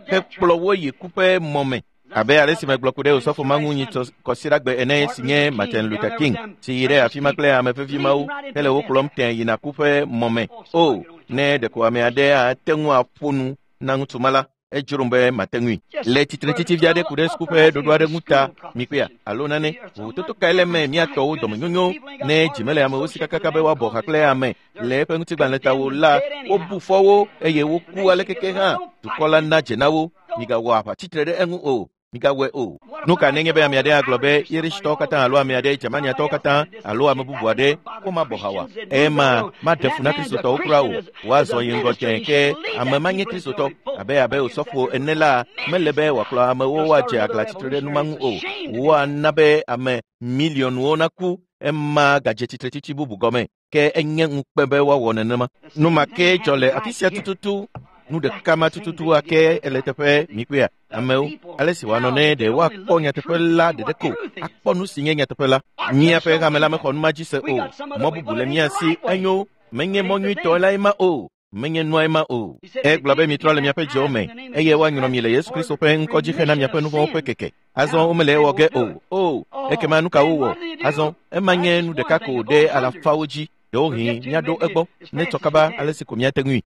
hekplɔ wo yi ku ƒe mɔ me. Abe ale si megblɔ ku ɖe osɔfo ma ŋu nyi kɔsiɖagbe ene, si nye Martin Luther King, si yi ɖe afi ma kple ame vevi mawo hele wo kplɔm tẽ yina ku ƒe mɔ me. O, ne ɖeko ame aɖe ate ŋu aƒo nu na ŋutsu ma la, edzrom be mate ŋui. Le tsitretsitsi vi aɖe ku ɖe suku ƒe ɖoɖo aɖe ŋu ta, mikpɔea, alo nane, vovototo kae le eme miatɔwo dɔmenyonyo, ne dzi mele amewo si kakaka be woabɔ ha kple ame le eƒe ŋutigbalẽ ta wo la, wobu fɔ wo eye woku alekeke hã, dukɔ la na dze na wo. Migawɔ aʋa tsitre ɖe eŋu o. Migawɔe o. Nu ka nenye be ame aɖe agblɔ be Irishtɔwo katã alo ame aɖe Germaniatɔwo katã alo ame bubu aɖe womabɔ ha oa? Ema maɖe fu na Kristotɔwo kura o. Woazɔ yi ŋgɔ tẽ ke ame ma nye Kristotɔ abe osɔfo ene la, mele be wòakplɔ amewo woadze aglã tsitre ɖe nu ma ŋu o. Woana be ame miliɔnwo naku. Ema gadze tsitretsitsi bubu gɔme ke enye ŋukpe be woawɔ nenema. Nu ma ke dzɔ le afi sia tututu. Nu ɖeka ma tututu ake ele teƒe mikpea amewo ale si wòanɔ ne ɖe woakpɔ nyateƒe la ɖeɖe ko akpɔ nu si nye nyateƒe la. Míaƒe hame la mexɔ nu ma dzi se o. Mɔ bubu le mía si enyo menye mɔ nyuitɔ lae ma o. Menye nua ma o. Egblɔ be mitrɔ le miaƒe dziwo me eye woanyrɔ mi le Yesu Kristo ƒe ŋkɔ dzi hena miaƒe nu vɔ̃wo ƒe keke. Azɔ womele ewɔ ge o. O, ekema nu ka wowɔ? Azɔ ema nye nu ɖeka ko ɖe alafawo dzi. Ɖewohĩ míaɖo egbɔ ne tsɔ kaba ale si ko míate ŋui.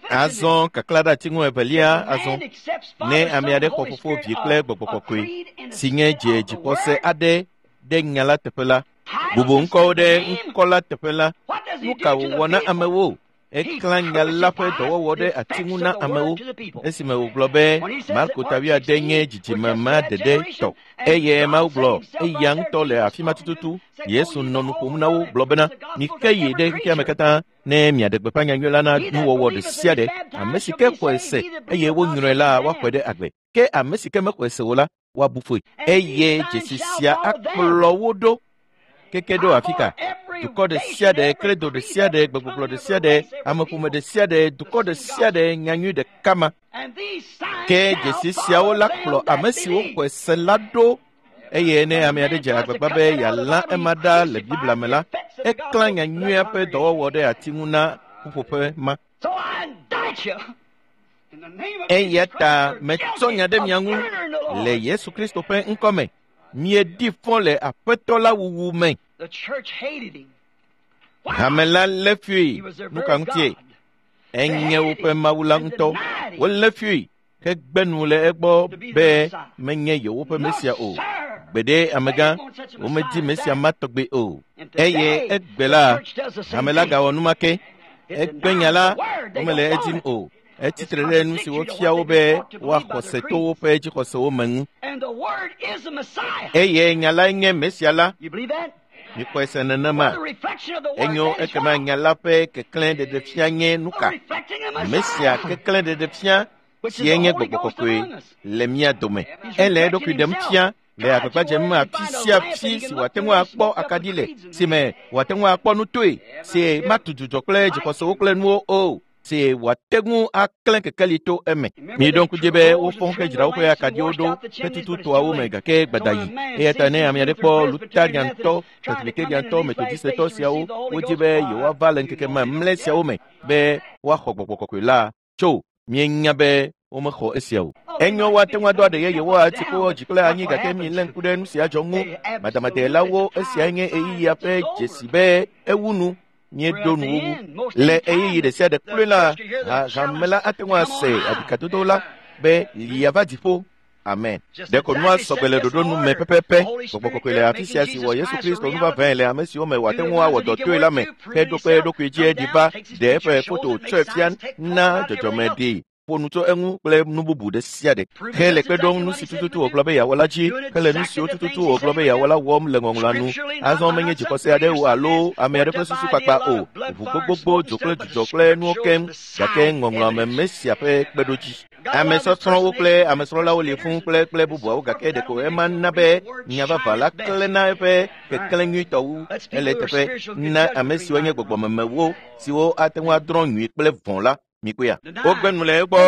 Azɔ kaklã ɖe ati ŋu evelia azɔ ne ame aɖe xɔ Fofo, Vi kple Gbɔgbɔ Kɔkɔe si nye dze dzixɔse aɖe ɖe nya la teƒe la, bubu ŋkɔwo ɖe ŋkɔ la teƒe la, nu ka wòwɔ na amewo? Eklã nya la ƒe dɔwɔwɔ ɖe ati ŋu na amewo esime wògblɔ be Marko ta 8 nye dzidzime ma ɖeɖe tɔ eye Mawu gblɔ eya ŋutɔ le afi ma tututu. Yesu nɔ nu ƒom na wo gblɔ bena mike yi ɖe xexea me katã ne miaɖe gbeƒã nyanyui la na nuwɔwɔ ɖe sia ɖe. Ame si ke xɔe se eye wonyrɔe la woaxɔe ɖe agbe, ke ame si ke mexɔe se o la woabu fɔe. Eye dzesi sia akplɔ wo ɖo keke ɖo afi ka? Dukɔ ɖe sia ɖe, kredo ɖe sia ɖe, gbegbɔgblɔ ɖe sia ɖe, ameƒome ɖe sia ɖe, dukɔ ɖe sia ɖe, nyanyui ɖeka ma. Ke dzesi siawo la kplɔ ame siwo xɔe se la ɖo. Eye ne ame aɖe dze agbagba be yealã ema ɖa le Biblia me la, eklã nyanyuia ƒe dɔwɔwɔ ɖe ati ŋu na ƒuƒoƒe ma. Eya ta metsɔ nya ɖe mia ŋu le Yesu Kristo ƒe ŋkɔ me. Mieɖi fɔ le Aƒetɔ la wuwu me. Hame la lé fui. Nu ka ŋutie? Enye woƒe Mawu la ŋutɔ. Wolé fui hegbe nu le egbɔ be menye yewoƒe Mesia o. Gbeɖe amegã, womedi Mesia ma tɔgbe o. Eye egbe la, hame la gawɔ nu ma ke. Egbe nya la, womele edim o. Etsitre ɖe nu si wofia wo be woaxɔ se to woƒe dzixɔsewo me ŋu. Eye nya lae nye Mesia la. Mikpɔe se nenema. Enyo ekema nya la ƒe keklẽ ɖeɖefia nye nu ka? Mesia keklẽ ɖeɖefia sie nye Gbɔgbɔ Kɔkɔe le mía dome. Ele eɖokui ɖem fia le agbagba dzem afi sia afi si wòate ŋu akpɔ akaɖi le, si me wòate ŋu akpɔ nu toe, si matu dzudzɔ kple dzixɔsewo kple nuwo o, si wòate ŋu aklẽ kekeli to eme. Miɖo ŋku dzi be wofɔ hedzra woƒe akaɖiwo ɖo hetutu toawo me gake gbadayi. Eya ta ne ame aɖe kpɔ Lutheriantɔ, Presbyteriantɔ, Methodistetɔ siawo wodi be yewoava le ŋkeke mamlɛ siawo me be woaxɔ Gbɔgbɔ Kɔkɔe la tso mienya be womexɔ esia o. Enyo woate ŋu ado aɖe yeyewo ati kpo dzi kple anyi gake milé ŋku ɖe nu sia dzɔ ŋu. Madamadelawo esiae nye ɣeyiɣia ƒe dzesi be ewu nu. Míeɖo nuwuwu. Le ɣeyiɣi ɖe sia ɖe kloe la, hame la ate ŋu ase aɖikadodo la be lia va dziƒo. Amen. Ɖeko nua sɔgbe le ɖoɖo nu me pɛpɛpɛ. Gbɔgbɔ Kɔkɔe le afi sia si wɔ Yesu Kristo nu vavãe le ame siwo me wòate ŋu awɔ dɔ toe la me heɖo kpe eɖokui dzi eɖi va ɖe eƒe foto tsɔe fia na dzɔdzɔme ɖi. Ƒo nu tso eŋu kple nu bubu ɖe sia ɖe. Hele kpe ɖom nu si tututu wògblɔ be yeawɔ la dzi, hele nu siwo tututu wògblɔ be yeawɔ la wɔm le ŋɔŋlɔa nu. Azɔ menye dzixɔse aɖe o alo ame aɖe ƒe susu kpakpa o. Ʋu gbogbogbò, dzo kple dzudzɔ kple nuwo keŋ, gake ŋɔŋlɔa me Mesia ƒe kpeɖodzi. Ame sɔsrɔ̃wo kple ame srɔ̃lawo li fũu kple bubuawo gake ɖeko ema na be nya vavã la klẽ na eƒe keklẽ nyuitɔ wu. Ele eteƒe na ame siwo nye gbɔgbɔmemewo siwo ate ŋu adrɔ̃ nyui kple vɔ̃ la. Mikpɔea? Wogbe nu le egbɔ,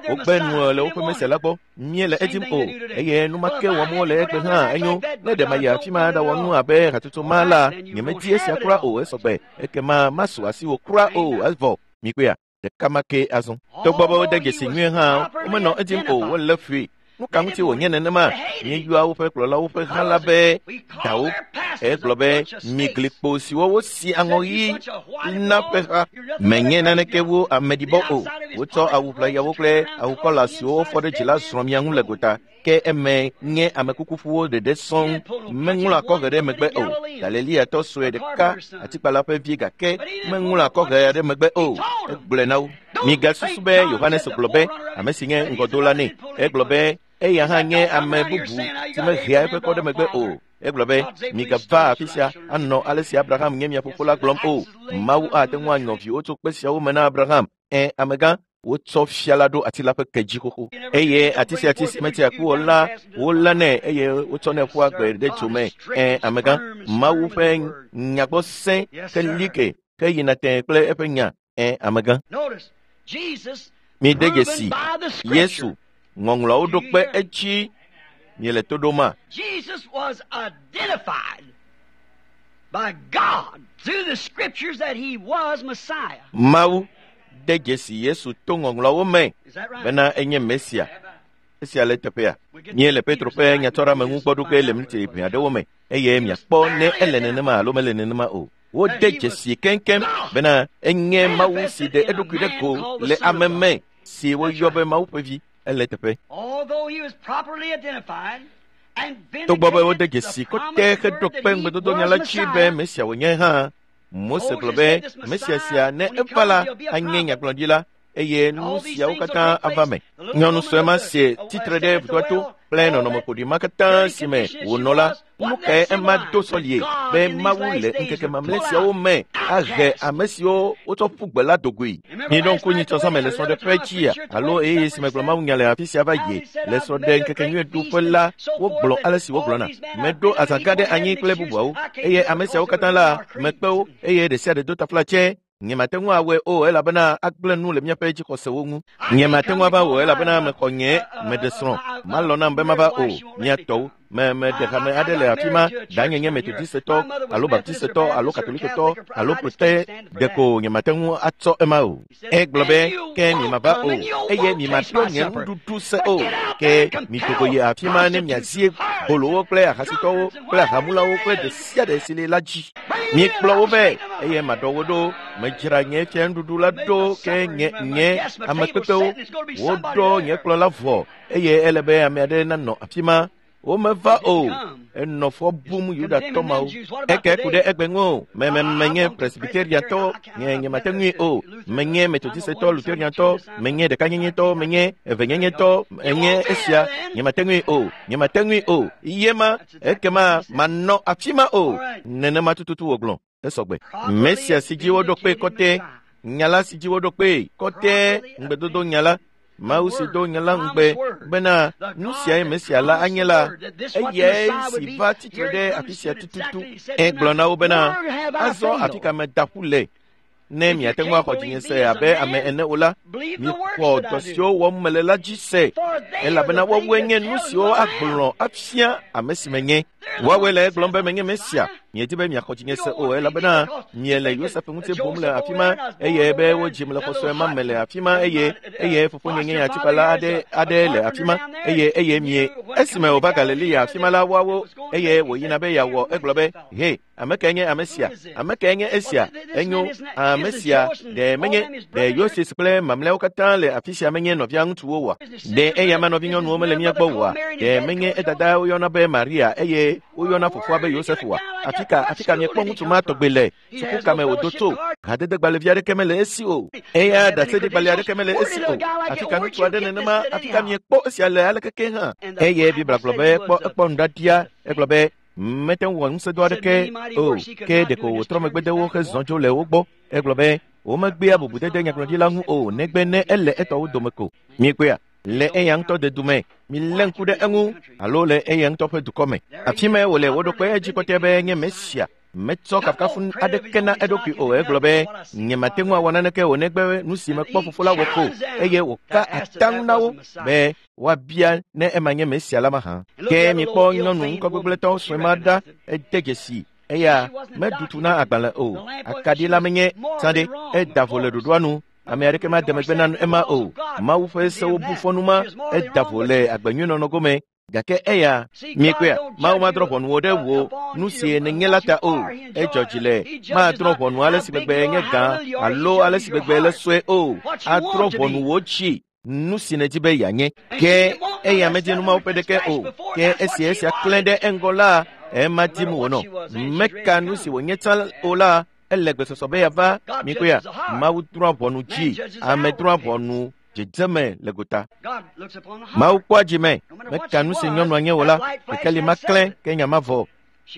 wogbe nu le woƒe Mesia la gbɔ. Míele edim o, eye nu ma ke wɔm wole egbe hã enyo. Ne ɖe mayi afi ma ɖawɔ nu abe hatsotso ma la, nyemedi esia kura o esɔgbe. Ekema masu asiwò kura o evɔ. Mikpɔea? Ɖeka ma ke azɔ. Togbɔ be wode dzesi nyuie hã, womenɔ edim o, wolé fui. Nu ka ŋuti wònye nenema? Míeyɔa woƒe kplɔlawo ƒe hã la be dawo. Egblɔ be mi glikpo siwo wosi aŋɔ ɣi na ƒe ha. Menye naneke wu ameɖibɔ o. Wotsɔ awu ʋlayawo kple awu kɔla siwo wofɔ ɖe dzi la zrɔ̃ mia ŋu le gota. Ke eme nye amekukuƒuwo ɖeɖe sɔŋ. Meŋlɔ akɔhe ɖe megbe o. Galileatɔ sue ɖeka, atikpala ƒe vi gake meŋlɔ akɔhe ɖe megbe o. Egblɔe na wo. Migasusu be Yohanes gblɔ be ame si nye ŋgɔdola nɛ. Egblɔ be eya hã nye ame bubu si mehea eƒe kɔ ɖe megbe o. Egblɔ be migava afi sia anɔ ale si Abraham nye mia fofo la gblɔm o. Mawu ate ŋu anyɔ viwo tso kpe siawo me na Abraham. Ẽ, amegã. Wotsɔ fia la ɖo ati la ƒe ke dzi xoxo. Eye ati sia ati si metia ku o la, wolénɛ eye wotsɔnɛ ƒua gbe ɖe dzo me. Amegã, Mawu ƒe nyagbɔ sẽ ke like ke yina tẽe kple eƒe nya. Amegã. Mide dzesi Yesu ŋɔŋlɔawo ɖo kpe edzi miele to ɖoma. Jesus was identified by God through the scriptures that he was Messiah. Mawu de dzesi Yesu to ŋɔŋlɔawo me bena enye Mesia. Esia le teƒea. Míele Petro ƒe nyatsɔɖeameŋu gbɔ ɖo ge le miniti ʋɛ aɖewo me eye miakpɔ ne ele nenema alo mele nenema o. Wode dzesi keŋkeŋ bena enye Mawu si ɖe eɖokui ɖe go le ame me si woyɔ be Mawu ƒe vi. Ele teƒe. Togbɔ be wode dzesi kɔtɛ heɖo kpe ŋugbedodonya la dzi be Mesia wònye hã, Mose gblɔ be Mesia sia ne eva la anye nyagblɔɖila eye nu siawo katã ava me. Nyɔnu sue ma si tsitre ɖe vudoa to kple nɔnɔme ƒoɖi ma katã si me wònɔ la, nu kae ema do sɔlie be Mawu le ŋkeke mamlɛ siawo me ahe ame siwo wotsɔ ƒu gbe la dogoe. Miɖo ŋku nyitsɔzãme le srɔ̃ɖeƒe dzia alo ɣeyiɣi si megblɔ mawunya le afi sia va yi le srɔ̃ɖe ŋkekenyuiɖuƒe la, wogblɔ ale si wogblɔna. Meɖo azã gã ɖe anyi kple bubuawo eye ame siawo katã la mekpe wo eye ɖe sia ɖe do taflatse. Nyemate ŋu awɔe o elabena agblẽ nu le míaƒe dzixɔsewo ŋu. Nyemate ŋu ava o elabena mexɔ nye meɖe srɔ̃. Malɔ̃ nam be mava o. Mía tɔwo meɖe hame aɖe le afi ma, danye nye Metodisetɔ alo Baptisetɔ alo Katolikotɔ alo Prote ɖeko nyemate ŋu atsɔ ema o. Egblɔ be ke miemava o eye miemaɖo nye nuɖuɖu se o. Ke midogo yi afi ma ne miazie bolowo kple ahasitɔwo kple ahamulawo kple ɖe sia ɖe si li la dzi. Miekplɔ wo vɛ eye maɖɔ wo ɖo. Medzra nye fianuɖuɖu la ɖo ke nye amekpekpewo. Woɖɔ nye kplɔ la vɔ eye ele be ame aɖe nanɔ afi ma. Womeva o. Enɔ fɔ bum Yudatɔ mawo. Eke ku ɖe egbe ŋu o. Menye Presbyteriatɔ, nye nyemate ŋui o. Menye Metodisetɔ, Lutheriantɔ, menye ɖekanyenyetɔ, menye evenyenyetɔ, menye esia. Nyemate ŋui o. Nyemate ŋui o. Yema ekema manɔ afi ma o. Nenema tututu wògblɔ. Esɔgbe. Mesia si dzi woɖo kpe kɔtɛ, nya la si dzi woɖo kpe kɔtɛ, ŋugbedodo nya la. Mawu si do nya la ŋugbe bena nu siae Mesia la anye la, eyae si va tsitre ɖe afi sia tututu. Egblɔ na wo bena, azɔ afi ka meda ƒu le? Ne miate ŋu axɔ dzinye se abe ame ene o la, mixɔ dɔ siwo wɔm mele la dzi se, elabena woawoe nye nu siwo agblɔ afia ame si menye. Woawoe le egblɔm be menye Mesia. Miedi be miaxɔ dzinye se o elabena miele Yosef ŋuti bum le afi ma eye be wodzim le xɔ sue ma me le afi ma eye fofonye nye atikpala aɖe le afi ma eye mie esime wòva Galilea afi ma la woawo eye wòyina be yeawɔ egblɔ be he ame kae nye ame sia? Ame kae nye esia? Enyo ame sia ɖe menye ɖe Yosef kple mamlɛawo katã le afi sia menye nɔvia ŋutsuwo oa? Ɖe eya ma nɔvinyɔnuwo mele mía gbɔ oa? Ɖe menye edada woyɔna be Maria eye woyɔna fofoa be Yosef oa? Afi ka miekpɔ ŋutsu ma tɔgbe le? Suku ka me wòdo tso? Hadedegbalẽvi aɖeke mele esi o. Eya ɖaseɖigbalẽ aɖeke mele esi o. Afi ka ŋutsu aɖe nenema? Afi ka miekpɔ esia le alekeke hã? Eye Biblia gblɔ be ekpɔ nuɖaɖia. Egblɔ be mete ŋu wɔ ŋusẽdɔ aɖeke o. Ke ɖeko wòtrɔ megbe de wo hezɔ dzo le wo gbɔ. Egblɔ be womegbea bubudede nyagblɔɖila ŋu o negbe ne ele etɔwo dome ko. Miekpɔea? Le eya ŋutɔ dedu me, milé ŋku ɖe eŋu alo le eya ŋutɔ ƒe dukɔ me. Afi mae wòle wo ɖokpe edzi kɔtɛ be nye Mesia. Metsɔ kafukafu aɖeke na eɖokui o. Egblɔ be nyemate ŋu awɔ naneke o negbe nu si mekpɔ fofo la wɔ ko eye wòka ataŋu na wo be woabia ne ema nye Mesia la mahã. Ke mikpɔ nyɔnu ŋkɔgbegblẽtɔ sue ma ɖa ede dzesi eya meɖu tu na agbalẽ o. Akaɖi la menye tsã ɖe eda vo le ɖoɖoa nu. Ame aɖeke made megbe na ema o. Mawu ƒe sewo bu fɔ nu ma eda vo le agbenyuinɔnɔ gome. Gake eya miekpɔea, Mawu madrɔ̃ ʋɔnu wo ɖe wò nu si nènye la ta o. Edzɔ dzi le madrɔ̃ ʋɔnu ale si gbegbe nye gã alo ale si gbegbe le sue o. Adrɔ̃ ʋɔnu wò dzi nu si nèdi be yeanye. Ke eya medi nu mawo ƒe ɖeke o. Ke esi esia klẽ ɖe eŋgɔ la, ema dim wònɔ. Meka nu si wònye tsã o la, ele gbesɔsɔ be yeava. Miekpɔea, Mawu drɔ̃a ʋɔnu dzi, ame drɔ̃a ʋɔnu dzedzeme le gota. Mawu kpɔa dzi me. Meka nu si nyɔnua nye o la, kekeli ma klẽ ke nya ma vɔ.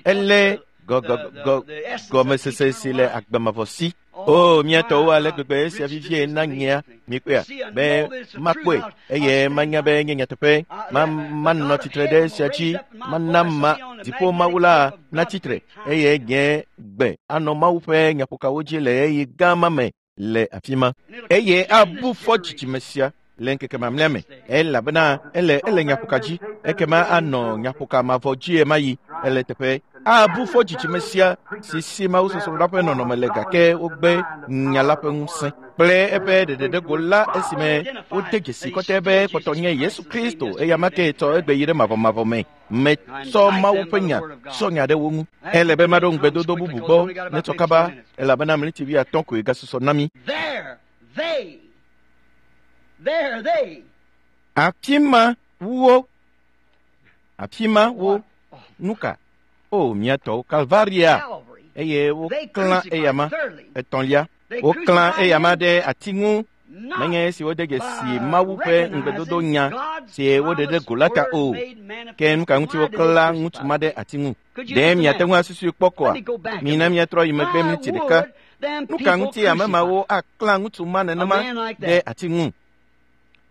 Elé Gɔmesese si le agbemavɔ si. O mía tɔwo ale gbegbe esia vivie na nyea mikpɔea be makpɔe eye manya be nye nyateƒe manɔ tsitre ɖe esia dzi mana ma dziƒo Mawu la natsitre eye nye gbe anɔ Mawu ƒe nyaƒokawo dzi le ɣeyiɣi gã ma me le afi ma eye abu fɔ dzidzime sia le ŋkeke mamlɛa me elabena ele nyaƒoka dzi ekema anɔ nyaƒoka mavɔ dzi ɣemaɣi yi ele teƒe abu fɔ dzidzime sia si Mawu sɔsrɔ̃ ƒe nɔnɔme le gake wogbe nya la ƒe ŋusẽ kple eƒe ɖeɖeɖego la esime wode dzesi kɔtɛ be kpɔtɔ nye Yesu Kristo eya ma ke tsɔ egbe yi ɖe mavɔmavɔ me metsɔ Mawu ƒe nya tsɔ nya ɖe wo ŋu. Ele be maɖo ŋugbedodo bubu gbɔ netsɔ kaba elabena mliti 50 koe gasusɔ na mí. Afi ma wo nuka? O mía tɔwo Kalvaria eye woklã eyama etɔ̃lia. Woklã eyama ɖe ati ŋu menye esi wode dzesi Mawu ƒe ŋugbedodo nya si woɖe ɖe go la ta o. Ke nu ka ŋuti woklã ŋutsu ma ɖe ati ŋu? Ɖe miate ŋu asusui kpɔ koa? Mina míatrɔ yi megbe miniti ɖeka. Nu ka ŋuti ame mawo aklã ŋutsu ma nenema ɖe ati ŋu?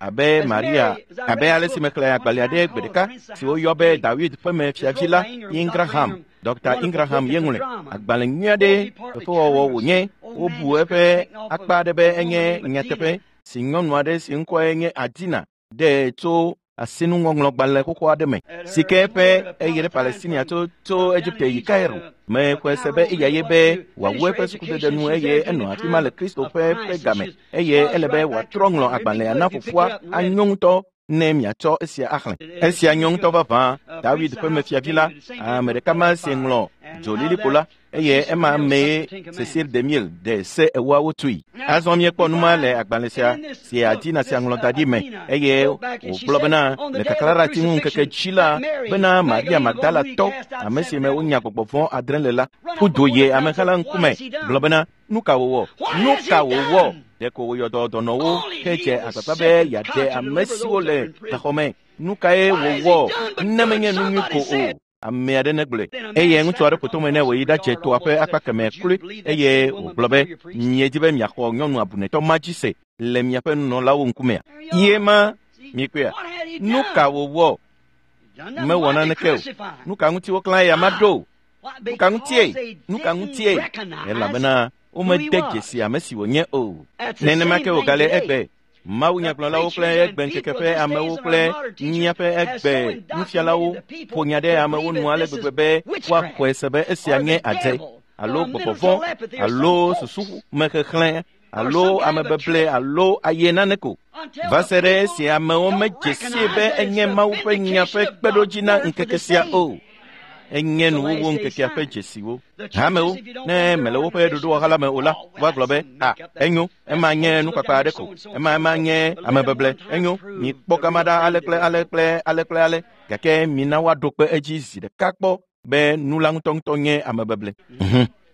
Abe Maria, abe ale si mexlẽ agbalẽ aɖe gbe ɖeka si woyɔ be Dawid ƒe me fiavi la Ingraham, Dr. Ingraham ye ŋlɔe. Agbalẽ nyui aɖe fefewɔwɔ wònye. Wobu eƒe akpa aɖe be enye nyateƒe si nyɔnu aɖe si ŋkɔe nye Adina ɖe tso asinuŋɔŋlɔgbalẽ xoxo aɖe me si ke eƒe eye ɖe Palestinia tso Egipte yi Cairo. Mexɔe se be eya ye be wòawu eƒe sukudede nu eye enɔ afi ma le Kristo ƒe ƒe game eye ele be wòatrɔ ŋlɔ agbalẽa na fofoa anyo ŋutɔ ne miatsɔ esia axlẽ. Esia nyo ŋutɔ vavã. Dawid ƒe mefiavi la, ame ɖeka ma si ŋlɔ dzolilikpo la eye ema mee Cecil DeMille de se ewoawo tui. Azɔ míekpɔ nu ma le agbalẽ sia si Adina sia ŋlɔ da ɖi me eye wògblɔ bena le kaklaɖati ŋu ŋkeke dzi la bena Maria Magdala tɔ ame si me wonya gbɔgbɔ vɔ̃ 7 le la ƒu du yi ameha la ŋkume gblɔ bena nu ka wòwɔ? Nu ka wòwɔ? Ɖeko wòyɔ dɔ dɔnɔwo hedze agbagba be yeaɖe ame siwo le gaxɔ me. Nu kae wòwɔ ne menye nu nyui ko o? Ame aɖe negblɔe. Eye ŋutsu aɖe ƒo tome nɛ wòyi ɖadze toa ƒe akpa kemɛ kloe eye wògblɔ be miedi be miaxɔ nyɔnu abunetɔ ma dzi se le miaƒe nunɔlawo ŋkumea? Ye ma mikpɔea? Nu ka wòwɔ? Mewɔ naneke o. Nu ka ŋuti woklã eya ma ɖo? Nu ka ŋutie? Nu ka ŋutie? Elabena womede dzesi ame si wònye o. Nenema ke wògale egbe. Mawu nyagblɔlawo kple egbe ŋkeke ƒe amewo kple míaƒe egbe nufialawo ƒo nya ɖe amewo nu ale gbegbe be woaxɔe se be esia nye adze alo gbɔgbɔ vɔ̃ alo susumexexlẽ alo amebeble alo aye nane ko va se ɖe esi amewo medze sie be enye Mawu ƒe nya ƒe kpeɖodzi na ŋkeke sia o. Enye nuwuwu ŋkekea ƒe dzesiwo. Hamewo, ne mele woƒe ɖoɖowɔha la me o la, woagblɔ be, a, enyo, ema nye nukpakpa aɖe ko, ema nye amebeble, enyo, mikpɔ gama ɖa ale kple ale kple ale kple ale, gake mina woaɖo kpe edzi zi ɖeka kpɔ be nu la ŋutɔŋutɔ nye amebeble.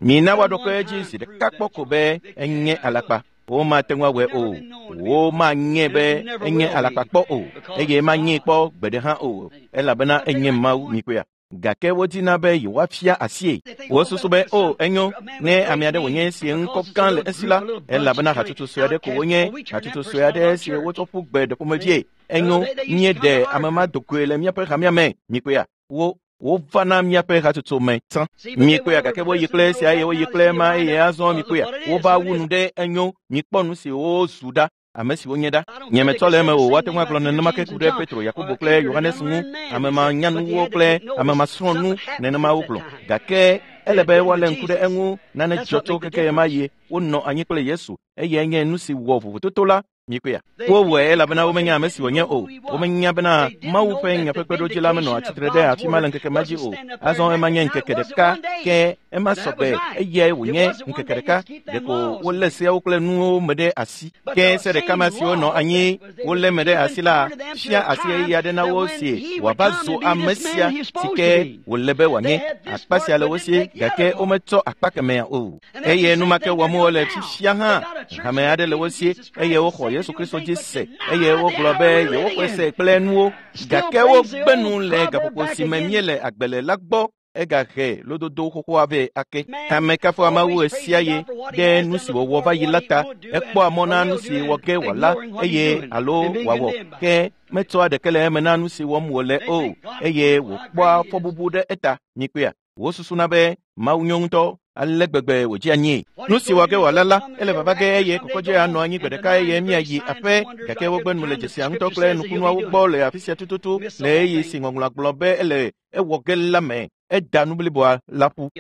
Mina woaɖo kpe edzi zi ɖeka kpɔ ko be enye alakpa. Womate ŋu awɔe o. Womanye be enye alakpa kpɔ o, eye manyee kpɔ gbe ɖe hã o, elabena enye Mawu mikpɔea. Gake wodina be yewoafia asie. Wosusu be o enyo ne ame aɖe wònye si ŋkɔ gã le esi la, elabena hatsotso sue aɖe ko wonye, hatsotso sue aɖe si wotsɔ ƒu gbe ɖe ƒomevie. Enyo míeɖe ame ma dogoe le míaƒe hamea me. Mikpɔea? Wova na míaƒe hatsotso me tsã. Mikpɔea? Gake woyi kple esia eye woyi kple ema eye azɔ mikpɔea? Wova wu nu ɖe enyo. Mikpɔ nu si wozu ɖa. Ame siwo nye ɖa. Nye metsɔ le eme o. Woate ŋu agblɔ nenema ke ku ɖe Petro, Yakobo kple Yohanes ŋu. Ame ma nyanuwo kple ame ma srɔ̃ nu nenema wogblɔ. Gake ele be woalé ŋku ɖe eŋu nane dzɔ tso keke ɣemaɣi wonɔ anyi kple Yesu eye enye nu si wɔ vovototo la. Mikpɔea? Wowɔe elabena womenya ame si wònye o. Womenya bena Mawu ƒe nya ƒe kpeɖodzi la menɔ atsitre ɖe afi ma le ŋkeke ma dzi o. Azɔ ema nye ŋkeke ɖeka ke ema sɔgbe eyae wònye ŋkeke ɖeka. Ɖeko wolé seawo kple nuwo me ɖe asi. Ke se ɖeka ma siwo nɔ anyi wolé me ɖe asi la fia asi ɣeyiɣi aɖe na wo si wòava zu ame sia si ke wòle be wòanye. Akpa sia le wo si gake wometsɔ akpa kemɛa o. Eye nu ma ke wɔm wole fifia hã. Hame aɖe le wo si eye woxɔ Yesu Kristo dzi se eye wogblɔ be yewoxɔe se kple nuwo gake wogbe nu le gaƒoƒo si me míele agbe le la gbɔ. Egahe lododo xoxoa vɛ ake. Ame kafua Mawu ɣe sia ɣi ɖe nu si wòwɔ va yi la ta. Ekpɔa mɔ na nu si wɔ ge wòala eye alo wòawɔ ke metsɔa ɖeke le eme na nu si wɔm wòle o eye wòkpɔa fɔbubu ɖe eta. Mikpɔea? Wosusuna be Mawu nyo ŋutɔ ale gbegbe wòdzi anyie. Nu si wɔ ge wòala la, ele vava ge eye kɔkɔdze anɔ anyi gbe ɖeka eye míayi aƒe gake wogbe nu le dzesia ŋutɔ kple nukunuawo gbɔ le afi sia tututu le ɣeyiɣi si ŋɔŋlɔa gblɔ be ele ewɔ ge la me. Eda nu bliboa la ƒu.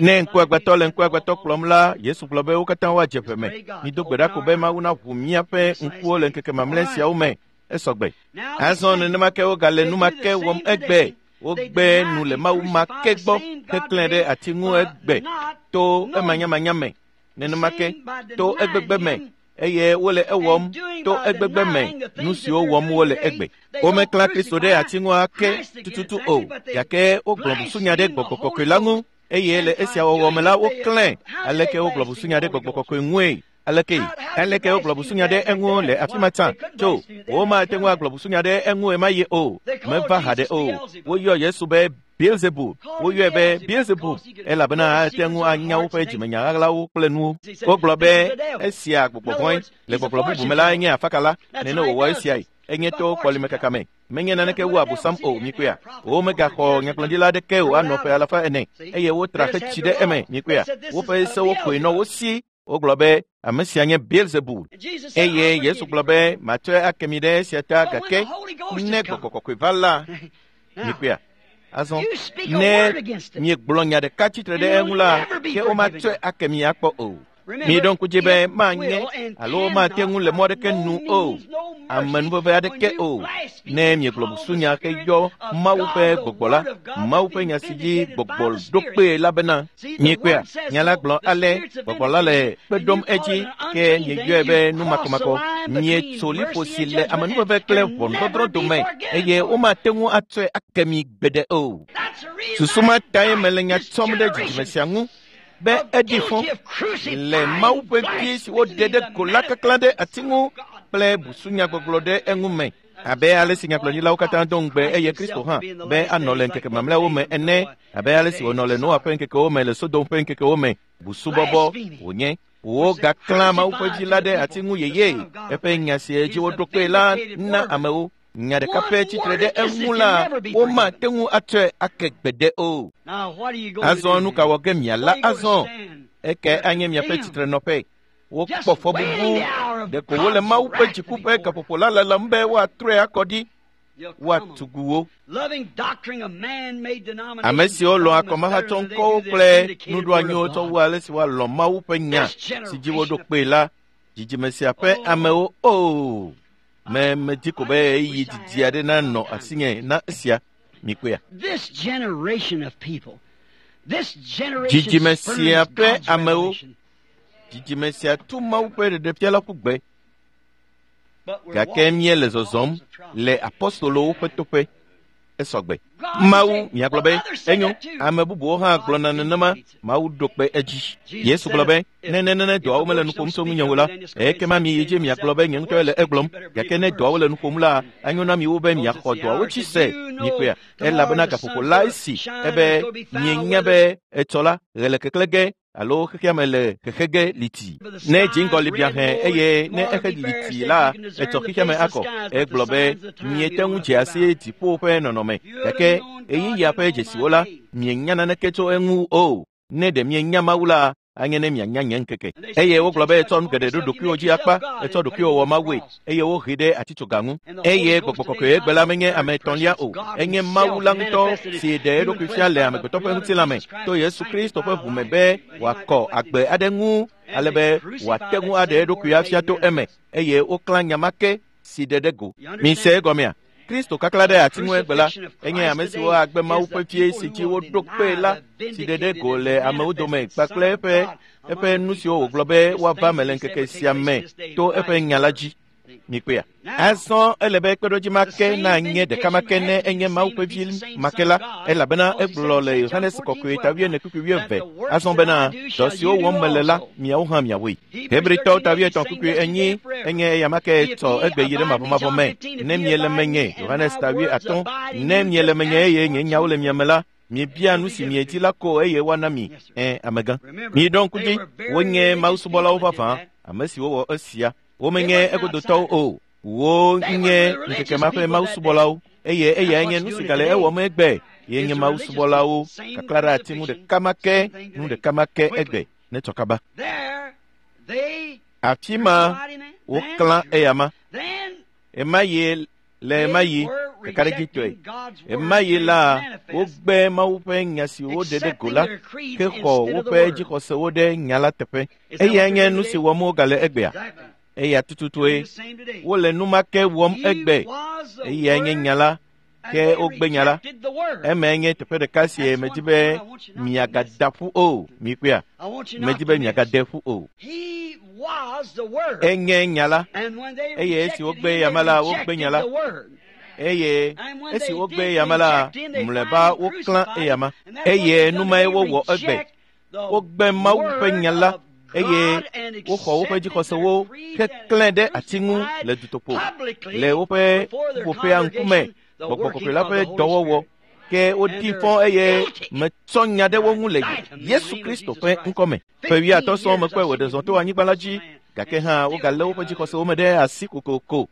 Ne ŋkuagbãtɔ le ŋkuagbãtɔ kplɔm la, Yesu gblɔ be wo katã woadze ʋe me. Mido gbe ɖa ko be Mawu naʋu míaƒe ŋkuwo le ŋkeke mamlɛ siawo me. Esɔgbe. Azɔ nenema ke wogale nu ma ke wɔm egbe. Wogbe nu le Mawu ma ke gbɔ heklẽ ɖe ati ŋu egbe to emanyamanya me. Nenema ke to egbegbe me eye wole ewɔm to egbegbe me nu siwo wɔm wole egbe. Womeklã Kristo ɖe ati ŋu ake tututu o gake wogblɔ busunya ɖe Gbɔgbɔ Kɔkɔe la ŋu eye le esia wɔwɔ me la woklãe. Aleke wogblɔ busunya ɖe Gbɔgbɔ Kɔkɔe ŋue? Aleke? Aleke wogblɔ busunya ɖe eŋu le afi ma tsã? Tso, womate ŋu agblɔ busunya ɖe eŋu ɣemaɣi o. Meva haɖe o. Woyɔ Yesu be Beelzebub. Woyɔe be Beelzebub elabena ate ŋu anya woƒe dzimenya ɣaɣlawo kple nuwo. Wogblɔ be esia gbɔgbɔ vɔ̃e. Le gbɔgblɔ bubu me la enye afakala. Nene wòwɔ esiae. Enye to kɔlimekaka me. Menye naneke wu Abosam o, mikpɔea. Womegaxɔ nyagblɔɖila aɖeke o anɔ ƒe alafa ene eye wotra xetsi ɖe eme, mikpɔea. Woƒe sewo koe nɔ wo si. Wogblɔ be ame sia nye Beelzebul. Eye Yesu gblɔ be matsɔe ake mi ɖe esia ta gake ne Gbɔgbɔ Kɔkɔe va la, mikpɔea. Azɔ ne miegblɔ nya ɖeka tsitre ɖe eŋu la, ke womatsɔe ake mi akpɔ o. Miɖo ŋku dzi be manye alo mate ŋu le mɔ aɖeke nu o, amenuveve aɖeke o. Ne miegblɔ busunya heyɔ Mawu ƒe gbɔgbɔ la, Mawu ƒe nya si dzi gbɔgbɔ ɖo kpee la bena, mikpɔea, nya la gblɔ ale, gbɔgbɔ la le kpe ɖom edzi ke mieyɔe be nu makɔmakɔ. Mietso liƒo si le amenuveve kple ʋɔnudɔdrɔ̃ dome eye womate ŋu atsɔe ake mi gbeɖe o. Susu ma tae mele nya tsɔm ɖe dzidzime sia ŋu be eɖi fɔ le Mawu ƒe vi si woɖe ɖe go la kaklã ɖe ati ŋu kple busunyagbɔgblɔ ɖe eŋu me. Abe ale si nyagblɔɖilawo katã do ŋugbe eye Kristo hã be anɔ le ŋkeke mamlɛawo me ene, abe ale si wònɔ le Noa ƒe ŋkekewo me le Sodom ƒe ŋkekewo me, busubɔbɔ wònye. Wogaklã Mawu ƒe vi la ɖe ati ŋu yeye. Eƒe nya si dzi woɖo kpee la na amewo. Nya ɖeka pɛ tsitre ɖe eŋu la, womate ŋu atsɔe ake gbeɖe o. Azɔ nu ka wɔ ge miala azɔ? Eke anye miaƒe tsitrenɔƒe. Wokpɔ fɔbubu. Ɖeko wole Mawu ƒe dziku ƒe gaƒoƒo la lalam be woatrɔe akɔ ɖi. Woatugu wo. Ame siwo lɔ̃a akɔmahatsɔŋkɔwo kple nuɖoanyiwo tsɔ wu ale si woalɔ̃ Mawu ƒe nya si dzi woɖo kpee la, dzidzime sia ƒe amewo o. Me medi ko be ɣeyiɣi didi aɖe nanɔ asinye na esia. Mikpɔea? Dzidzime sia ƒe amewo, dzidzime sia tu Mawu ƒe ɖeɖefia la ƒu gbe. Gake míele zɔzɔm le apostolowo ƒe toƒe. Esɔgbe. Mawu, miagblɔ be, enyo, ame bubuwo hã gblɔna nenema, Mawu ɖo kpe edzi. Yesu gblɔ be, ne nenene dɔawo mele nu ƒom tso ŋunye o la, ekema miyi dzi miagblɔ be nye ŋutɔe le egblɔm. Gake ne dɔawo le nu ƒom la, anyo na miwo be miaxɔ dɔawo dzi se. Mikpɔea? Elabena gaƒoƒo la esi ebe mienya be etsɔ la, ɣe le keklẽ ge alo xexea me le xexe ge liti. Ne dziŋgɔli bia hẽ eye ne exe liti la, etsɔ xexea me akɔ. Egblɔ be miete ŋu dze asi dziƒo ƒe nɔnɔme gake ɣeyiɣia ƒe dzesiwo la, mienya naneke tso eŋu o. Ne ɖe mienya Mawu la, anye ne mianya nye ŋkeke. Eye wogblɔ be etsɔ nu geɖe ɖo ɖokuiwò dzi akpa, etsɔ ɖokuiwò wɔ Mawue, eye wohee ɖe atitsoga ŋu. Eye Gbɔgbɔ Kɔkɔe egbe la menye ame etɔ̃lia o, enye Mawu la ŋutɔ si ɖe eɖokui fia le amegbetɔ ƒe ŋutilã me to Yesu Kristo ƒe ʋu me be wòakɔ agbe aɖe ŋu ale be wòate ŋu aɖe eɖokui afia to eme eye woklã nya ma ke si ɖe ɖe go. Mise egɔmea? Kristo kaklã ɖe ati ŋu egbe la, enye ame siwo agbe Mawu ƒe vie si dzi woɖo kpee la si ɖe ɖe go le amewo dome kpakple eƒe nu siwo wògblɔ be woava me le ŋkeke sia me to eƒe nya la dzi. Mikpɔea? Azɔ ele be kpeɖodzi ma ke nanye ɖeka ma ke ne enye Mawu ƒe vi ma ke la, elabena egblɔ le Yohanes Kɔkɔe ta wuiene kpukpui wuieve azɔ bena dɔ siwo wɔm mele la, miawo hã miawoe. Hebritɔwo ta wuietɔ̃ kpukpui enyi enye eya ma ke tsɔ egbe yi ɖe mavɔmavɔ me. Ne miele menye, Yohanes ta 8, ne miele menye eye nye nyawo le mia me la, Mibia nu si miedi la ko eye woana mi. Ẽ, amegã. Miɖɔ ŋku dzi, wonye mawusubɔlawo vavã, ame siwo wɔ esia. Womenye egodotɔwo o. Wonye ŋkeke ma ƒe mawusubɔlawo eye eyae nye nu si gale ewɔm egbe. Ye nye mawusubɔlawo kakla ɖe ati ŋu ɖeka ma ke, nu ɖeka ma ke egbe ne tsɔ kaba. Afi ma woklã eyama. Ema yi le ema yi ɖekaɖedzitɔe. Ema yi la wogbe Mawu ƒe nya si woɖe ɖe go la ke xɔ woƒe dzixɔsewo ɖe nya la teƒe. Eyae nye nu si wɔm wogale egbea. Eya tututue wole nu ma ke wɔm egbe. Eyae nye nya la ke wogbe nya la. Emae nye teƒe ɖeka si medi be miagada ƒu o. Mikpɔea? Medi be miagade ƒu o. Enye nya la eye esi wogbe yama la wogbe nya la eye esi wogbe yama la mlɔeba woklã eyama eye nu mae wowɔ egbe. Wogbe Mawu ƒe nya la eye woxɔ woƒe dzixɔsewo keklẽ ɖe ati ŋu le dutoƒo le woƒe ƒuƒoƒea ŋkume gbɔgbɔ kɔkɔe la ƒe dɔwɔwɔ ke wodi fɔ eye metsɔ nya ɖe wo ŋu le Yesu Kristo ƒe ŋkɔme. Ƒe wuiatɔ̃ sɔŋ mekpɔe wòɖe zɔ to anyigba la dzi gake hã wogalé woƒe dzixɔsewo me ɖe asi kokoko.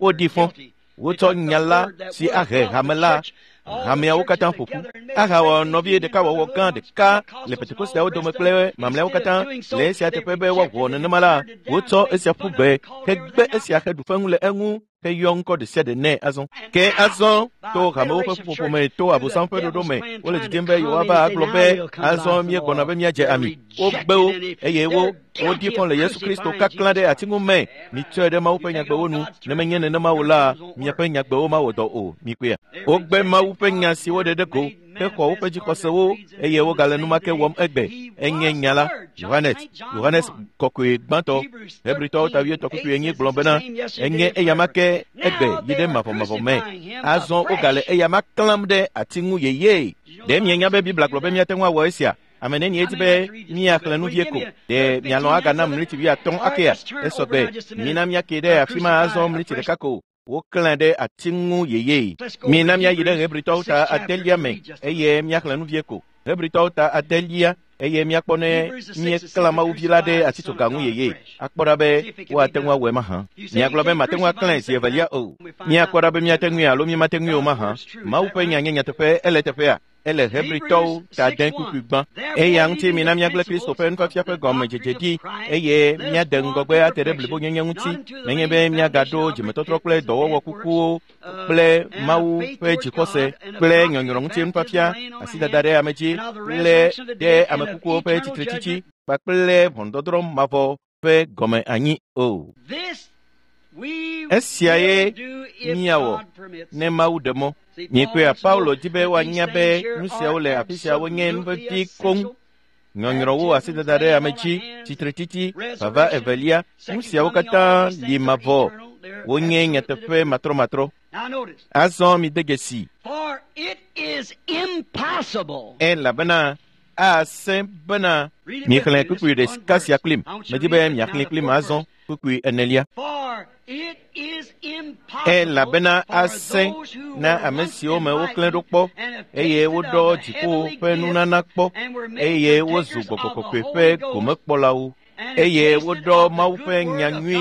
Wodi fɔ. Wotsɔ nya la si ahe hame la hameawo katã ƒo ƒu ahawɔ nɔvi ɖekawɔwɔ gã ɖeka le Pentekosteawo dome kple mamlɛawo katã. Le esia teƒe be woawɔ nenema la, wotsɔ esia ƒu gbe hegbe esia heɖu feŋu le eŋu heyɔ ŋkɔ ɖe sia ɖe nɛ azɔ. Ke azɔ to hamewo ƒe ƒuƒoƒo me to Abosam ƒe ɖoɖo me wole didim be yewoava agblɔ be azɔ míegbɔna be míadze ami. Wogbe wo eye wo wodi fɔ le Yesu Kristo kaklã ɖe ati ŋu me. Mitsɔe ɖe Mawu ƒe nyagbewo nu. Ne menye nenema o la, miaƒe nyagbewo mawɔ dɔ o. Mikpɔea? Wogbe Mawu ƒe nya si woɖe ɖe go hexɔ woƒe dzixɔsewo eye wogale nu ma ke wɔm egbe. Enye nya la. Yohanes, Yohanes kɔkɔe gbãtɔ, Hebritɔwo ta wuietɔ̃ kpukpui enyi gblɔ bena enye eyama ke egbe yi ɖe mavɔmavɔ me. Azɔ wogale eyama klãm ɖe ati ŋu yeyee. Ɖe mienya be Biblia gblɔ be míate ŋu awɔ esia? Ame nenie di be míaxlẽ nu vie ko. Ɖe mialɔ̃ agana mliti wuiatɔ̃ akea? Esɔgbe. Mina míake ɖe afi ma azɔ mliti ɖeka ko. Woklãe ɖe ati ŋu yeyee. Mina míayi ɖe Hebritɔwo ta adelia me eye míaxlẽ nu vie ko. Hebritɔwo ta adelia eye míakpɔ ne míeklã Mawuvi la ɖe atitsoga ŋu yeyee. Akpɔ ɖa be woate ŋu awɔe mahã. Miagblɔ be mate ŋu aklãe zi evelia o. Míakpɔ ɖa be míate ŋui alo mímate ŋui o mahã. Mawu ƒe nya nye nyateƒe ele teƒea. Ele Hebritɔwo ta de kpukpui gbã. Eya ŋuti mina míagblẽ Kristo ƒe nufiafia ƒe gɔmedzedze ɖi eye míade ŋgɔgbe ate ɖe blibonyenye ŋuti nenye be míagaɖo dzimetɔtrɔ kple dɔwɔwɔ kukuwo kple Mawu ƒe dzixɔse kple nyɔnyrɔ ŋuti nufiafia, asidada ɖe ame dzi kple ɖe ame kukuwo ƒe tsitretsitsi kpakple ʋɔnudɔdrɔ̃ mavɔ ƒe gɔme anyi o. Esiae míawɔ ne Mawu ɖe mɔ. Mikpɔea, Paulo di be woanya be nu siawo le afi siawo nye nu vevi koŋ. Nyɔnyrɔwo, asidada ɖe ame dzi, tsitretsitsi, vava evelia, nu siawo katã li mavɔ. Wonye nyateƒe matrɔmatrɔ. Azɔ mide dzesi. Elabena asẽ bena miexlẽ kpukpui ɖeka sia kplim. Medi be miaxlẽe kplim azɔ kpukpui enelia. Elabena asẽ na ame siwo me woklẽ ɖo kpɔ eye woɖɔ dziƒo ƒe nunana kpɔ eye wozu gbɔgbɔ kɔkɔe ƒe gomekpɔlawo eye woɖɔ Mawu ƒe nya nyui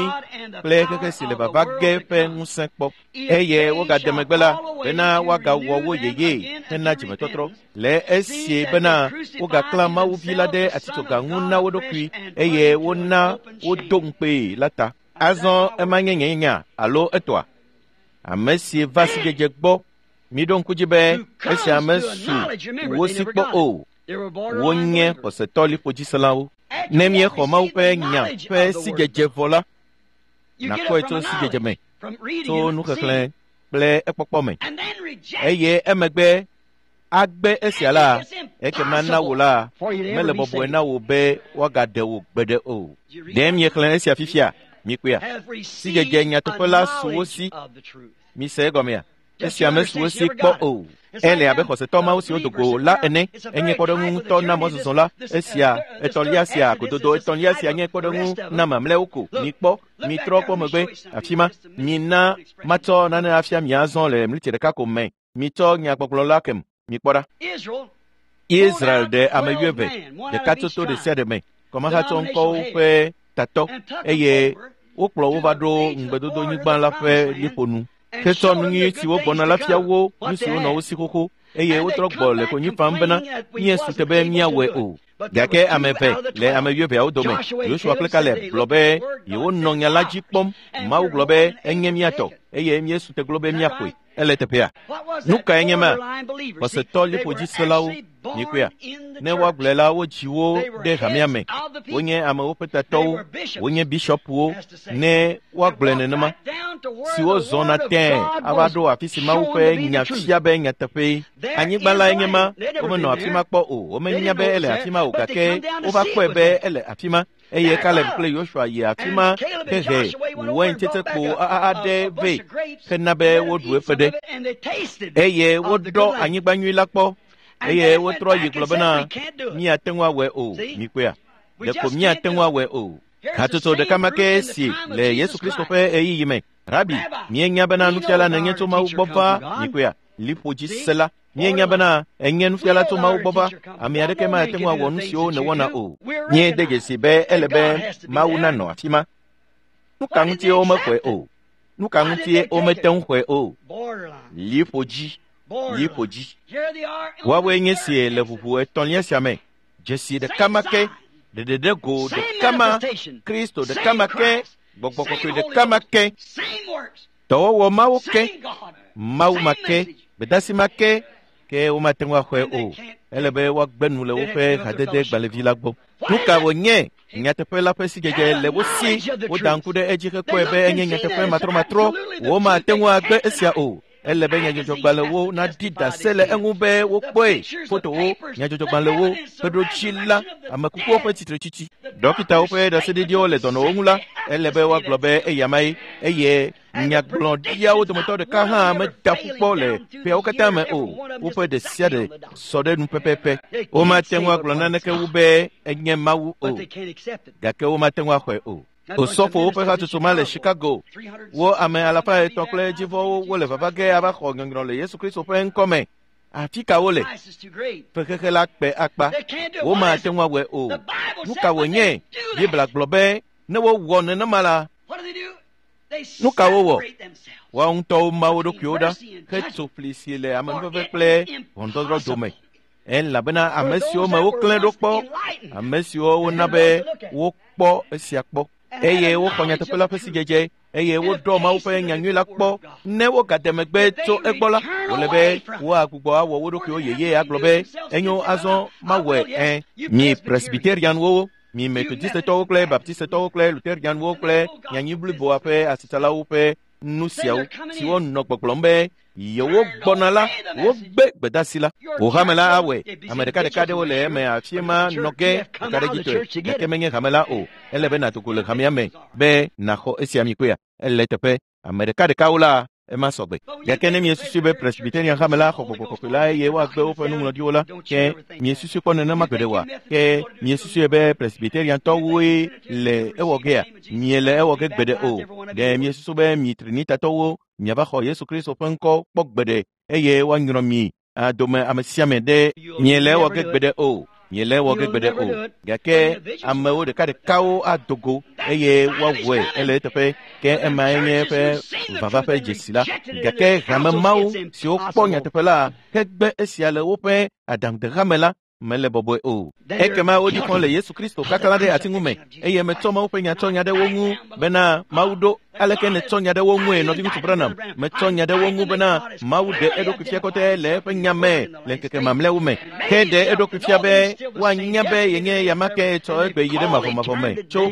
kple xexe si le vava ge ƒe ŋusẽ kpɔ eye wogade megbe la bena woagawɔ wo yeyee hena dzimetɔtrɔ le esie bena wogaklã Mawuvi la ɖe atitsoga ŋu na wo ɖokui eye wona wodo ŋukpee la ta. Azɔ ema nye nye nya alo etɔa? Ame si va sidzedze gbɔ, miɖo ŋku dzi be esi ame su wo si kpɔ o, wonye xɔsetɔ liƒodziselawo. Ne míexɔ Mawu ƒe nya ƒe sidzedze vɔ la, nàkpɔe tso sidzedze me, tso nuxexlẽ kple ekpɔkpɔ me. Eye emegbe agbe esia la, ekema na wò la, mele bɔbɔe na wò be woagaɖe wò gbeɖe o. Ɖe miexlẽ esia fifia? Mikpɔea? Sidzedze nyateƒe la su wo si. Mise egɔmea? Esi ame su wo si kpɔ o. Ele abe xɔsetɔ mawo siwo do go la ene. Enye kpɔɖeŋu ŋutɔ na mɔzɔzɔ la. Esia etɔ̃lia sia gododo etɔ̃lia sia nye kpɔɖeŋu na mamlɛawo ko. Mikpɔ, mitrɔ kpɔ megbe afi ma. Mina matsɔ nane afia mi azɔ le mliti ɖeka ko me. Mitsɔ nyagbɔgblɔ la kem. Mikpɔ ɖa. Israel ɖe ame wuieve, ɖeka tso to ɖe sia ɖe me, kɔmahatsɔ ŋkɔwo ƒe tatɔ, eye wokplɔ wo va ɖo ŋugbedodonyigba la ƒe liƒo nu. Hetsɔ nu nyui siwo gbɔna la fia wo, nu siwo nɔ wo si xoxo, eye wotrɔ gbɔ le konyi fam bena míesu te be míawɔe o. Gake ame eve le ame wuieveawo dome, Yosua kple Kaleb, gblɔ be yewonɔ nya la dzi kpɔm. Mawu gblɔ be enye mía tɔ, eye míesu te glo be míaƒoe. Ele teƒea. Nu kae nye ma? Xɔsetɔ liƒodziselawo, mikpɔea? Ne woagblɔe la, wodzi wo ɖe hamea me. Wonye amewo ƒe tatɔwo, wonye bishɔpuwo, ne woagblɔe nenema, siwo zɔna tẽe ava ɖo afi si Mawu ƒe nya fia be nyateƒee. Anyigba lae nye ma, womenɔ afi ma kpɔ o, womenya be ele afi ma o, gake wova kpɔe be ele afi ma. Eye Kaleb kple Yosua yi afi ma hehe waintsetsekpo aɖe vɛ hena be woɖu eƒe ɖe. Eye woɖɔ anyigba nyui la kpɔ, eye wotrɔ yi gblɔ bena míate ŋu awɔe o. Mikpɔea? Ɖeko míate ŋu awɔe o. Hatsotso ɖeka ma ke si le Yesu Kristo ƒe ɣeyiɣi me. Rabi, míenya bena nufiala nènye tso Mawu gbɔ va. Mikpɔea? Liƒodzisela. Míenya bena enye nufiala tso Mawu gbɔ va. Ame aɖeke mate ŋu awɔ nu siwo nèwɔna o. Míede dzesi be ele be Mawu nanɔ afi ma. Nu ka ŋutie womexɔe o? Nu ka ŋutie womete ŋu xɔe o? Liƒodzi, liƒodzi. Woawoe nye sie le ʋuʋu etɔ̃lia sia me. Dzesi ɖeka ma ke, ɖeɖeɖe go ɖeka ma, Kristo ɖeka ma ke, Gbɔgbɔ kɔkɔe ɖeka ma ke, dɔwɔwɔ mawo ke, Mawu ma ke, gbedasi ma ke, ke womate ŋu axɔe o. Ele be woagbe nu le woƒe hadede gbalẽvi la gbɔ. Nu ka wònye? Nyateƒe la ƒe sidzedze le wo si. Woda ŋku ɖe edzi hekpɔe be enye nyateƒe matrɔmatrɔ. Womate ŋu agbe esia o. Ele be nyadzɔdzɔgbalẽwo naɖi ɖase le eŋu be wokpɔe. Fotowo, nyadzɔdzɔgbalẽwo, kpeɖodzi la, amekukuwo ƒe tsitretsitsi, dɔkitawo ƒe ɖaseɖiɖiwo le dɔnɔwo ŋu la, ele be woagblɔ be eyamae, eye nyagblɔɖiawo dometɔ ɖeka hã meda ƒu kpɔ le ƒeawo katã me o. Woƒe ɖe sia ɖe sɔ ɖe nu pɛpɛpɛ. Womate ŋu agblɔ naneke wu be enye Mawu o, gake womate ŋu axɔe o. Osɔfowo ƒe hatsotso ma le Chicago. Wo ame alafa etɔ̃ kple dzivɔwo wole vava ge ava xɔ nyɔnyrɔ le Yesu Kristo ƒe ŋkɔ me. Afi ka wole? Fexexe la kpe akpa. Womate ŋu awɔe o. Nu ka wònye? Biblia gblɔ be ne wowɔ nenema la, nu ka wowɔ? Woawo ŋutɔwo ma wo ɖokuiwo ɖa hetso fli si le amenuveve kple ʋɔnudɔdrɔ̃ dome. Elabena ame siwo me woklẽ ɖo kpɔ, ame siwo wona be wokpɔ esia kpɔ, eye woxɔ nyateƒe la ƒe sidzedze, eye woɖɔ Mawu ƒe nyanyui la kpɔ. Ne wogade megbe tso egbɔ la, wòle be woagbugbɔ awɔ wo ɖokuiwo yeye agblɔ be enyo azɔ mawɔe ẽ. Mi Presbyterianwo, mi Methodistetɔwo kple Baptistetɔwo kple Lutherianwo kple nyanyui bliboa ƒe asitsalawo ƒe nu siawo siwo nɔ gbɔgblɔm be yewo gbɔna la, wogbe gbedasi la. Wò hame la awɔe. Ame ɖekaɖeka ɖewo le eme afi ma nɔ ge ɖekaɖedzitɔe, gake menye hame la o. Ele be nàdo go le hamea me be nàxɔ esia mi kpɔea? Ele teƒe. Ame ɖekaɖekawo la, ema sɔgbe. Gake ne miesusui be Presbyterian hame la xɔ gbɔgbɔ kɔkɔe la eye woagbe woƒe nuŋlɔɖiwo la, ke miesusui kpɔ nenema gbeɖe oa? Ke miesusui be Presbyteriantɔwoe le ewɔ gea? Miele ewɔ ge gbeɖe o. Ɖe miesusu be mi Trinitatɔwo miava xɔ Yesu Kristo ƒe ŋkɔ kpɔ gbeɖe eye woanyrɔ mi adome ame sia ame ɖe? Miele ewɔ ge gbeɖe o. Miele ewɔ ge gbeɖe o. Gake amewo ɖekaɖekawo ado go eye woawɔe ele eteƒe. Ke emae nye eƒe vava ƒe dzesi la. Gake hame mawo siwo kpɔ nyateƒe la hegbe esia le woƒe aɖaŋudehame la mele bɔbɔe o. Ekema wodzi xɔ le Yesu Kristo kaklã ɖe ati ŋu me, eye metsɔ Mawu ƒe nya tsɔ nya ɖe wo ŋu bena Mawu ɖo. Aleke nètsɔ nya ɖe wo ŋue, nɔviŋutsu Branham? Metsɔ nya ɖe wo ŋu bena Mawu ɖe eɖokui fia kɔtɛ le eƒe nya me le ŋkeke mamlɛawo me. Ke ɖe eɖokui fia be woanya be yenye yama ke tsɔ egbe yi ɖe mavɔmavɔ me tso.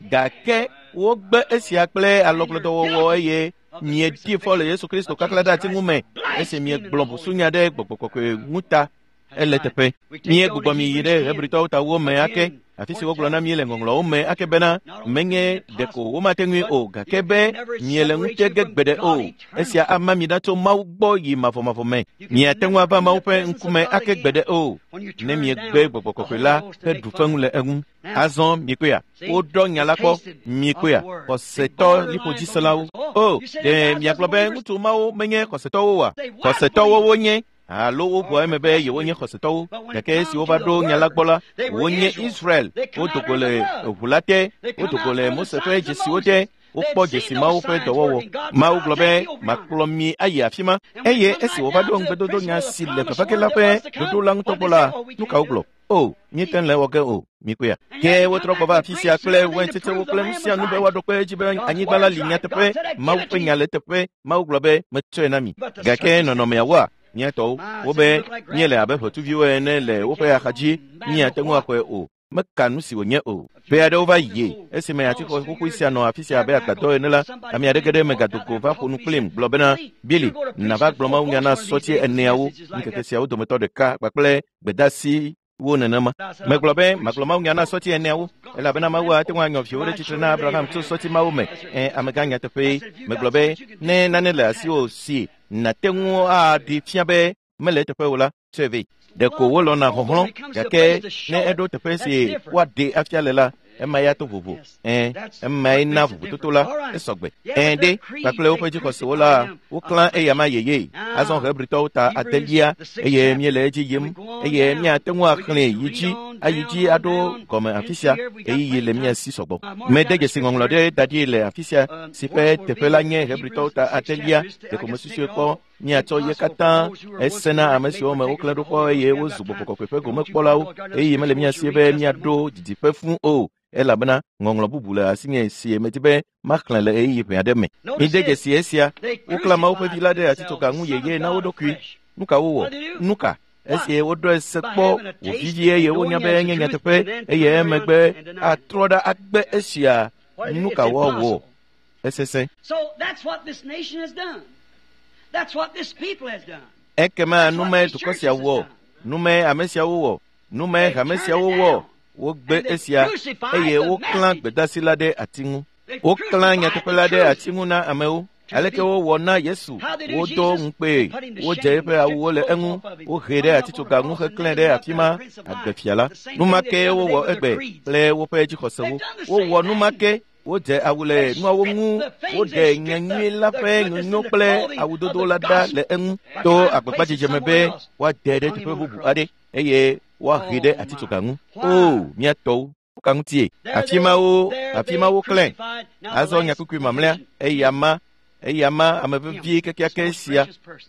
Gake wogbe esia kple alɔgblɔdɔwɔwɔ eye miedi fɔ le Yesu Kristo kaklã ɖe ati ŋu me esi miegblɔ busunya ɖe gbɔgbɔ kɔkɔe ŋu ta. Ele teƒe. Míegbugbɔ mi yi ɖe Hebritɔwo tawo me ake, afi si wogblɔ na mí le ŋɔŋlɔwo me ake bena menye ɖeko womate ŋui o, gake be miele ŋute ge gbeɖe o. Esia ama mi ɖa tso Mawu gbɔ yi mavɔmavɔ me. Miate ŋu ava Mawu ƒe ŋkume ake gbeɖe o, ne miegbe gbɔgbɔ kɔkɔe la heɖu feŋu le eŋu. Azɔ mikpɔea, woɖɔ nya la kpɔ. Mikpɔea, xɔsetɔ liƒodziselawo. O, ɖe miagblɔ be ŋutsu mawo menye xɔsetɔwo oa? Xɔsetɔwo wonye. Alo woʋua eme be yewonye xɔsetɔwo, gake esi wova ɖo nya la gbɔ la, wonye Israel. Wodo go le eʋu la te, wodo go le Mose ƒe dzesiwo te, wokpɔ dzesi Mawu ƒe dɔwɔwɔ. Mawu gblɔ be, makplɔ mi ayi afi ma. Eye esi wòva ɖo ŋugbedodonya si le vava ge la ƒe ɖoɖo la ŋutɔ gbɔ la, nu ka wogblɔ? O, míete ŋu le ewɔ ge o, mikpɔea. Ke wotrɔ gbɔ va afi sia kple waintsetsewo kple nu sia nu be woaɖo kpe edzi be anyigba la li nyateƒe, Mawu ƒe nya le eteƒe. Mawu gblɔ be, metsɔe na mi. Gake nɔnɔmeawoa, mía tɔwo, wobe míele abe ʋetsuviwo ene le woƒe axadzi, míate ŋu axɔe o. Meka nu si wònye o. Ƒe aɖewo va yi esime atixɔ xoxoe sia nɔ afi sia abe agbadɔ ene la, ame aɖeke ɖe megado go va ƒo nu kplim gblɔ bena, Billy, nàva gblɔ mawunya na sɔti eneawo ŋkeke siawo dometɔ ɖeka kpakple gbedeasiwo nenema. Megblɔ be magblɔ mawunya na sɔti eneawo, elabena Mawu ate ŋu anyɔ viwo ɖe tsitre na Abraham tso sɔti mawo me. Ẽ, amegã nyateƒee. Megblɔ be, ne nane le asiwò si nàte ŋu aɖi fia be mele eteƒe o la, tsɔe vɛ. Ɖeko wolɔ̃na xɔxlɔ̃, gake ne eɖo teƒe si woaɖee afia le la, ema ya to vovo. Ẽ, emae na vovototo la, esɔgbe. Ẽ ɖe, kpakple woƒe dzixɔsewo la, woklã eyama yeye. Azɔ Hebritɔwo ta adelia, eye míele edzi yim, eye míate ŋu axlẽe yi dzi, ayi dzi aɖo gɔme afi sia, ɣeyiɣi le mía si sɔgbɔ. Mede dzesi ŋɔŋlɔ ɖe da ɖi le afi sia, si ƒe teƒe la nye Hebritɔwo ta adelia, ɖeko mesusui kpɔ míatsɔ ye katã ese na ame siwo me woklẽ ɖo kpɔ eye wozu gbɔgbɔ kɔkɔe ƒe gomekpɔlawo, eye mele mía si be míaɖo didiƒe fũ o, elabena ŋɔŋlɔ bubu le asinye si medi be maxlẽ le ɣeyiɣi ʋɛ aɖe me. Mide dzesi esia, woklã Mawu ƒe vi la ɖe atitsoga ŋu yeye na wo ɖokui. Nu ka wowɔ? Nu ka? Esi woɖɔe se kpɔ wòvivi eye wonya be enye nyateƒe, eye emegbe atrɔ ɖa agbe esia, nu ka woawɔ? Esesẽ. Ekema numae dukɔ sia wɔ, numae ame siawo wɔ, numae hame siawo wɔ. Wogbe esia eye woklã gbedeasi la ɖe ati ŋu. Woklã nyateƒe la ɖe ati ŋu na amewo. Aleke wowɔ na Yesu? Wodo ŋukpee, wodze eƒe awuwo le eŋu, wohee ɖe atitsoga ŋu heklãe ɖe afi ma, agbefia la. Nu ma ke wowɔ egbe kple woƒe dzixɔsewo. Wowɔ nu ma ke. Wodze awu le nuawo ŋu, woɖe nyanyui la ƒe nyonyo kple awudodo la ɖa le eŋu to agbagbadzedze me be woade ɖe teƒe bubu aɖe eye woahe ɖe atitsoga ŋu. O, mía tɔwo, nuka ŋutie? Afi ma woklãe. Azɔ nyakukui mamlɛa, eya ma ame vevie kekeake sia.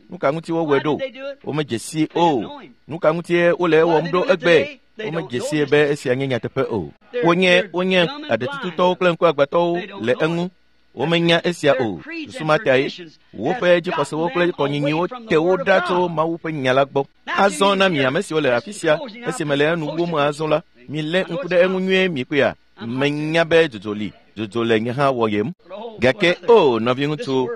Nuka ŋuti wowɔe ɖo? Womedze si o. Nuka ŋutie wole ewɔm ɖo egbe? Womedze sie be esia nye nyateƒe o. Wonye aɖetututɔwo kple ŋkuagbãtɔwo le eŋu. Womenya esia o. Susu ma tae woƒe dzixɔsewo kple kɔnyinyiwo te wo ɖa tso Mawu ƒe nya la gbɔ. Azɔ na mi ame siwo le afi sia, esime le enu wom azɔ la, milé ŋku ɖe eŋu nyuie mikpɔea. Menya be dzodzo li, dzodzo le nye hã wɔyem. Gake o, nɔviŋutsu,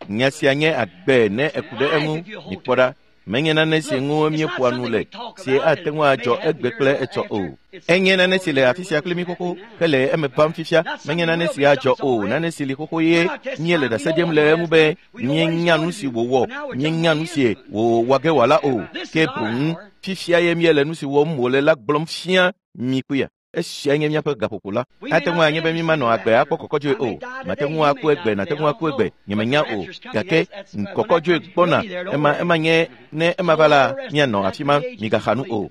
nya sia nye agbe ne eku ɖe eŋu. Mikpɔ ɖa. Menye nane si ŋu míeƒoa nu le, si ate ŋu adzɔ egbe kple etsɔ o. Enye nane si le afi sia kple mí xoxo hele eme vam fifia. Menye nane si adzɔ o, nane si li xoxo ye míele ɖase ɖem le eŋu be míenya nu si wòwɔ, míenya nu si wòwɔ ge wòala o. Ke boŋ fifia ye míele nu si wɔm wòle la gblɔm fia mi kpuia. Esia nye míaƒe gaƒoƒo la. Ate ŋu anye be mímanɔ agbe akpɔ kɔkɔdzoe o. Mate ŋu aku egbe, nate ŋu aku egbe, nyemenya o. Gake kɔkɔdzoe gbɔna, ema nye ne ema va la, míanɔ afi ma, migaxa nu o.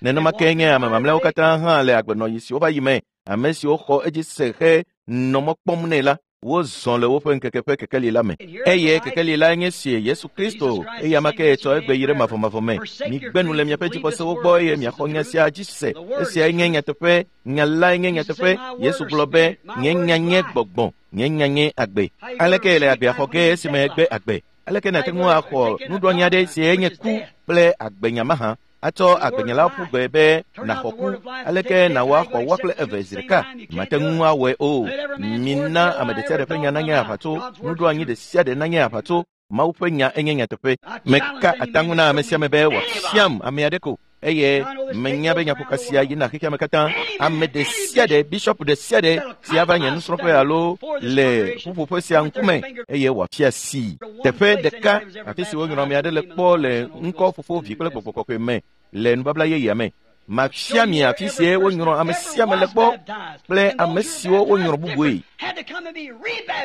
Nenema ke nye ame mamlɛawo katã hã le agbenɔɣi siwo va yi me, ame siwo xɔ edzi se he nɔ mɔ kpɔm nɛ la, wozɔ le woƒe ŋkeke ƒe kekeli la me. Eye kekeli la nye si Yesu Kristo, eye ame ke tsɔ egbe yi ɖe mavɔmavɔ me. Migbe nu le miaƒe dzixɔsewo gbɔ eye miaxɔ nya sia dzi se. Esiae nye nyateƒe, nya lae nye nyateƒe. Yesu gblɔ be, nye nya nye gbɔgbɔ, nye nya nye agbe. Aleke le agbea xɔ ge esime egbe agbe? Aleke nàte ŋu axɔ nuɖoanyi aɖe si enye ku kple agbenya mahã? Atsɔ agbenya la ƒu gbe be nàxɔ ku. Aleke nàwɔ axɔ woa kple eve zi ɖeka? Mate ŋu awɔe o. Mina ame ɖe sia ɖe ƒe nya nanye aʋatso, nuɖoanyi ɖe sia ɖe nanye aʋatso. Mawu ƒe nya enye nyateƒe. Meka ataŋu na ame sia ame be wòafiam ame aɖe ko, eye menya be nyaƒoka sia yina xexea me katã. Ame ɖe sia ɖe, bishɔp ɖe sia ɖe si ava nye nusrɔ̃ƒe alo le ƒuƒoƒe sia ŋkume eye wòafia si teƒe ɖeka afi si wonyrɔ ame aɖe le kpɔ le ŋkɔ Fofo, Vi kple Gbɔgbɔ Kɔkɔe me le nubabla yeyea me. Mafia mi afi sie wonyrɔ ame sia ame le kpɔ kple ame siwo wonyrɔ bubue.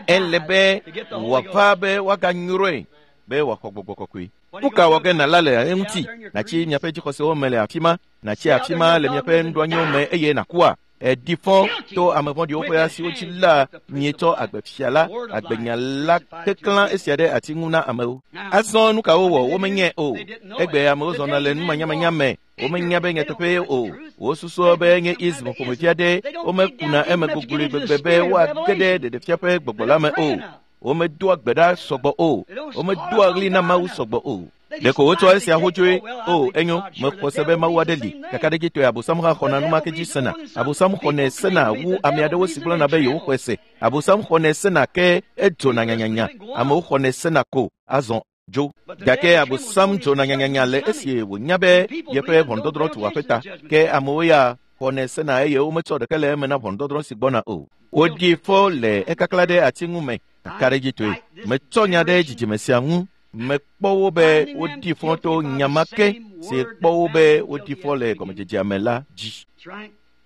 Ele be wòava be woaganyrɔe be wòaxɔ Gbɔgbɔ Kɔkɔe. Nu ka wɔ ge nàla le eŋuti? Nàtsi miaƒe dzixɔsewo me le afi ma, nàtsi afi ma le miaƒe nuɖoanyiwo me eye nàkua? Eɖi fɔ to ame vɔ̃ɖiwo ƒe asiwo dzi la mietsɔ agbefia la, agbenya la keklã esia ɖe ati ŋu na amewo. Azɔ nu ka wowɔ? Womenyae o. Egbe amewo zɔna le numanyamanya me. Womenya be nyateƒee o. Wosusua be nye ism ƒomevi aɖe. Womekuna eme gogloe gbegbe be woage ɖe ɖeɖefia ƒe gbɔgbɔ la me o. Womedoa gbe ɖa sɔgbɔ o. Womedoa ɣli na Mawu sɔgbɔ o. Ɖeko wotsɔ esia xotsoe. O, enyo, mexɔ se be Mawu aɖe li. Kakaɖedzitɔe Abosam hã xɔna numake dzi sena. Abosam xɔnɛ sena wu ame aɖewo si gblɔna be yewoxɔe se. Abosam xɔnɛ sena ke edzona nyanyanya. Amewo xɔnɛ sena ko azɔ dzo. Gake Abosam dzona nyanyanya le esi wònya be yeƒe ʋɔnudɔdrɔ̃ tu aƒe ta. Ke amewo ya xɔnɛ sena eye wometsɔ ɖeke le eme na ʋɔnudɔdrɔ̃ si gbɔna o. Woɖi fɔ le ekakla ɖe ati ŋu me kakaɖedzitɔe. Metsɔ nya ɖe dzidzime sia ŋu. Mekpɔ wo be woɖi fɔ to nya ma ke si kpɔ wo be woɖi fɔ le gɔmedzedzea me la dzi.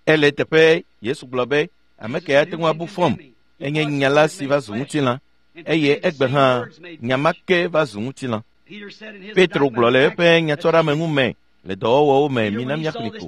Ele teƒe Yesu gblɔ be ame ke ate ŋu abu fɔm enye nya la si va zu ŋutilã eye egbe hã nya ma ke va zu ŋutilã. Petro gblɔ le eƒe nyatsɔɖeameŋu me le dɔwɔwɔwo me mina míaxlẽ ko.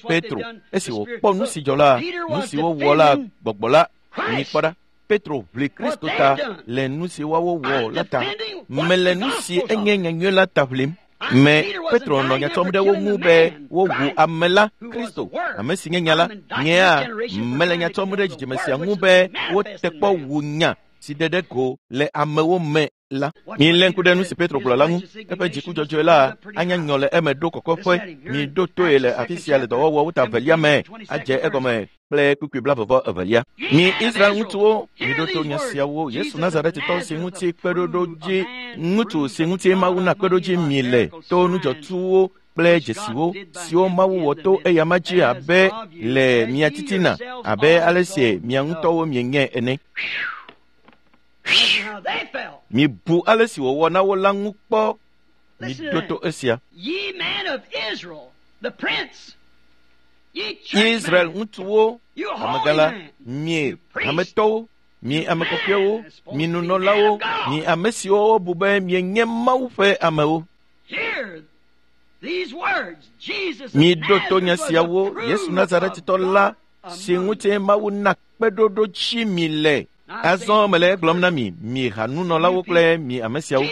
Petro esi wòkpɔ nu si dzɔ la, nu si wowɔ la gbɔgbɔ la mikpɔ ɖa. Petro ʋli Kristo ta le nu si woawo wɔ la ta. Mele nu si enye nyanyui la ta ʋlim. Me Petro nɔ nya tsɔm ɖe wo ŋu be wowu ame la Kristo, ame si nye nya la. Nyea mele nya tsɔm ɖe dzidzime sia ŋu be wote kpɔ wu nya si ɖe ɖe go le amewo me la. Milé ŋku ɖe nu si Petro gblɔ la ŋu. Eƒe dziku dzɔdzɔe la anya nyɔ le eme ɖo kɔkɔƒe. Miɖo toe le afi sia le dɔwɔwɔwo ta velia me adze egɔme kple kpukpui 22. Mi Israel ŋutsuwo, miɖo to nya siawo. Yesu Nazaretitɔ si ŋuti kpeɖoɖodzi ŋutsu si ŋuti Mawu na kpeɖodzi mi le to nudzɔtsuwo kple dzesiwo siwo Mawu wɔ to eyama dzi abe le mia titina abe ale si mia ŋutɔwo mienyae ene. Mibu ale si wòwɔ na wo la ŋu kpɔ. Miɖo to esia. Israel ŋutsuwo, amegã la, mi hametɔwo, mi ame kɔkɔewo, mi nunɔlawo, mi ame siwo wobu be mienye Mawu ƒe amewo. Miɖo to nya siawo. Yesu Nazaretitɔ la si ŋuti Mawu na kpeɖoɖo dzi mi le. Azɔ mele egblɔm na mi, mi hanunɔlawo kple mi ame siawo.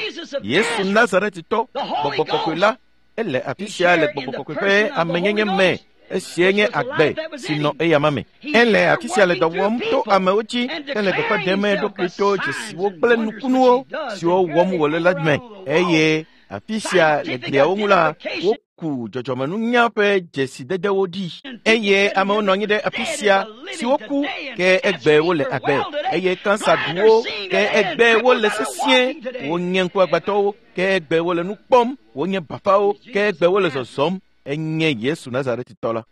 Yesu Nazaretitɔ, gbɔgbɔ kɔkɔe la, ele afi sia le gbɔgbɔ kɔkɔe ƒe amenyenye me. Esia nye agbe si nɔ eyama me. Ele afi sia le dɔ wɔm to amewo dzi hele gbeƒã ɖem eɖokui to dzesiwo kple nukunuwo siwo wɔm wòle la me. Eye afi sia le gliawo ŋu la, woku dzɔdzɔmenunya ƒe dzesidedewo ɖi. Eye amewo nɔ anyi ɖe afi sia siwo ku ke egbe wole agbe. Eye kansa ɖu wo ke egbe wole sesĩe. Wonye ŋkuagbãtɔwo ke egbe wole nu kpɔm. Wonye bafawo ke egbe wole zɔzɔm. Enye Yesu Nazaretitɔ la.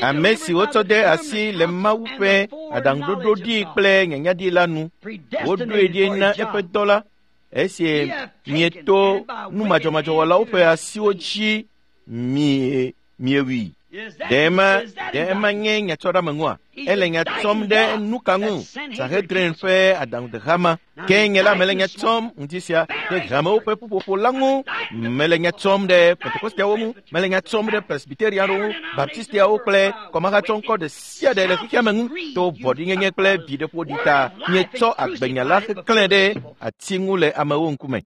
Ame si wotsɔ de asi le Mawu ƒe aɖaŋuɖoɖo ɖi kple nyanyaɖi la nu. Woɖoe ɖi na eƒe dɔ la. Esi mieto numadzɔmadzɔwɔlawo ƒe asiwo dzi miewui. Ɖe ema nye nyatsɔɖeameŋua? Ele nya tsɔm ɖe nu ka ŋu? Sanhedrin ƒe aɖaŋudehama. Ke nye la mele nya tsɔm ŋuti sia ɖe hamewo ƒe ƒuƒoƒo la ŋu. Mele nya tsɔm ɖe Pentekosteawo ŋu. Mele nya tsɔm ɖe Presbyteriawo ŋu, Baptistiawo kple kɔmahatsɔŋkɔ ɖe sia ɖe le xexea me ŋu. To vɔ̃ɖinyenye kple viɖeƒoɖi ta mietsɔ agbenya la heklẽ ɖe ati ŋu le amewo ŋkume.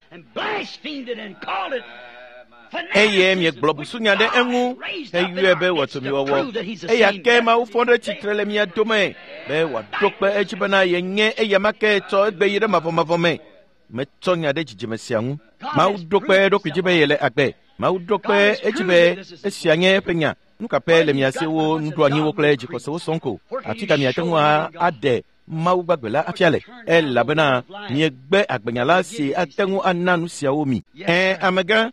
Eye miegblɔ busunya ɖe eŋu heyɔe be wɔtomiwɔwɔ. Eya ke Mawu fɔ ɖe tsitre le mia dome be wòaɖo kpe edzi bena yenye eyama ke tsɔ egbe yi ɖe mavɔmavɔ me. Metsɔ nya ɖe dzidzime sia ŋu. Mawu ɖo kpe eɖokui dzi be yele agbe. Mawu ɖo kpe edzi be esia nye eƒe nya. Nu ka pɛ le mia siwo nuɖoanyiwo kple dzixɔsewo sɔŋ ko? Afi ka miate ŋu aɖe Mawu gbagbe la afia le? Elabena miegbe agbenya la si ate ŋu ana nu siawo mi. Ẽ, amegã.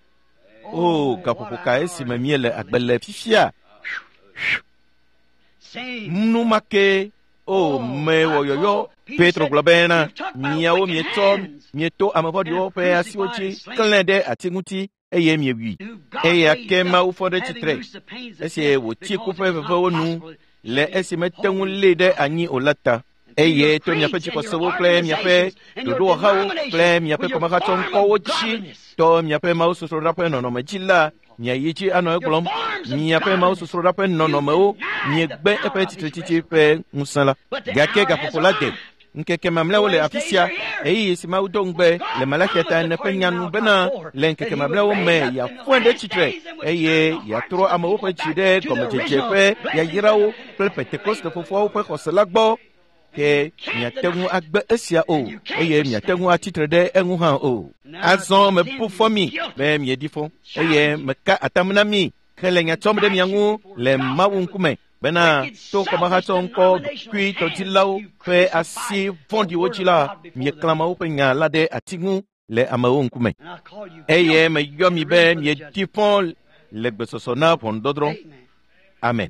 O, gaƒoƒo ka esime miele agbe le fifia? Nu ma ke o mewɔ yɔyɔ. Petro gblɔ bena miawo mietsɔ mieto ame vɔ̃ɖiwo ƒe asiwo dzi klẽ ɖe ati ŋuti eye miewui. Eya ke Mawu fɔ ɖe tsitre esi wòtsi ku ƒe vevewo nu le esi mete ŋu lée ɖe anyi o la ta. Eye to miaƒe dzixɔsewo kple miaƒe ɖoɖowɔhawo kple miaƒe kɔmahatsɔŋkɔwo dzi tɔ miaƒe mawusosroɖa ƒe nɔnɔme dzi la, miayi dzi anɔ egblɔm miaƒe mawusosroɖa ƒe nɔnɔmewo miegbe eƒe tsitretsitsi ƒe ŋusẽ la. Gake gaƒoƒo la de. Ŋkeke mamlɛawo le afi sia ɣeyiɣi si Mawu do ŋugbe le Malakia ta ene ƒe nya nu bena le ŋkeke mamlɛawo me yeafɔe ɖe tsitre eye yeatrɔ amewo ƒe dzi ɖe gɔmedzedze ƒe yayrawo kple Pentekoste fofoawo ƒe xɔse la gbɔ. Ke miate ŋu agbe esia o eye miate ŋu atsitre ɖe eŋu hã o. Azɔ mebu fɔ mi be mieɖi fɔ eye meka atam na mi hele nya tsɔm ɖe mia ŋu le Mawu ŋkume bena to kɔmahatsɔŋkɔ ɖokuitɔdzilawo ƒe asi vɔ̃ɖiwo dzi la, mieklã Mawu ƒe nya la ɖe ati ŋu le amewo ŋkume. Eye meyɔ mi be miedi fɔ le gbesɔsɔ na ʋɔnudɔdrɔ̃. Amen.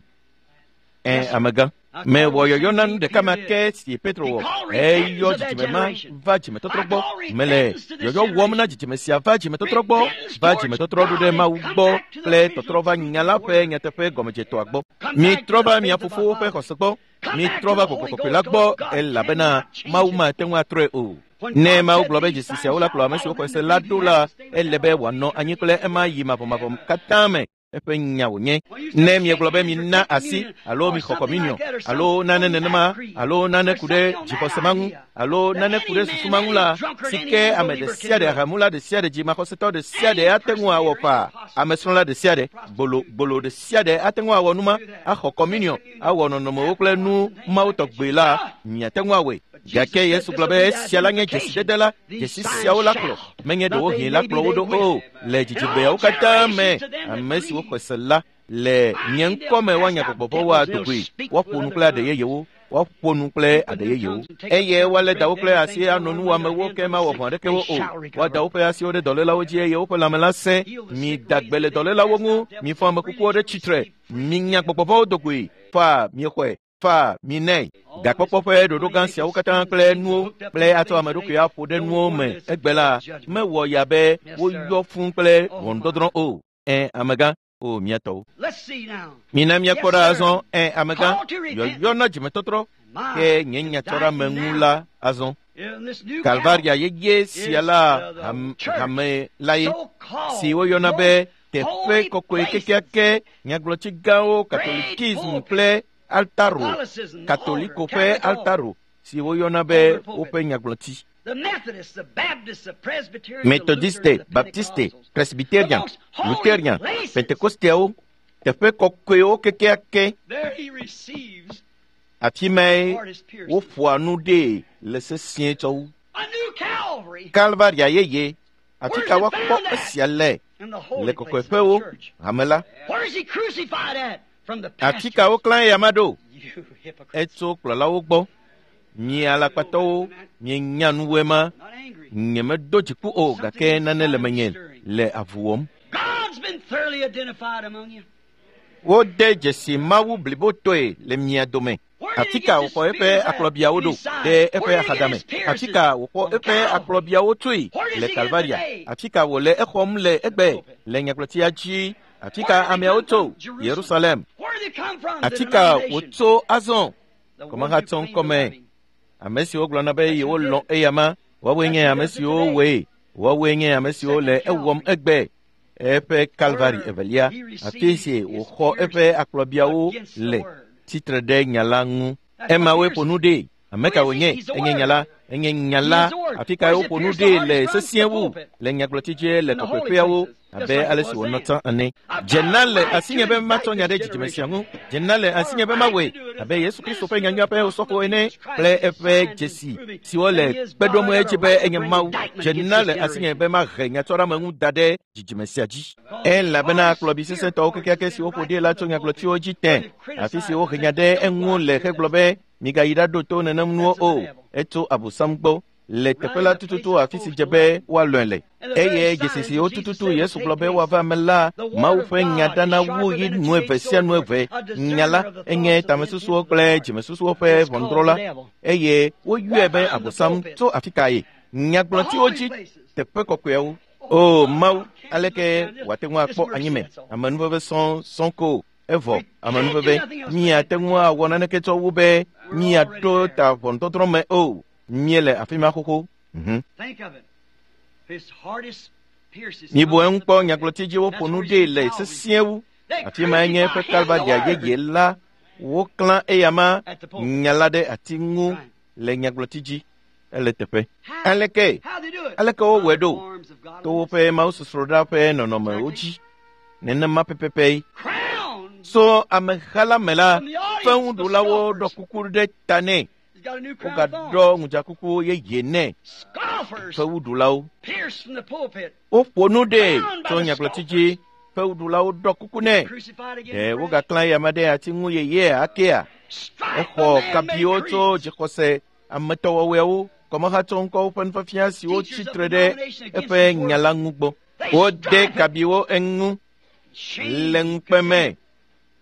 Amegã. Mewɔ yɔyɔ na nu ɖeka ma ke si Petro wɔ. Eyɔ dzidzime ma va dzimetɔtrɔ gbɔ. Mele yɔyɔ wɔm na dzidzime sia va dzimetɔtrɔ gbɔ, va dzimetɔtrɔ ɖo ɖe Mawu gbɔ kple tɔtrɔ va nya la ƒe nyateƒe gɔmedzetɔa gbɔ. Mitrɔ va mia fofowo ƒe xɔse gbɔ. Mitrɔ va Gbɔgbɔ Kɔkɔe la gbɔ elabena Mawu mate ŋu atrɔe o. Ne Mawu gblɔ be dzesi siawo la kplɔ ame siwo xɔe se la ɖo la, ele be wòanɔ anyi kple ema yi mavɔmavɔ katã me. Eƒe nya wònye. Ne miegblɔ be mina asi alo mixɔ kɔminiɔ alo nane nenema alo nane ku ɖe dzixɔse ma ŋu alo nane ku ɖe susu ma ŋu la, si ke ame ɖe sia ɖe, ahamula ɖe sia ɖe, dzimaxɔsetɔ ɖe sia ɖe ate ŋu awɔ faa. Amesrɔ̃la ɖe sia ɖe, gbolo gbolo ɖe sia ɖe ate ŋu awɔ numa, axɔ kɔminiɔ, awɔ nɔnɔmewo kple nu mawo tɔgbe la, miate ŋu awɔe. Gake Yesu gblɔ be esia la nye dzesidede la, dzesi siawo la kplɔ, menye ɖewohĩ la kplɔ wo ɖo o, le dzidzigbeawo katã me, ame siwo xɔe se la le nye ŋkɔ me woanya gbɔgbɔ vɔ̃wo adogoe, woaƒo nu kple aɖe yeyewo, woaƒo nu kple aɖe yeyewo. Eye woalé dawo kple asi anɔ nuwɔamewo ke mawɔ vɔ̃ aɖeke wo o. Woada woƒe asiwo ɖe dɔlélawo dzi eye woƒe lãme la sẽ. Mida gbe le dɔlélawo ŋu, mifɔ ame kukuwo ɖe tsitre, minya gbɔgbɔ vɔ̃wo dogoe, faa miexɔe. Fa mi nɛ. Gakpɔkpɔ ƒe ɖoɖo gã siawo katã kple nuwo kple atsɔ ame ɖokui aƒo ɖe nuwo me egbe la mewɔ ya be woyɔ fũ kple ʋɔnudɔdrɔ̃ o. Amegã, o miatɔwo. Mina miakpɔ ɖa azɔ. Amegã, yɔyɔ na dzimetɔtrɔ ke nye nyatsɔɖeame ŋu la azɔ. Kalvaria yeye sia la hame la ye si woyɔna be teƒe kɔkɔe kekeake nyagblɔtsi gãwo katolikism kple altaro, katoliko ƒe altaro si woyɔna be woƒe nyagblɔtsi. Methodiste, Baptiste, Presbyterian, Lutherian, Pentecosteawo, teƒe kɔkɔewo kekeake. Afi mae woƒoa nu ɖee le sesĩe tsɔ wu. Kalvaria yeye, afi ka woakpɔ esia le le kɔkɔeƒewo hame la. Afi ka woklã eya ma ɖo? Etso kplɔlawo gbɔ. Mi alakpatɔwo, mienya nuwoe ma. Nyemedo dziku o, gake nane le menye le avu wɔm. Wode dzesi Mawu blibotɔe le mia dome. Afi ka wòxɔ eƒe akplɔbiawo ɖo ɖe eƒe axadame? Afi ka wòxɔ eƒe akplɔbiawo tsoe le Kalvaria? Afi ka wòle exɔm le egbe le nyagblɔtia dzi? Afi ka ameawo tso? Yerusalem. Afi ka wòtso azɔ? Kɔmahatsɔ ŋkɔme. Ame siwo gblɔna be yewolɔ̃ eyama, woawoe nye ame siwo wɔe, woawoe nye ame siwo le ewɔm egbe. Eƒe Kalvari evelia, afi si wòxɔ eƒe akplɔbiawo le tsitre ɖe nya la ŋu. Emawoe ƒo nu ɖee. Ame ka wònye? Enye nya la. Enye nya la. Afi kae woƒo nu ɖee le sesĩe wu le nyagblɔtsidze le kɔkɔeƒeawo abe ale si wònɔ tsã ene. Dzena le asinye be matsɔ nya ɖe dzidzime sia ŋu. Dzena le asinye be mawɔe abe Yesu Kristo ƒe nyanyua ƒe osɔfo ene kple eƒe dzesi siwo le kpe ɖom edzi be enye Mawu. Dzena le asinye be mahe nyatsɔɖeame ŋu da ɖe dzidzime sia dzi. Elabena kplɔbi sesẽtɔwo kekeake siwo ƒo ɖi la tso nyagblɔtsiwo dzi tẽ, afi si wohe nya ɖe eŋu le hegblɔ be migayi ɖaɖo to nenem nuwo o. Etso Abosam gbɔ le teƒe la tututu afi si dze be woalɔ̃e le. Eye dzesi siwo tututu Yesu gblɔ be woava eme la, Mawu ƒe nya dana wu yi nu eve sia nu eve. Nya la enye tamesusuwo kple dzimesusuwo ƒe ʋɔnudrɔ̃la eye woyɔe be Abosam tso afi kae? Nyagblɔtiwo dzi teƒe kɔkɔeawo. O Mawu, aleke wòate ŋu akpɔ anyime? Amenuveve sɔŋ sɔŋ ko evɔ amenuveve miate ŋu awɔ naneke tsɔ wu be Miaɖo ta ʋɔnudɔdrɔ̃ me o. Míele afi ma xoxo. Mibu eŋu kpɔ nyagblɔti dzi woƒo nu ɖee le sesĩe wu. Afi mae nye eƒe Kalvaria yeye la. Woklã eyama nya la ɖe ati ŋu le nyagblɔti dzi. Ele teƒe. Aleke? Aleke wowɔe ɖo? To woƒe mawusosroɖa ƒe nɔnɔmewo dzi. Nenema pɛpɛpɛ. So ameha la me la, fewuɖulawo ɖɔ kuku ɖe ta nɛ. Wogaɖɔ ŋudzakuku yeye nɛ. Fewuɖulawo. Woƒo nu ɖee tso nyagblɔti dzi. Fewuɖulawo ɖɔ kuku nɛ. Ɖe wogaklã eyama ɖe ati ŋu yeyea akea? Exɔ kabiwo tso dzixɔse ametɔwɔwɔewo, kɔmehatsɔŋkɔwo ƒe nufiafia siwo tsi tre ɖe eƒe nya la ŋu gbɔ. Wode kabiwo eŋu le ŋukpe me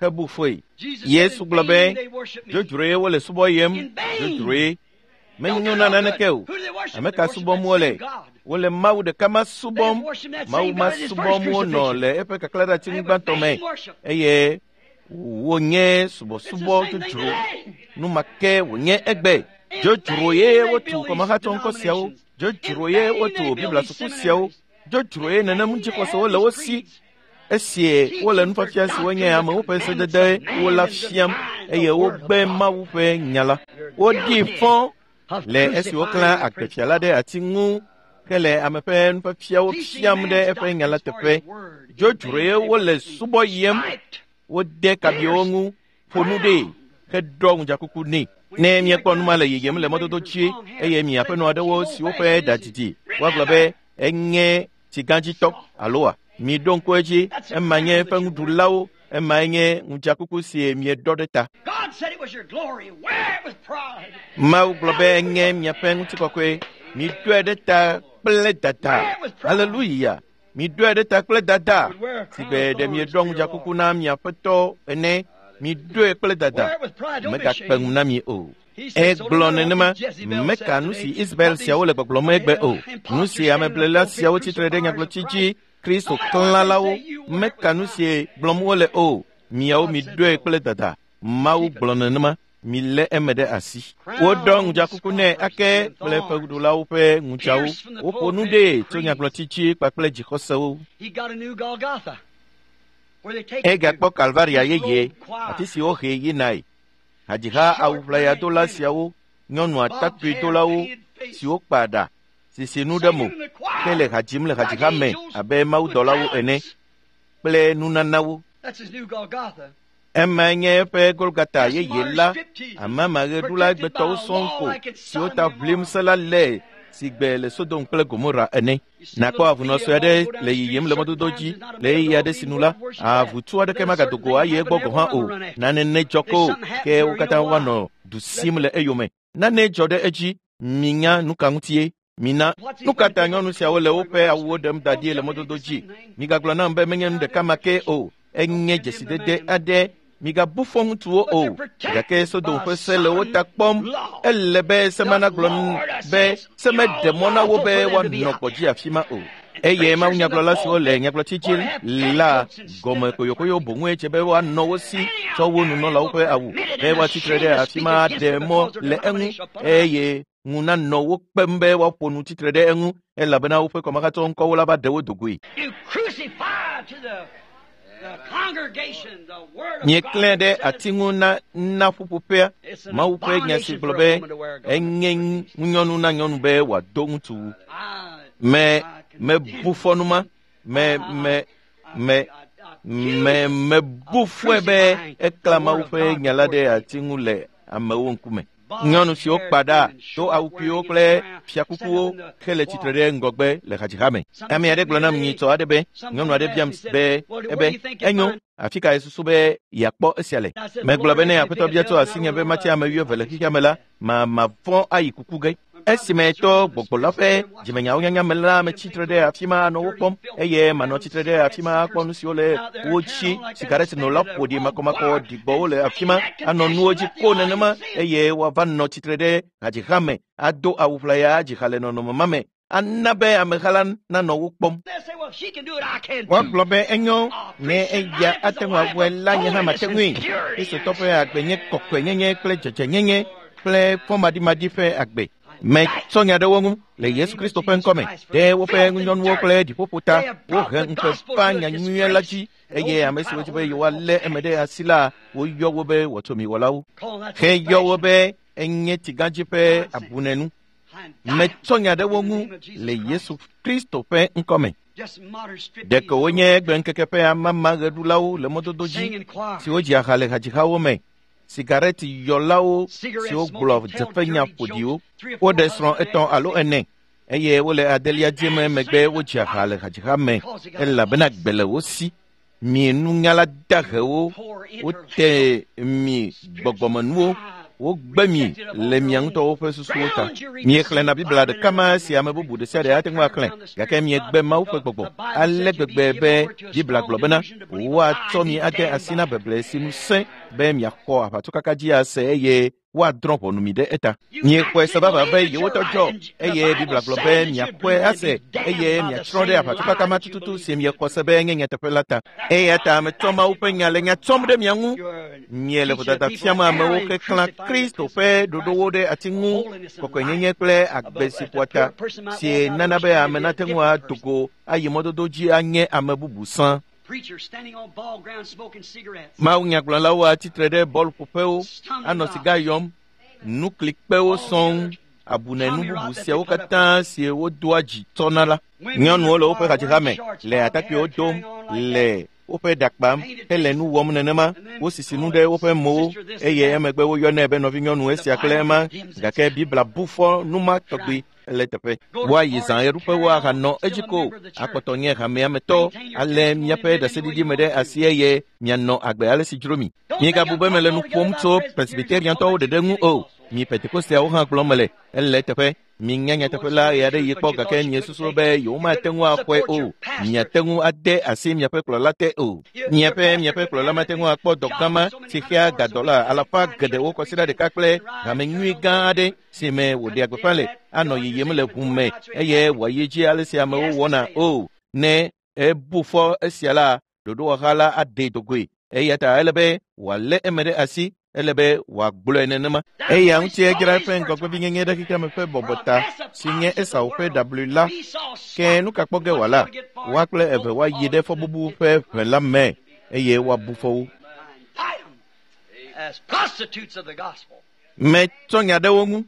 hebu fɔe. Yesu gblɔ be, dzodzroe wole subɔ yem, dzodzroe. Menyo na naneke o. Ame ka subɔm wole? Wole Mawu ɖeka ma subɔm. Mawu ma subɔm wonɔ le eƒe kaklaɖeati gbãtɔ me eye wonye subɔsubɔ dzodzro. Nu ma ke wònye egbe. Dzodzro ye wotu kɔmehatsɔŋkɔ siawo. Dzodzro ye wotu Biblia suku siawo. Dzodzro ye nenem dzixɔsewo le wo si. Esie wole nufiafia siwo nye amewo ƒe sededewo la fiam eye wogbe Mawu ƒe nya la. Woɖi fɔ le esi woklã agbefia la ɖe ati ŋu ke le ame ƒe nufiafiawo fiam ɖe eƒe nya la teƒe. Dzodzroe wole subɔ yem. Wode kabiwo ŋu, ƒo nu ɖee, heɖɔ ŋudzakuku nɛ. Ne miekpɔ nu ma le yiyim le mɔdodo dzi eye miaƒe nu aɖewo siwo ƒe ɖa didi, woagblɔ be enye tsigãdzitɔ aloa? Miɖo ŋku edzi, ema nye eƒe nuɖulawo, emae nye ŋudzakuku si mieɖɔ ɖe ta. Mawu gblɔ be enye miaƒe ŋutikɔkɔe. Miɖɔe ɖe ta kple dada. Haleluya! Miɖɔe ɖe ta kple dada. Si be ɖe mieɖɔ ŋudzakuku na miaƒe tɔ ene. Miɖɔe kple dada. Megakpe ŋu na mi o. Egblɔ nenema, meka nu si Israel siawo le gbɔgblɔm egbe o. Nu si ameblela siawo tsitre ɖe nyagblɔti dzi, Kristo klãlawo, meka nu si gblɔm wole o. Miawo miɖɔe kple dada. Mawu gblɔ nenema, milé eme ɖe asi. Woɖɔ ŋudzakuku nɛ ake kple fewuɖulawo ƒe ŋudzawo. Woƒo nu ɖee tso nyagblɔti dzi kpakple dzixɔsewo. Egakpɔ Kalvaria yeye, afi si wohee yinae. Hadziha awuʋlayadola siawo, nyɔnu atakpuidolawo siwo kpa ɖa, sisi nu ɖe mo, ke le ha dzim le hadziha me abe mawudɔlawo ene, kple nunanawo. Emae nye eƒe Golgata yeye la, amamaɣeɖula egbetɔwo sɔŋ ko siwo ta ʋlim se la le si gbe le Sodom kple Gomora ene. Nakpɔ avunɔ sue aɖe le yiyim le mɔdodo dzi le ɣeyiɣi aɖe sinu la, avutu aɖeke magado go ayi egbɔ gɔ̃ hã o. Nane nedzɔ ko, ke wo katã woanɔ du sim le eyome. Nane dzɔ ɖe edzi. Minya nu ka ŋutie? Mina. Nu ka ta nyɔnu siawo le woƒe awuwo ɖem da ɖi le mɔdodo dzi? Migagblɔ nam be menye nu ɖeka ma ke o. Enye dzesidede aɖe. Migabu fɔ ŋutsuwo o. Gake Sodom ƒe se le wo ta kpɔm. Ele be se ma nagblɔ be se meɖe mɔ na wo be woanɔ gbɔdzi afi ma o. Eye mawunyagblɔla siwo le nyagblɔti dzi la gɔme koyokoyo boŋue dze be woanɔ wo si tsɔ wo nunɔlawo ƒe awu be woatsitre ɖe afi ma aɖe mɔ le eŋu eye ŋu nanɔ wo kpem be woaƒo nu tsitre ɖe eŋu elabena woƒe kɔmahatsɔ ŋkɔwo la va ɖe wo dogoe. Mieklẽ ɖe ati ŋu na ƒuƒoƒea. Mawu ƒe nya si gblɔ be enye ŋunyɔnu na nyɔnu be wòado ŋutsuwu. Mebu fɔ nu ma. Mebu fɔe be eklã Mawu ƒe nya la ɖe ati ŋu le amewo ŋkume. Nyɔnu siwo kpa ɖa, do awu kpuiwo kple fiakukuwo hele tsitre ɖe ŋgɔgbe le hadziha me. Ame aɖe gblɔ nam nyitsɔ aɖe be, nyɔnu aɖe biam be ebe enyo, afi ka yesusu be yeakpɔ esia le? Megblɔ be ne aƒetɔ bia tso asinye be matsi ame wuieve le xexea me la, mavɔ̃ ayi kuku ge. Esime tɔ gbɔgbɔ la ƒe dzimenyawo nyanya me la, metsitre ɖe afi ma anɔ wo kpɔm eye manɔ tsitre ɖe afi ma akpɔ nu siwo le wo dzi. Sigaretinola ƒo ɖi makɔmakɔ ɖigbɔwo le afi ma anɔ nuwo dzi ko nenema eye woava nɔ tsitre ɖe hadziha me ado awu ʋlaya adziha le nɔnɔme ma me. Ana be ameha la nanɔ wo kpɔm. Woagblɔ be enyo ne eya ate ŋu awɔe la nye hã mate ŋui. Kristotɔ ƒe agbe nye kɔkɔenyenye kple dzɔdzɔenyenye kple fɔmaɖimaɖi ƒe agbe. Metsɔ nya ɖe wo ŋu le Yesu Kristo ƒe ŋkɔme ɖe woƒe ŋunyɔnuwo kple ɖiƒoƒo ta. Wohe ŋukpe va nyanyuie la dzi eye ame siwo dzi be yewoalé eme ɖe asi la, woyɔ wo be wɔtsomiwɔlawo. Heyɔ wo be enye tsigãdzi ƒe abunenu. Metsɔ nya ɖe wo ŋu le Yesu Kristo ƒe ŋkɔme. Ɖeko wonye egbeŋkeke ƒe amamaɣeɖulawo le mɔdodo dzi siwo dzi aha le hadzihawo me, sigareti yɔlawo siwo gblɔ dzeƒenya ƒoɖiwo. Woɖe srɔ̃ 3 alo 4 eye wole adelia dzi me megbe wodzi aha le hadziha me elabena gbe le wo si. Mi nunyala dahewo, wote mi gbɔgbɔmenuwo, wogbe mi le mia ŋutɔwo ƒe susuwo ta. Miexlẽna Biblia ɖeka ma si ame bubu ɖe sia ɖe ate ŋu axlẽ, gake miegbe Mawu ƒe gbɔgbɔ ale gbegbe be Biblia gblɔ bena woatsɔ mi ade asi na beble si nu sẽ be miaxɔ aʋatsokaka dzi ase eye woadrɔ̃ ʋɔnu mi ɖe eta. Miexɔe se vavã be yewotɔ dzɔ eye Biblia gblɔ be miaxɔe ase eye miatsrɔ̃ ɖe aʋatsokaka ma tututu si miexɔ se be enye nyateƒe la ta. Eya ta metsɔ Mawu ƒe nya le nya tsɔm ɖe mia ŋu. Miele vodada fiam amewo keklã Kristo ƒe ɖoɖowo ɖe ati ŋu, kɔkɔenyenye kple agbe si ƒoa ta, si nana be ame nate ŋu ado go ayi mɔdodo dzi anye ame bubu sã. Mawunyagblɔlawo atsitre ɖe bɔlƒoƒewo, anɔ siga yɔm, nuklikpewo sɔŋ, abunenu bubu siawo katã si wodoa dzi tsɔna la. Nyɔnuwo le woƒe hadziha me, le atakpuiwo dom, le woƒe ɖa kpam hele nu wɔm nenema. Wosisi nu ɖe woƒe mowo eye emegbe woyɔnɛ be nɔvinyɔnu esia kple ema, gake Biblia bu fɔ nu ma tɔgbi le teƒe. Woayi zã ɣeɖuƒewo ahanɔ edzi ko akpɔtɔ nye hamea me tɔ ale miaƒe ɖaseɖiɖi me ɖe asi eye mianɔ agbe ale si dzro mi. Miegabu be mele nu ƒom tso Presbyteriantɔwo ɖeɖe ŋu o. Mi Pentekosteawo hã gblɔm mele. Ele teƒe. Minya nyateƒe la ɣe aɖe yi kpɔ gake miesusu be yewomate ŋu axɔe o. Miate ŋu ade asi miaƒe kplɔla te o. Miaƒe kplɔla mate ŋu akpɔ dɔ gã ma si xea gadɔla alafa geɖewo kɔsiɖa ɖeka kple hame nyui gã aɖe si me wòɖea gbeƒã le anɔ yiyim le ʋu me eye wòayi dzi ale si amewo wɔna o. Ne ebu fɔ esia la, ɖoɖowɔha la aɖee dogoe. Eya ta ele be wòalé eme ɖe asi, ele be wòagblɔe nenema. Eya ŋuti edzra eƒe ŋgɔgbevinyenye ɖe xexeame ƒe bɔbɔ ta si nye Esau ƒe ɖablui la. Ke nu ka kpɔ ge wòala? Woa kple eve woayi ɖe fɔbubu ƒe ʋe la me eye woabu fɔ wo. Metsɔ nya ɖe wo ŋu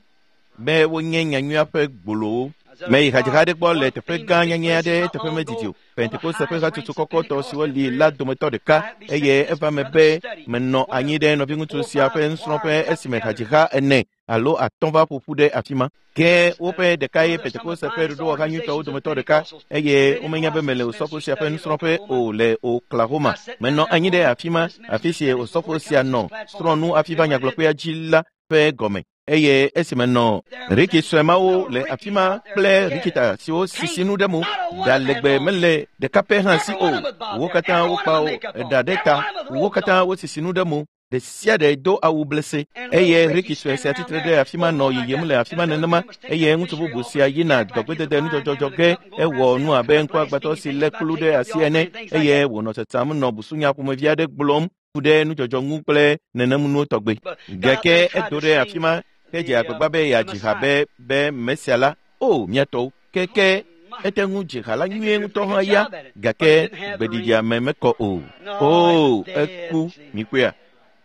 be wonye nyanyuia ƒe gbolowo. Meyi hadziha aɖe gbɔ le teƒe gã nyanyɛ aɖe eteƒe medidi o. Pentekoste ƒe hatsotso kɔkɔtɔ siwo li la dometɔ ɖeka eye eva me be menɔ anyi ɖe nɔviŋutsu sia ƒe nusrɔ̃ƒe esime hadziha 4 alo 5 va ƒoƒu ɖe afi ma. Ke woƒe ɖeka ye Pentekoste ƒe ɖoɖowɔha nyuitɔwo dometɔ ɖeka eye womenya be mele osɔfo sia ƒe nusrɔ̃ƒe o le Oklahoma. Menɔ anyi ɖe afi ma, afi si osɔfo sia nɔ srɔ̃ nu hafi va nyagblɔƒea dzi la ƒe gɔme. Eye esime nɔ Riki sue mawo le afi ma kple Rikita siwo sisi nu ɖe mo, ɖa legbe mele ɖeka pɛ hã si o. Wo katã wokpa ɖa ɖe ta, wo katã wosisi nu ɖe mo, ɖe sia ɖe do awu blese. Eye Riki sue sia tsitre ɖe afi ma nɔ yiyim le afi ma nenema eye ŋutsu bubu sia yina dɔgbedede nudzɔdzɔdzɔ ge. Ewɔ nu abe ŋkuagbãtɔ si lé kplu ɖe asi ene eye wònɔ tsatsam nɔ busunya ƒomevi aɖe gblɔm ku ɖe nudzɔdzɔ ŋu kple nenemunuwo tɔgbe. Gake edo ɖe afi ma hedze agbagba be yeadzi ha be Mesia la, o miatɔwo, keke ete ŋu dzi ha la nyuie ŋutɔ hã ya, gake gbeɖiɖia me mekɔ o. O, eku, mikpɔea?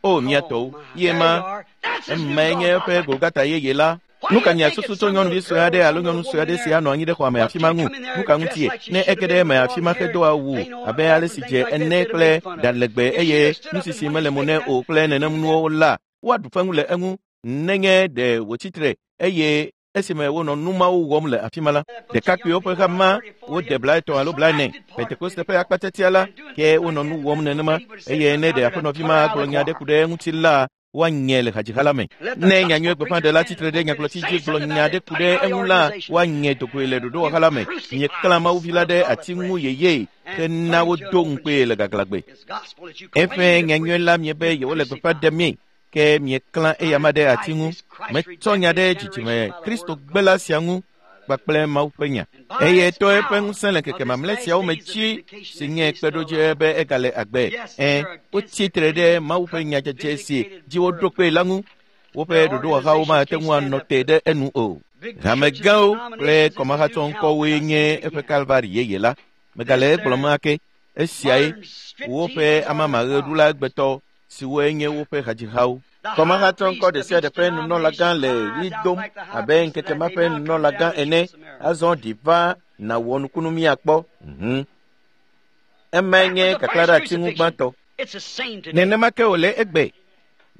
O miatɔwo, ye ma emae nye eƒe Golgata yeye la. Nu ka miasusu tso nyɔnuvi sue aɖe alo nyɔnu sue aɖe si anɔ anyi ɖe xɔa me afi ma ŋu? Nu ka ŋutie? Ne ege ɖe eme afi ma hedo awu abe ale si dze ene kple ɖa legbe eye nusisi mele mo nɛ o kple nenemunuwo la, woaɖu feŋu le eŋu nenye ɖe wòtsitre eye esime wonɔ nu mawo wɔm le afi ma la, ɖekakpuiwo ƒe ha ma wode 30 alo 40 Pentekoste ƒe akpatsatia la, ke wonɔ nu wɔm nenema eye ne ɖe aƒenɔvi ma gblɔ nya aɖe ku ɖe eŋuti la, woanye le hadziha la me. Ne nyanyuie gbeƒãɖela tsitre ɖe nyagblɔti dzi gblɔ nya aɖe ku ɖe eŋu la, woanye dogoe le ɖoɖowɔha la me. Mieklã Mawuvi la ɖe ati ŋu yeye hena wodo ŋukpee le gaglãgbe. Eƒe nyanyuie la miebe yewole gbeƒã ɖemee, ke mieklã eyama ɖe ati ŋu. Metsɔ nya ɖe dzidzime Kristo gbela sia ŋu. kpakple Mawu ƒe nya. Eye to eƒe ŋusẽ le ŋkeke mamlɛ siawo me dzi si nye kpeɖodzi be egale agbe. Wotsi tre ɖe Mawu ƒe nya dzedze si dzi woɖo kpee la ŋu. Woƒe ɖoɖowɔhawo mate ŋu anɔ te ɖe enu o. Hamegãwo kple kɔmahatsɔŋkɔwoe nye eƒe Kalvari yeye la. Megale egblɔm ake. Esiae woƒe amamaɣeɖula egbetɔ siwoe nye woƒe hadzihawo. Kɔmahatsɔŋkɔ ɖe sia ɖe ƒe nunɔlagã le ɣli dom abe ŋkeke ma ƒe nunɔlagã ene. Azɔ ɖi va nàwɔ nukunu míakpɔ. Emae nye kaklaɖeati ŋu gbãtɔ. Nenema ke wòle egbe.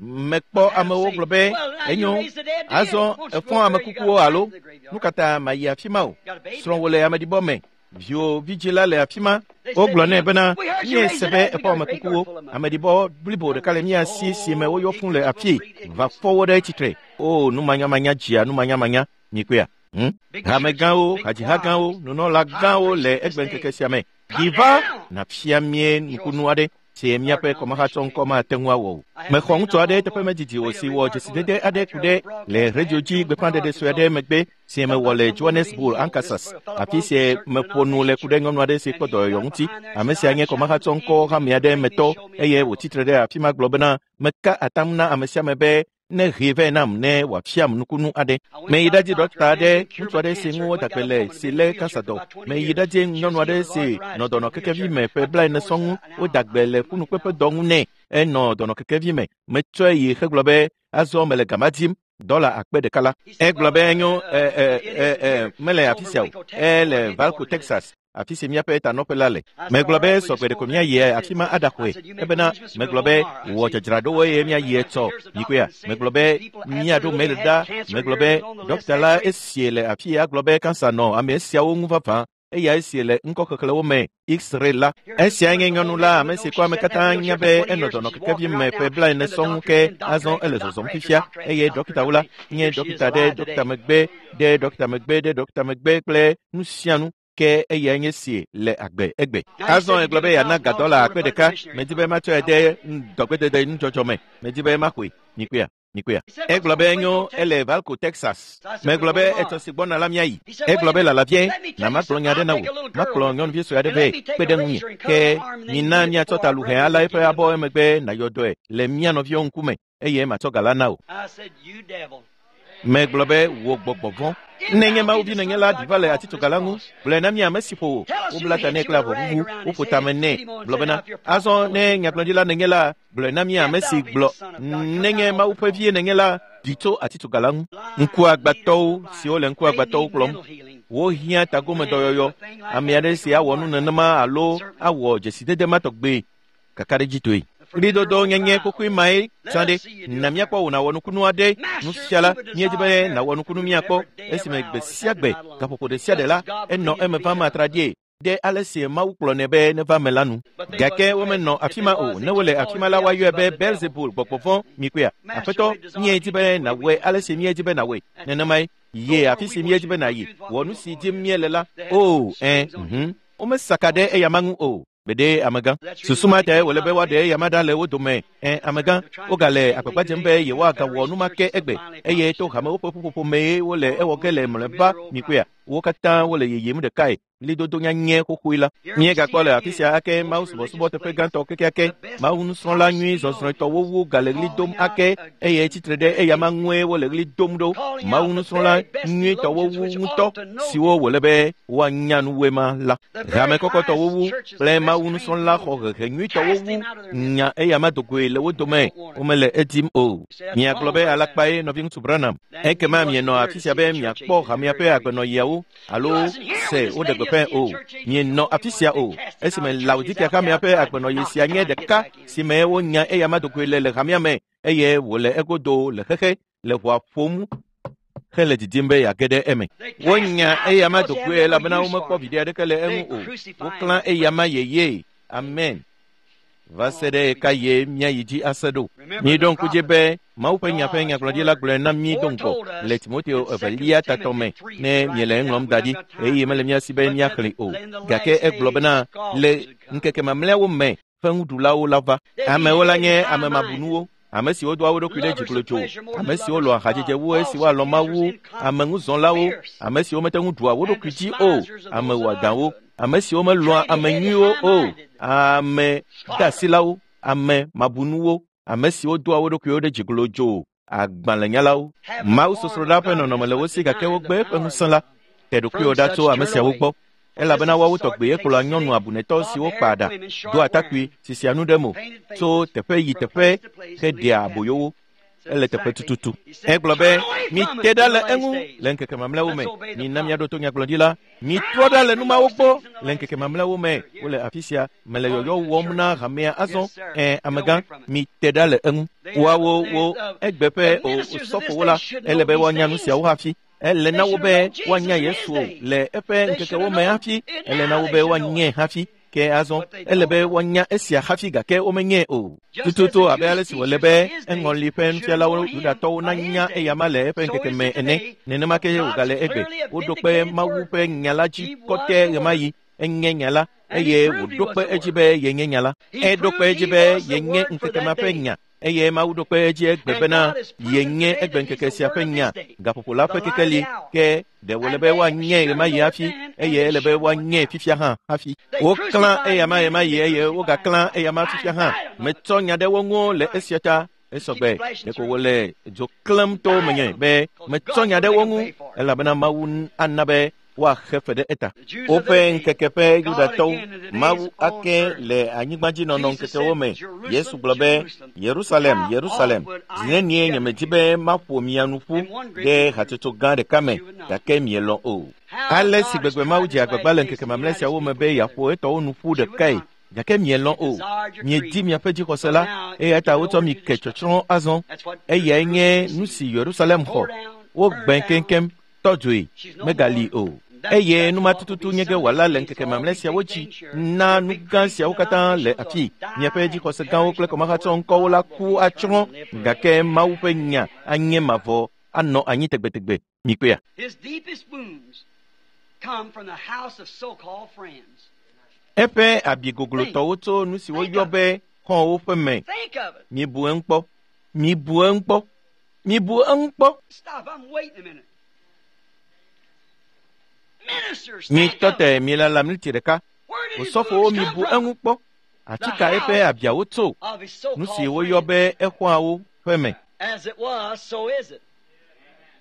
Mekpɔ amewo gblɔ be enyo, azɔ efɔ ame kukuwo alo nu ka ta mayi afi ma o. Srɔ̃wò le ameɖibɔ me. Viwò vidzĩ la le afi ma. Wogblɔ nɛ bena míese be efɔ ame kukuwo. Ameɖibɔ blibo ɖeka le mía si si me woyɔ fũ le afii. Va fɔ wo ɖe tsitre. O, numanyamanya dzia numanyamanya. Mikpɔea? Hamegãwo, hadzihagãwo, nunɔlagãwo le egbeŋkeke sia me. Ɖi va nàfia mie nukunu aɖe si míaƒe kɔmahatsɔŋkɔ mate ŋu awɔ o. Mexɔ ŋutsu aɖe teƒe medidi o si wɔ dzesidede aɖe ku ɖe le redio dzi gbeƒãɖeɖe sue aɖe megbe si mewɔ le Johannesburg, Arkansas, afi si meƒo nu le ku ɖe nyɔnu aɖe si kpɔ dɔyɔyɔ ŋuti. Ame sia nye kɔmahatsɔŋkɔ hame aɖe metɔ eye wòtsitre ɖe afi ma gblɔ bena meka atam na ame sia ame be ne hee vɛ nam ne wòafiam nukunu aɖe. Meyi ɖadzi ɖɔkita aɖe, ŋutsu aɖe si ŋu woda gbe le si lé kansa dɔ. Meyi ɖadzi nyɔnu aɖe si nɔ dɔnɔkekevi me ƒe 40 sɔŋ ŋu woda gbe le ƒunukpeƒe dɔ ŋu nɛ. Enɔ dɔnɔkekevi me. Metsɔe yi hegblɔ be azɔ mele gama dim. $1,000 la. Egblɔ be enyo mele afi sia o. Ele Valco, Texas, afi si míaƒe tanɔƒe la le. Megblɔ be sɔgbe ɖeko míayi afi ma aɖaxɔe. Ebena megblɔ be wɔ dzadzraɖowo eye míayi etsɔ. Mikpɔea? Megblɔ be míaɖo mail ɖa. Megblɔ be ɖɔkita la esie le afi ya gblɔ be kansa nɔ ame siawo ŋu vavã. Eya esie le ŋkɔxexlẽwo me X-ray la. Esia nye nyɔnu la ame si kɔ ame katã nya be enɔ dɔnɔkekevi me ƒe 40 sɔŋ ke azɔ ele zɔzɔm fifia eye ɖɔkitawo la nye ɖɔkita ɖe ɖɔkita megbe ɖe ɖɔkita megbe ɖe ɖɔkita megbe kple nu sia nu ke eyae nye sie le agbe egbe. Azɔ egblɔ be yeana ga $1,000. Medi be matsɔe de dɔgbedede nudzɔdzɔ me. Medi be maxɔe. Mikpɔea? Mikpɔea? Egblɔ be enyo ele Valco, Texas. Megblɔ be etsɔ si gbɔna la míayi. Egblɔ be lalavie, na magblɔ nya aɖe na wò. Makplɔ nyɔnuvi sue aɖe vɛ kpe ɖe ŋunye. Ke mina míatsɔ taluhɛ ala eƒe abɔ emegbe nàyɔ dɔe le mía nɔviwo ŋkume eye matsɔ ga la na wò. Megblɔ be wò gbɔgbɔ vɔ̃. Ne nye Mawu vi nenye la, ɖi va le atitsoga la ŋu. Gblɔe na mí ame si ƒo wò. Wobla ta nɛ kple avɔ ʋuʋu, woƒo tame nɛ. Gblɔ bena, azɔ ne nyagblɔɖila nenye la, gblɔe na mí ame si gblɔ. Nenye Mawu ƒe vie nenye la, ɖi tso atitsoga la ŋu. Ŋkuagbãtɔwo siwo le ŋkuagbãtɔwo kplɔm, wohiã tagomedɔyɔyɔ. Ame aɖe si awɔ nu nenema alo awɔ dzesidede ma tɔgbe kakaɖedzitɔe. Ɣlidodo nyenye xoxoe mae tsã ɖe. Na míakpɔ wò nàwɔ nukunu aɖe. Nufiala, míedi be nàwɔ nukunu míakpɔ. Esime gbe sia gbe, gaƒoƒo ɖe sia ɖe la, enɔ eme vam atraɖie ɖe ale si Mawu kplɔnɛ be neva me la nu. Gake womenɔ afi ma o. Ne wole afi ma la, woayɔe be Belzebul, gbɔgbɔ vɔ̃. Mikpɔea? Aƒetɔ, míedi be nàwɔe ale si míedi be nàwɔe. Nenemae. Ye afi si míedi be nàyi. Wɔ nu si dim míele la. O, Womesaka ɖe eyama ŋu o. Gbeɖe amegã. Susu ma tae wòle be woaɖe eyama ɖa le wo dome. Amegã, wogale agbagba dzem be yewoagawɔ nu ma ke egbe. Eye to hamewo ƒe ƒuƒoƒo mee wole ewɔ ge le mlɔeba. Mikpɔea? Wo katã wole yiyim ɖekae. Ɣlidodo nyanyɛ xoxoe la. Míegakpɔ le afi sia ake Mawu subɔsubɔ teƒe gãtɔ kekeake. Mawu nusrɔ̃la nyui zɔzrɔ̃etɔwo wu gale ɣli dom ake eye tsitre ɖe eyama ŋue wole ɣli dom ɖo. Mawu nusrɔ̃la nyuitɔwo wu ŋutɔ siwo wòle be woanya nuwoe ma la. Hame kɔkɔtɔwo wu kple Mawu nusrɔ̃la xɔ hehe nyuitɔwo wu nya eyama dogoe le wo dome. Womele edim o. Miagblɔ be alakpae nɔviŋutsu Branham. Ekema mienɔ afi sia be miakpɔ hamea ƒe agbenɔɣiawo alo se woɖe gbeƒãe o. Mienɔ afi sia o. Esime Laodikea hamea ƒe agbenɔɣi sia nye ɖeka si me wonya eyama dogoe le hamea me eye wòle egodo le xexe le ʋɔa ƒom hele didim be yeage ɖe eme. Wonya eyama dogoe elabena womekpɔ viɖe aɖeke le eŋu o. Woklã eyama yeye. Amen. Va se ɖe ɣeka ye míayi dzi ase ɖo. Míeɖo ŋku dzi be Mawu ƒe nya ƒe nyagblɔɖila gblɔe na mí do ŋgɔ le Timoteo evelia tatɔ me ne miele eŋlɔm da ɖi eye mele mía si be míaxlẽe o. Gake egblɔ bena le ŋkeke mamlɛawo me ƒe ŋuɖulawo la va. Amewo la nye ame mabunuwo. Ame siwo doa wo ɖokui ɖe dzi glodzo, ame siwo lɔ̃a hadzedze wu esi woalɔ̃ Mawu, ameŋuzɔlawo, ame siwo mete ŋu ɖua wo ɖokui dzi o, ame wɔadãwo, ame siwo melɔ̃a ame nyuiwo o, ame deasilawo, ame mabunuwo, ame siwo doa wo ɖokuiwo ɖe dzi glodzo, agbalẽnyalawo. Mawusosroɖa ƒe nɔnɔme le wo si gake wogbe eƒe ŋusẽ la. Te ɖokuiwò ɖa tso ame siawo gbɔ, elabena woawo tɔgbe kplɔa nyɔnu abunetɔ siwo kpa ɖa, doa atakpui, sisia nu ɖe mo, tso teƒe yi teƒe heɖea aboyo wo. Ele teƒe tututu. Egblɔ be, mite ɖa le eŋu le ŋkeke mamlɛawo me. Mina míaɖo to nyagblɔɖila. Mitrɔ ɖa le numawo gbɔ le ŋkeke mamlɛawo me. Wole afi sia. Mele yɔyɔ wɔm na hamea azɔ. Ẽ, amegã, mite ɖa le eŋu. Woawo wo egbe ƒe osɔfowo la, ele be woanya nu siawo hafi. Ele na wo be woanya Yesu le eƒe ŋkekewo me hafi. Ele na wo be woanyae hafi. Ke azɔ ele be woanya esia hafi gake womenyae o. Tututu abe ale si wòle be eŋɔli ƒe nufialawo Yudatɔwo nanya eyama le eƒe ŋkeke me ene, nenema ke wògale egbe. Woɖo kpe Mawu ƒe nya la dzi kɔtɛ ɣemaɣi. Enye nya la eye wòɖo kpe edzi be yenye nya la. Eɖo kpe edzi be yenye ŋkeke ma ƒe nya. Eye Mawu ɖo kpe edzi egbe bena yenye egbe ŋkeke sia ƒe nya, gaƒoƒo la ƒe kekeli. Ke ɖe wòle be woanyae ɣemaɣi hafi, eye ele be woanyae fifia hã hafi. Woklã eyama ɣemaɣi eye wogaklã eyama fifia hã. Metsɔ nya ɖe wo ŋu le esia ta. Esɔgbe ɖeko wòle dzo klẽm to menye be metsɔ nya ɖe wo ŋu, elabena Mawu ana be woaxe fe ɖe eta. Woƒe ŋkeke ƒe Yudatɔwo, Mawu ake le anyigbadzinɔnɔ ŋkekewo me. Yesu gblɔ be, Yerusalem, Yerusalem, zi nenie nyemedi be maƒo mia nu ƒu ɖe hatsotso gã ɖeka me, gake mielɔ̃ o. Ale si gbegbe Mawu dze agbagba le ŋkeke mamlɛ siawo me be yeaƒo etɔwo nu ƒu ɖekae, gake mielɔ̃ o. Miedi miaƒe dzixɔse la, eya ta wotsɔ mi ke tsɔtsrɔ̃ azɔ. Eyae nye nu si Yerusalem xɔ. Wogbẽ keŋkeŋ, tɔ dzoe, megali o. Eye numa tututu nye ge wòala le ŋkeke mamlɛ siawo dzi na nu gã siawo katã le afi. Miaƒe dzixɔse gãwo kple kɔmahatsɔ ŋkɔwo la ku atsrɔ̃, gake Mawu ƒe nya anye mavɔ anɔ anyi tegbetegbe. Mikpɔea? His deepest wounds come from the house of so-called friends. Eƒe abi goglotɔwo tso nu si woyɔ be xɔ̃wo ƒe me. Think of it. Mibu eŋu kpɔ. Mibu eŋu kpɔ. Mibu eŋu kpɔ. Stop, I'm waiting a minute. Ministers, think Mitɔ of it. te milala miniti ɖeka. Where did his Osɔfowo wounds come mibu from? eŋu kpɔ. Atika eƒe abiawo tso Of his nu si so-called woyɔ friends. be exɔawo ƒe me. As it was, so is it.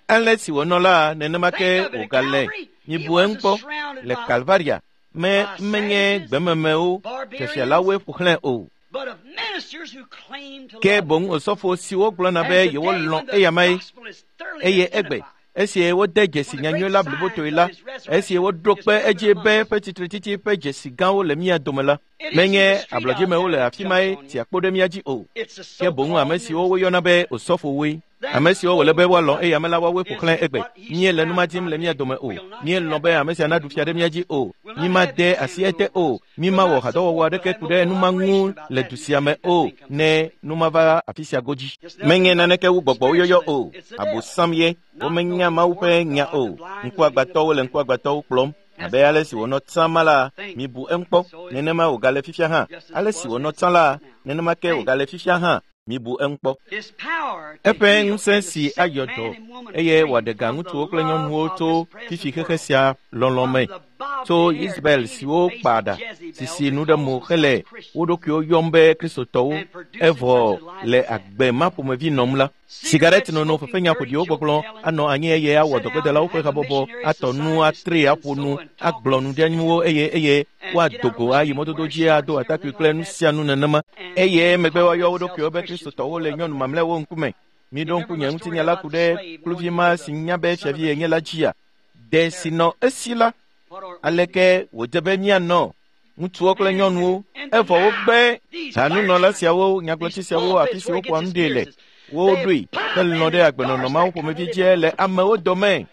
Ale si wònɔ la, nenema ke Think of it, at wògale. Calvary, he Mibu eŋu wasn't kpɔ. surrounded Le by Kalvaria, me by menye savages, gbememewo, barbarians, fiafialawoe ƒo xlãe o. but of ministers who claimed to Ke love him. boŋ osɔfo siwo gblɔna And be today, yewolɔ̃ when the eyamae, gospel is thoroughly eye egbe identified, esi wode dzesi when the nyanyui great la signs blibotoe of la, his esi resurrection woɖo is kpe edzi proven be among us, eƒe tsitretsitsi ƒe dzesi gãwo le mía dome la, it isn't menye the street out ablɔdzimewo there le that afi jumps mae on you. tia kpo ɖe mía dzi o. It's the Ke boŋ ame so-called siwo ministers. woyɔna be osɔfowoe, Them ame siwo wòle be woalɔ̃ old eye ame la woawoe ƒo is xlãe egbe. what he's Míele nu ma surrounded dim by le mía today. dome o. We'll not Míelɔ̃ have be it. ame sia naɖu fia ɖe mía dzi o. We'll not have Mímade this asi man ete rule o. us. We'll Mímawɔ not hadɔwɔwɔ support, we'll aɖeke have ku no ɖe nu ma ŋu cooperation about le that du new sia thing me if that o thing comes ne into play. nu ma va afi sia godzi. It's Menye nothing but naneke wu gbɔgbɔwo yɔyɔ o. spiritualism. It's the devil. Abosam ye. Not Womenya knowing the Mawu word ƒe of nya God, o. the blind leading the Ŋkuagbãtɔwo le blind. ŋkuagbãtɔwo kplɔm. As Abe ale si wònɔ tsã ma la, Think. mibu eŋu kpɔ. So is it. Nenema wògale fifia hã. Just as Ale it si was wònɔ then, tsã so la, is it now. nenema ke Think. wògale fifia hã. Mibu eŋu kpɔ. His power to Eƒe heal ŋusẽ and to si set ayɔ man dɔ and woman eye free wòaɖe ga from the ŋutsuwo kple love nyɔnuwo of tso this present fifi xexe world, sia lɔlɔ̃ from me, the tso bobbed-haired, Isabel siwo painted-faced kpa ɖa, Jezebels sisi that nu ɖe calls mo themselves hele wo Christians ɖokuiwo yɔm be Kristotɔwo, and producing evɔ such a life le as that. agbe ma ƒomevi nɔm la. Cigarette Sigaret nono, smoking, fefenya dirty ƒoɖiwo joke gbɔgblɔ telling, anɔ anyi eye awɔ sit down and dɔgbedelawo ƒe have a habɔbɔ, missionary atɔ nu, society to atre, stand aƒo so nu, and talk agblɔ and nu sit ɖe anyuwo eye eye and get woado out go on the ayi street mɔdodo wear dzi shorts ado and atakpui everything kple like nu that sia nu nenema and eye megbe call woayɔ wo themselves ɖokuiwo be Christians Kristotɔwo before le other nyɔnu men. mamlɛawo ŋkume. You Miɖo ŋku remember nye my story ŋutinya la about ku the ɖe slave kluvi knowing he ma was si the nya be son of fiavi a yenye la king? dzia. Ɖe si nɔ esi la, What art we to do? aleke wòdze be míanɔ ŋutsuwo kple Man nyɔnuwo and evɔ wogbe now these hanunɔla clergymen, siawo, nyagblɔtsi these siawo, afi pulpits si where he woƒoa gets nu his ɖee le, spirits, they woɖoe have helɔ̃ and ɖe agbenɔnɔ endorse mawo that kind of ƒomevi living dzi le amewo dome. where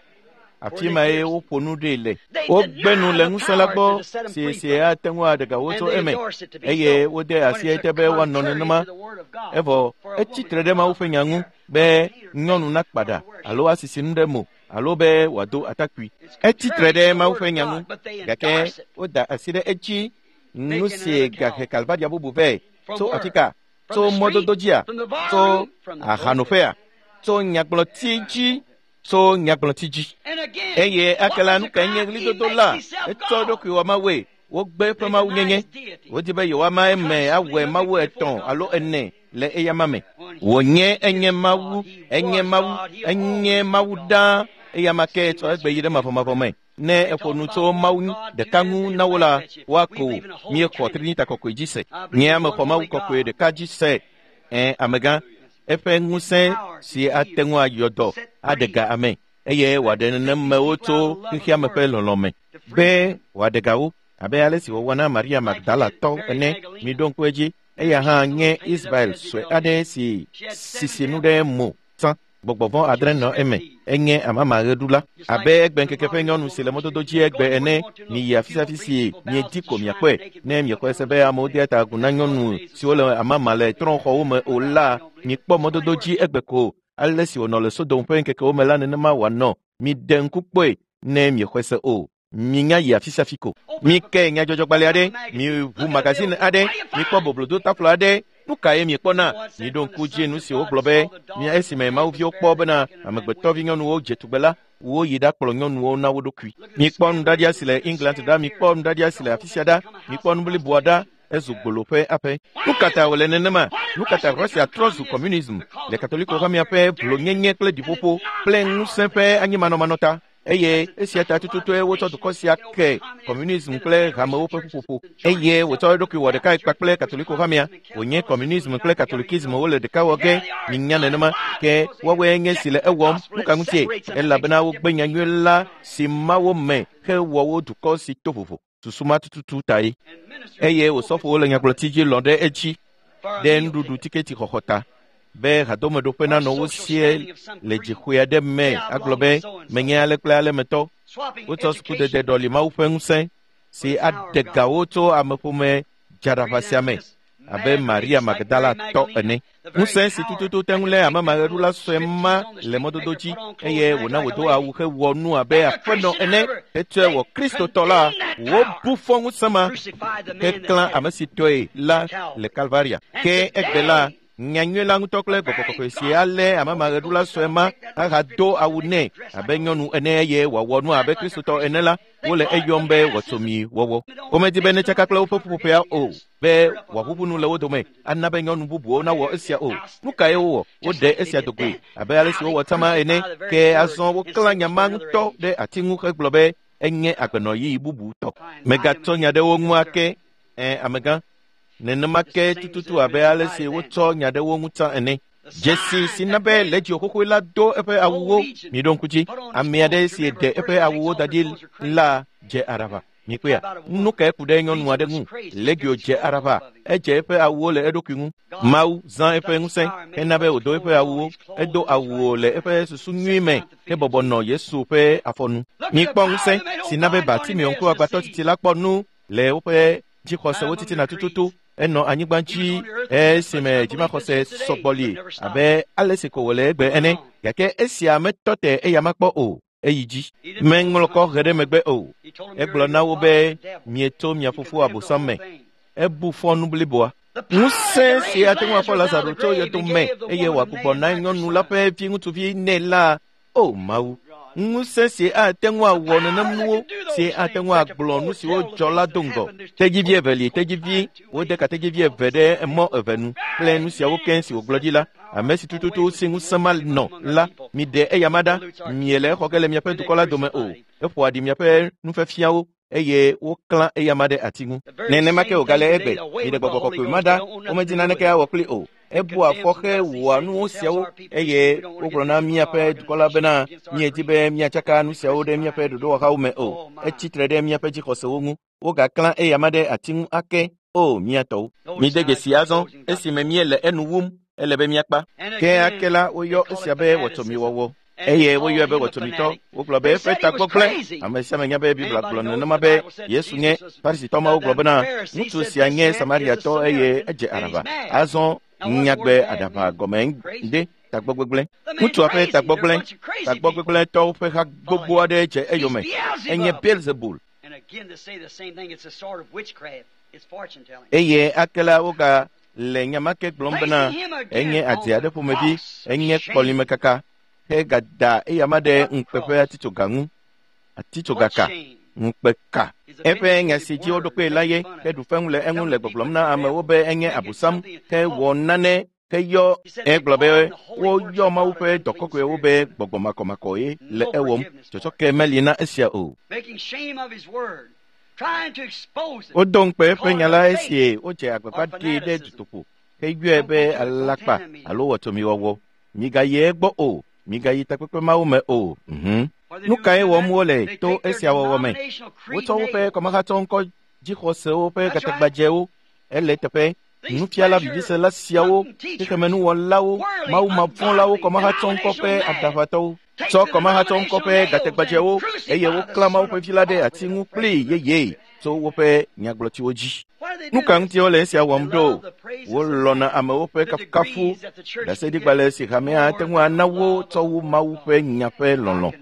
Afi they mae pierce. woƒo nu ɖee le. They Wogbe nu deny le the ŋusẽ la power gbɔ to set them si free si from it, ate ŋu aɖe ga wo and tso they eme endorse it to be eye so wode when asi it's a ete be woanɔ contrary nenema to the word of God evɔ for a etsi woman tre to ɖe Mawu bob ƒe her nya ŋu hair be or paint her nyɔnu face nakpa or ɖa wear alo shorts. asisi nu ɖe mo alo be wòado atakpui. It's Etsi tre contrary to ɖe the Mawu word ƒe of nya ŋu God, but they gake endorse it, woda asi ɖe edzi nu making si another gahe Calvary. Kalvaria bubu vɛ From tso where? afi ka? Tso mɔdodo dzia? Tso ahanoƒea? Tso nyagblɔti dzi? Tso nyagblɔti dzi. Eye akela nu kae nye ɣlidodo la? Etsɔ eɖokui wɔ Mawue. Wogbe eƒe mawunyenye. Wodi be yewoama eme awɔe mawu 3 alo 4 le eyama me. Wònye enye Mawu, enye Mawu, enye Mawu ɖaa. Eyama ke tsɔ egbe yi ɖe mavɔmavɔ me. Ne eƒo nu tso Mawu ɖeka ŋu na wo la, woako wò. Míexɔ Trinita kɔkɔe dzi se. Nye ame xɔ Mawu kɔkɔe ɖeka dzi se. Amegã, eƒe ŋusẽ si ate ŋu ayɔ dɔ aɖe ga ame eye wòaɖe nenemewo tso xexeame ƒe lɔlɔ me be wòaɖe ga wo abe ale si wòwɔ na Maria Magdala tɔ ene. Miɖo ŋku edzi, eya hã nye Israel sue aɖe si sisi nu ɖe mo tsã. Gbɔgbɔvɔ 7 nɔ eme. Enye amamaɣeɖula abe egbe ŋkeke ƒe nyɔnu si le mɔdodo dzi egbe ene. Miyi afi sia afi si miedi ko miakpɔe. Ne miexɔe se be amewo dea ta agu na nyɔnu siwo le amama le trɔ̃xɔwo me o la, mikpɔ mɔdodo dzi egbe ko. Ale si wònɔ le Sodom ƒe ŋkekewo me la, nenema wòanɔ. Miɖe ŋku kpɔe ne miexɔe se o. Minya yi afi sia afi ko. Mike nyadzɔdzɔgbalẽ aɖe, miʋu magazine aɖe, mikpɔ boblodotaflo aɖe. Nu kae miekpɔna? Miɖo ŋku dzi nu si wogblɔ be mia esime mawuviwo kpɔ bena amegbetɔvi nyɔnuwo dze tugbe la, woyi ɖakplɔ nyɔnuwo na wo ɖokui. Mikpɔ nuɖaɖia si le England ɖa, mikpɔ nuɖaɖia si le afi sia ɖa, mikpɔ nu bliboa ɖa. Ezu gbolo ƒe aƒe. Nu ka ta wòle nenema? Nu ka ta Russia trɔ zu communism le Katoliko hamea ƒe vlonyenye kple ɖiƒoƒo kple ŋusẽ ƒe anyimanɔmanɔ ta? Eye esia ta tututue wotsɔ dukɔ sia ke communism kple hamewo ƒe ƒuƒoƒo. Eye wòtsɔ eɖokui wɔ ɖekae kpakple Katoliko hamea. Wònye communism kple Katolikism wole ɖeka wɔ ge. Minya nenema ke woawoe nye si le ewɔm. Nu ka ŋutie? Elabena wogbe nyanyui la si ma wo me hewɔ wo dukɔ si to vovo. Susu ma tututu tae. Eye wòsɔfowo le nyagblɔti dzi lɔ̃ ɖe edzi ɖe nuɖuɖu tiketi xɔxɔ ta be hadomeɖoƒe nanɔ wo sie le dzixɔe aɖe me agblɔ be menye ale kple ale metɔ. Wotsɔ sukudede ɖɔli Mawu ƒe ŋusẽ si aɖe ga wo tso ameƒome dzaɖaʋa sia me abe Maria Magdala tɔ ene. Ŋusẽ si tututu te ŋu lé amamaɣeɖula sue ma le mɔdodo dzi eye wòna wòdo awu hewɔ nu abe aƒenɔ ene hetsɔe wɔ Kristotɔ la, wobu fɔ ŋusẽ ma heklã ame si tɔe la le Kalvaria. Ke egbe la, nyanyui la ŋutɔ kple gbɔgbɔ kɔkɔe si alé amamaɣeɖula sue ma ahado awu nɛ abe nyɔnu ene eye wòawɔ nu abe Kristotɔ ene la, wole eyɔm be wɔtsomi wɔwɔ. Womedi be netsaka kple woƒe ƒuƒoƒea o, be wòaʋuʋu nu le wo dome ana be nyɔnu bubuwo nawɔ esia o. Nu kae wowɔ? Woɖe esia dogoe abe ale si wowɔ tsama ene. Ke azɔ woklã nya ma ŋutɔ ɖe ati ŋu hegblɔ be enye agbenɔɣi bubu tɔ. Megatsɔ nya ɖe wo ŋu ake. Amegã, nenema ke tututu abe ale si wotsɔ nya ɖe wo ŋu tsã ene. Dzesi si na be Legio xoxoe la do eƒe awuwo. Miɖo ŋku dzi, ame aɖe si ɖe eƒe awuwo da ɖi la dze aɖaʋa. Mikpɔea, nu kae ku ɖe nyɔnu aɖe ŋu? Legio dze aɖaʋa, edze eƒe awuwo le eɖokui ŋu. Mawu zã eƒe ŋusẽ hena be wòdo eƒe awuwo. Edo awuwo le eƒe susu nyui me hebɔbɔ nɔ Yesu ƒe afɔnu. Mikpɔ ŋusẽ si na be Bartimeo ŋkuagbãtɔ tsitsi la kpɔ nu le woƒe dzixɔsewo titina tututu. Enɔ anyigba dzi esime dzimaxɔse sɔgbɔ li abe ale si ko wòle egbe ene. Gake esia metɔ te eya makpɔ o. Eyi dzi. Meŋlɔ kɔ he ɖe megbe o. Egblɔ na wo be mietso mia fofo Abosam me. Ebu fɔ nu bliboa. Ŋusẽ si ate ŋu afɔ Lazaro tso yɔdo me eye wòagbugbɔ na nyɔnu la ƒe viŋutsuvi nɛ la, o Mawu. Ŋusẽ si ate ŋu awɔ nenem nuwo, si ate ŋu agblɔ nu siwo dzɔ la do ŋgɔ. Tedzivi eve li, tedzivi, wode ka tedzivi eve ɖe mɔ eve nu kple nu siawo keŋ si wògblɔ ɖi la. Ame si tututu si ŋusẽ ma nɔ la, miɖe eyama ɖa. Miele exɔ ge le miaƒe dukɔ la dome o. Eƒoa ɖi miaƒe nufiafiawo eye woklã eyama ɖe ati ŋu. Nenema ke wògale egbe. Miɖe gbɔgbɔ kɔkɔe ma ɖa, womedi naneke awɔ kpli o. Ebua afɔ hewɔa nuwo siawo eye wogblɔ na míaƒe dukɔ la bena míedi be míatsaka nu siawo ɖe míaƒe ɖoɖowɔhawo me o. Etsi tre ɖe míaƒe dzixɔsewo ŋu. Wogaklã eyama ɖe ati ŋu ake. O mía tɔwo. Mide dzesi azɔ esime míele enu wum, ele be míakpa. Ke ake la woyɔ esia be wɔtsomiwɔwɔ. Eye woyɔe be wɔtsomitɔ. Wogblɔ be eƒe tagbɔ gblẽ. Ame sia ame nya be Biblia gblɔ nenema be Yesu nye. Farisitɔ mawo gblɔ bena ŋutsu sia nye Samariatɔ eye edze aɖaʋa. Azɔ nyagbe aɖaʋa gɔme ɖe tagbɔ gbegblẽ. Ŋutsua ƒe tagbɔ gblẽ. Tagbɔ gbegblẽtɔwo ƒe ha gbogbo aɖe dze eyome. Enye Beelzebul. Eye ake la woga Le nya ma ke gblɔm bena enye adze aɖe ƒomevi, enye kɔlimekaka, hegada eyama ɖe ŋukpe ƒe atitsoga ŋu. Atitsogaka, ŋukpe ka. Eƒe nya si dzi woɖo kpee la ye heɖu feŋu le eŋu le gbɔgblɔm na amewo be enye abosam hewɔ nane heyɔ egblɔ be woyɔ Mawu ƒe dɔ kɔkɔewo be gbɔgbɔ makɔmakɔe le ewɔm. Tsɔtsɔke meli na esia o. Wodo ŋukpe eƒe nya la esie wodze agbagba ɖee ɖe dutoƒo heyɔe be alakpa alo wɔtomiwɔwɔ. Migayi egbɔ o. Migayi takpekpe mawo me o. Nu kae wɔm wole to esia wɔwɔ me? Wotsɔ woƒe kɔmahatsɔ ŋkɔ dzixɔsewo ƒe gatagbadzɛwo ele teƒe. Nufiala vivisela siawo, xexemenuwɔlawo, mawumavɔ̃lawo, kɔmahatsɔ ŋkɔ ƒe aɖaʋatɔwo tsɔ kɔmahatsɔ ŋkɔ ƒe gatagbadzɛwo eye woklã Mawu ƒe vi la ɖe ati ŋu kplii yeye tso woƒe nyagblɔtiwo dzi. Nu ka ŋuti wole esia wɔm ɖo? Wolɔ̃na amewo ƒe kafukafu, ɖaseɖigbalẽ si hamea ate ŋu ana wo tsɔ wu Mawu ƒe nya ƒe lɔlɔ̃.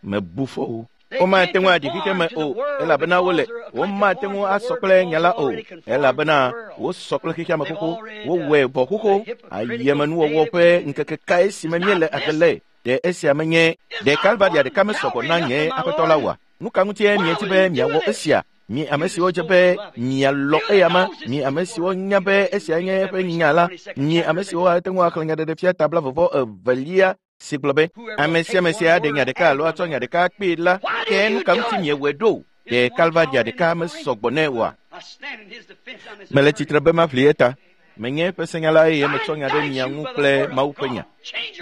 Mebu fɔ wo. Womate ŋu aɖi xexeme o, elabena wole. Womate ŋu asɔ kple nya la o, elabena wosɔ kple xexeame xoxo. Wowɔe vɔ xoxo. Ayemenuwɔwɔ ƒe ŋkeke kae si me míele agbe le? Ɖe esia menye ɖe Kalvaria ɖeka mesɔgbɔ na nye aƒetɔ la oa? Nu ka ŋutie miedi be miawɔ esia? Mi ame siwo dze be mialɔ eyama, mi ame siwo nya be esia nye eƒe nya la, mi ame siwo ate ŋu axlẽ nyaɖeɖefia ta 22 si gblɔ be ame sia ame si aɖe nya ɖeka alo atsɔ nya ɖeka kpee la, ke nu ka ŋuti miewɔe ɖo? Ɖe Kalvaria ɖeka mesɔgbɔ nɛ oa? Mele tsitre be maʋli eta. Menye eƒe senyala eye metsɔ nya ɖe mia ŋu kple Mawu ƒe nya.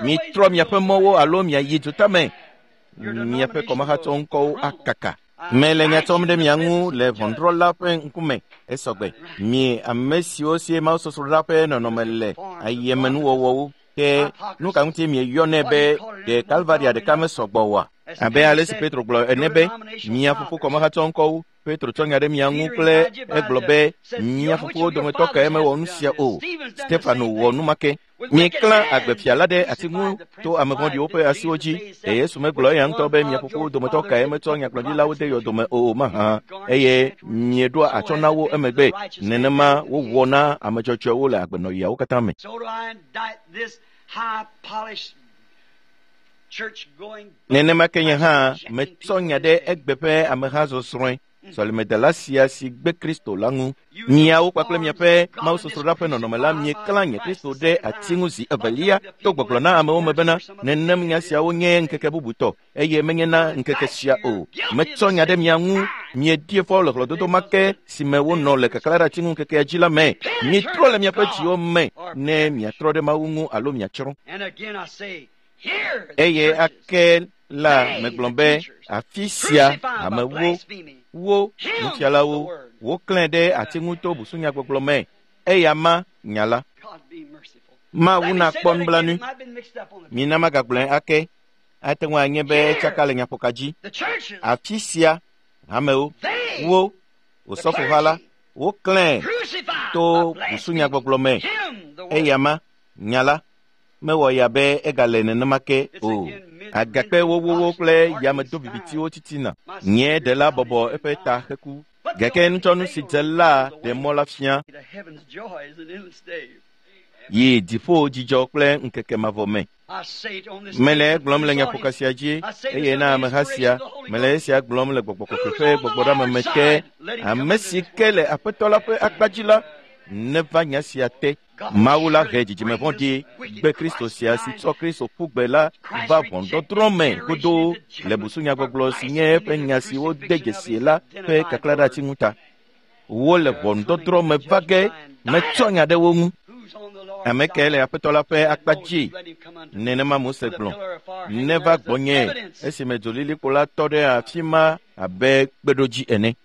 Mitrɔ miaƒe mɔwo alo miayi dutame. Miaƒe kɔmahatsɔ ŋkɔwo akaka. Mele nya tsɔm ɖe mia ŋu le ʋɔnudrɔ̃la ƒe ŋkume esɔgbe. Mi ame siwo sie mawusosroɖa ƒe nɔnɔme le ayemenuwɔwɔwo. Ke nu ka ŋuti mieyɔnɛ be ɖe Kalvaria ɖeka mesɔgbɔ oa? Abe ale si Petro gblɔ ene be mia fofo kɔmahatsɔ ŋkɔwo. Petro tsɔ nya ɖe mia ŋu kple egblɔ be mia fofowo dometɔ kae mewɔ nu sia o. Stefano wɔ nu ma ke. Mieklã agbefia la ɖe ati ŋu to ame vɔ̃ɖiwo ƒe asiwo dzi. Ɖe Yesu megblɔ eya ŋutɔ be mia fofowo dometɔ kae metsɔ nyagblɔɖilawo de yɔdome o mahã, eye mieɖoa atsyɔ̃ na wo emegbe. Nenema wowɔ na ame dzɔdzɔewo le agbenɔɣiawo katã me. Nenema ke nye hã metsɔ nya ɖe egbe ƒe ameha zɔzrɔ̃e sɔlemedela sia si gbe Kristo la ŋu. Miawo kpakple miaƒe mawusosroɖa ƒe nɔnɔme la mieklã nye Kristo ɖe ati ŋu zi evelia to gbɔgblɔ na amewo me bena nenem nya siawo nye ŋkeke bubutɔ eye menye na ŋkeke sia o. Metsɔ nya ɖe mia ŋu, miedie fɔ le hlɔ̃dodo ma ke si me wonɔ le kaklã ɖe ati ŋu ŋkekea dzi la me. Mitrɔ le miaƒe dziwo me ne miatrɔ ɖe Mawu ŋu alo miatsrɔ̃. Eye ake la megblɔ be afi sia amewo, wo nufialawo, woklãe ɖe ati ŋu to busunyagbɔgblɔ me. Eya ma nya la. Mawu nakpɔ nublanui. Mina magagblɔe ake. Ate ŋu anye be tsaka le nyaƒoka dzi. Afi sia amewo, wo osɔfoha la, woklãe to busunyagbɔgblɔ me. Eya ma nya la mewɔ ya be egale nenema ke o. Agakpe wowowo kple yamedo vivitiwo titina. Nye ɖela bɔbɔ eƒe ta heku. Gake nutsɔnu si dze la ɖe mɔ la fia yi dziƒo dzidzɔ kple ŋkeke mavɔ me. Mele egblɔm le nyaƒoka sia dzi eye na ameha sia. Mele esia gblɔm le gbɔgbɔ kɔkɔe ƒe gbɔgbɔɖeame me ke. Ame si ke le Aƒetɔ la ƒe akpa dzi la neva nya sia te. Mawu la he dzidzime vɔ̃ɖi gbe Kristo sia si tsɔ Kristo ƒu gbe la va ʋɔnudɔdrɔ̃ me godoo le busunyagbɔgblɔ si nye eƒe nya si wode dzesi la ƒe kaklã ɖe ati ŋu ta. Wole ʋɔnudɔdrɔ̃ me va ge metsɔ nya ɖe wo ŋu. Ame kae le Aƒetɔ la ƒe akpa dzi? Nenema Mose gblɔ. Neva gbɔnye esime dzolilikpo la tɔ ɖe afi ma abe kpeɖodzi ene.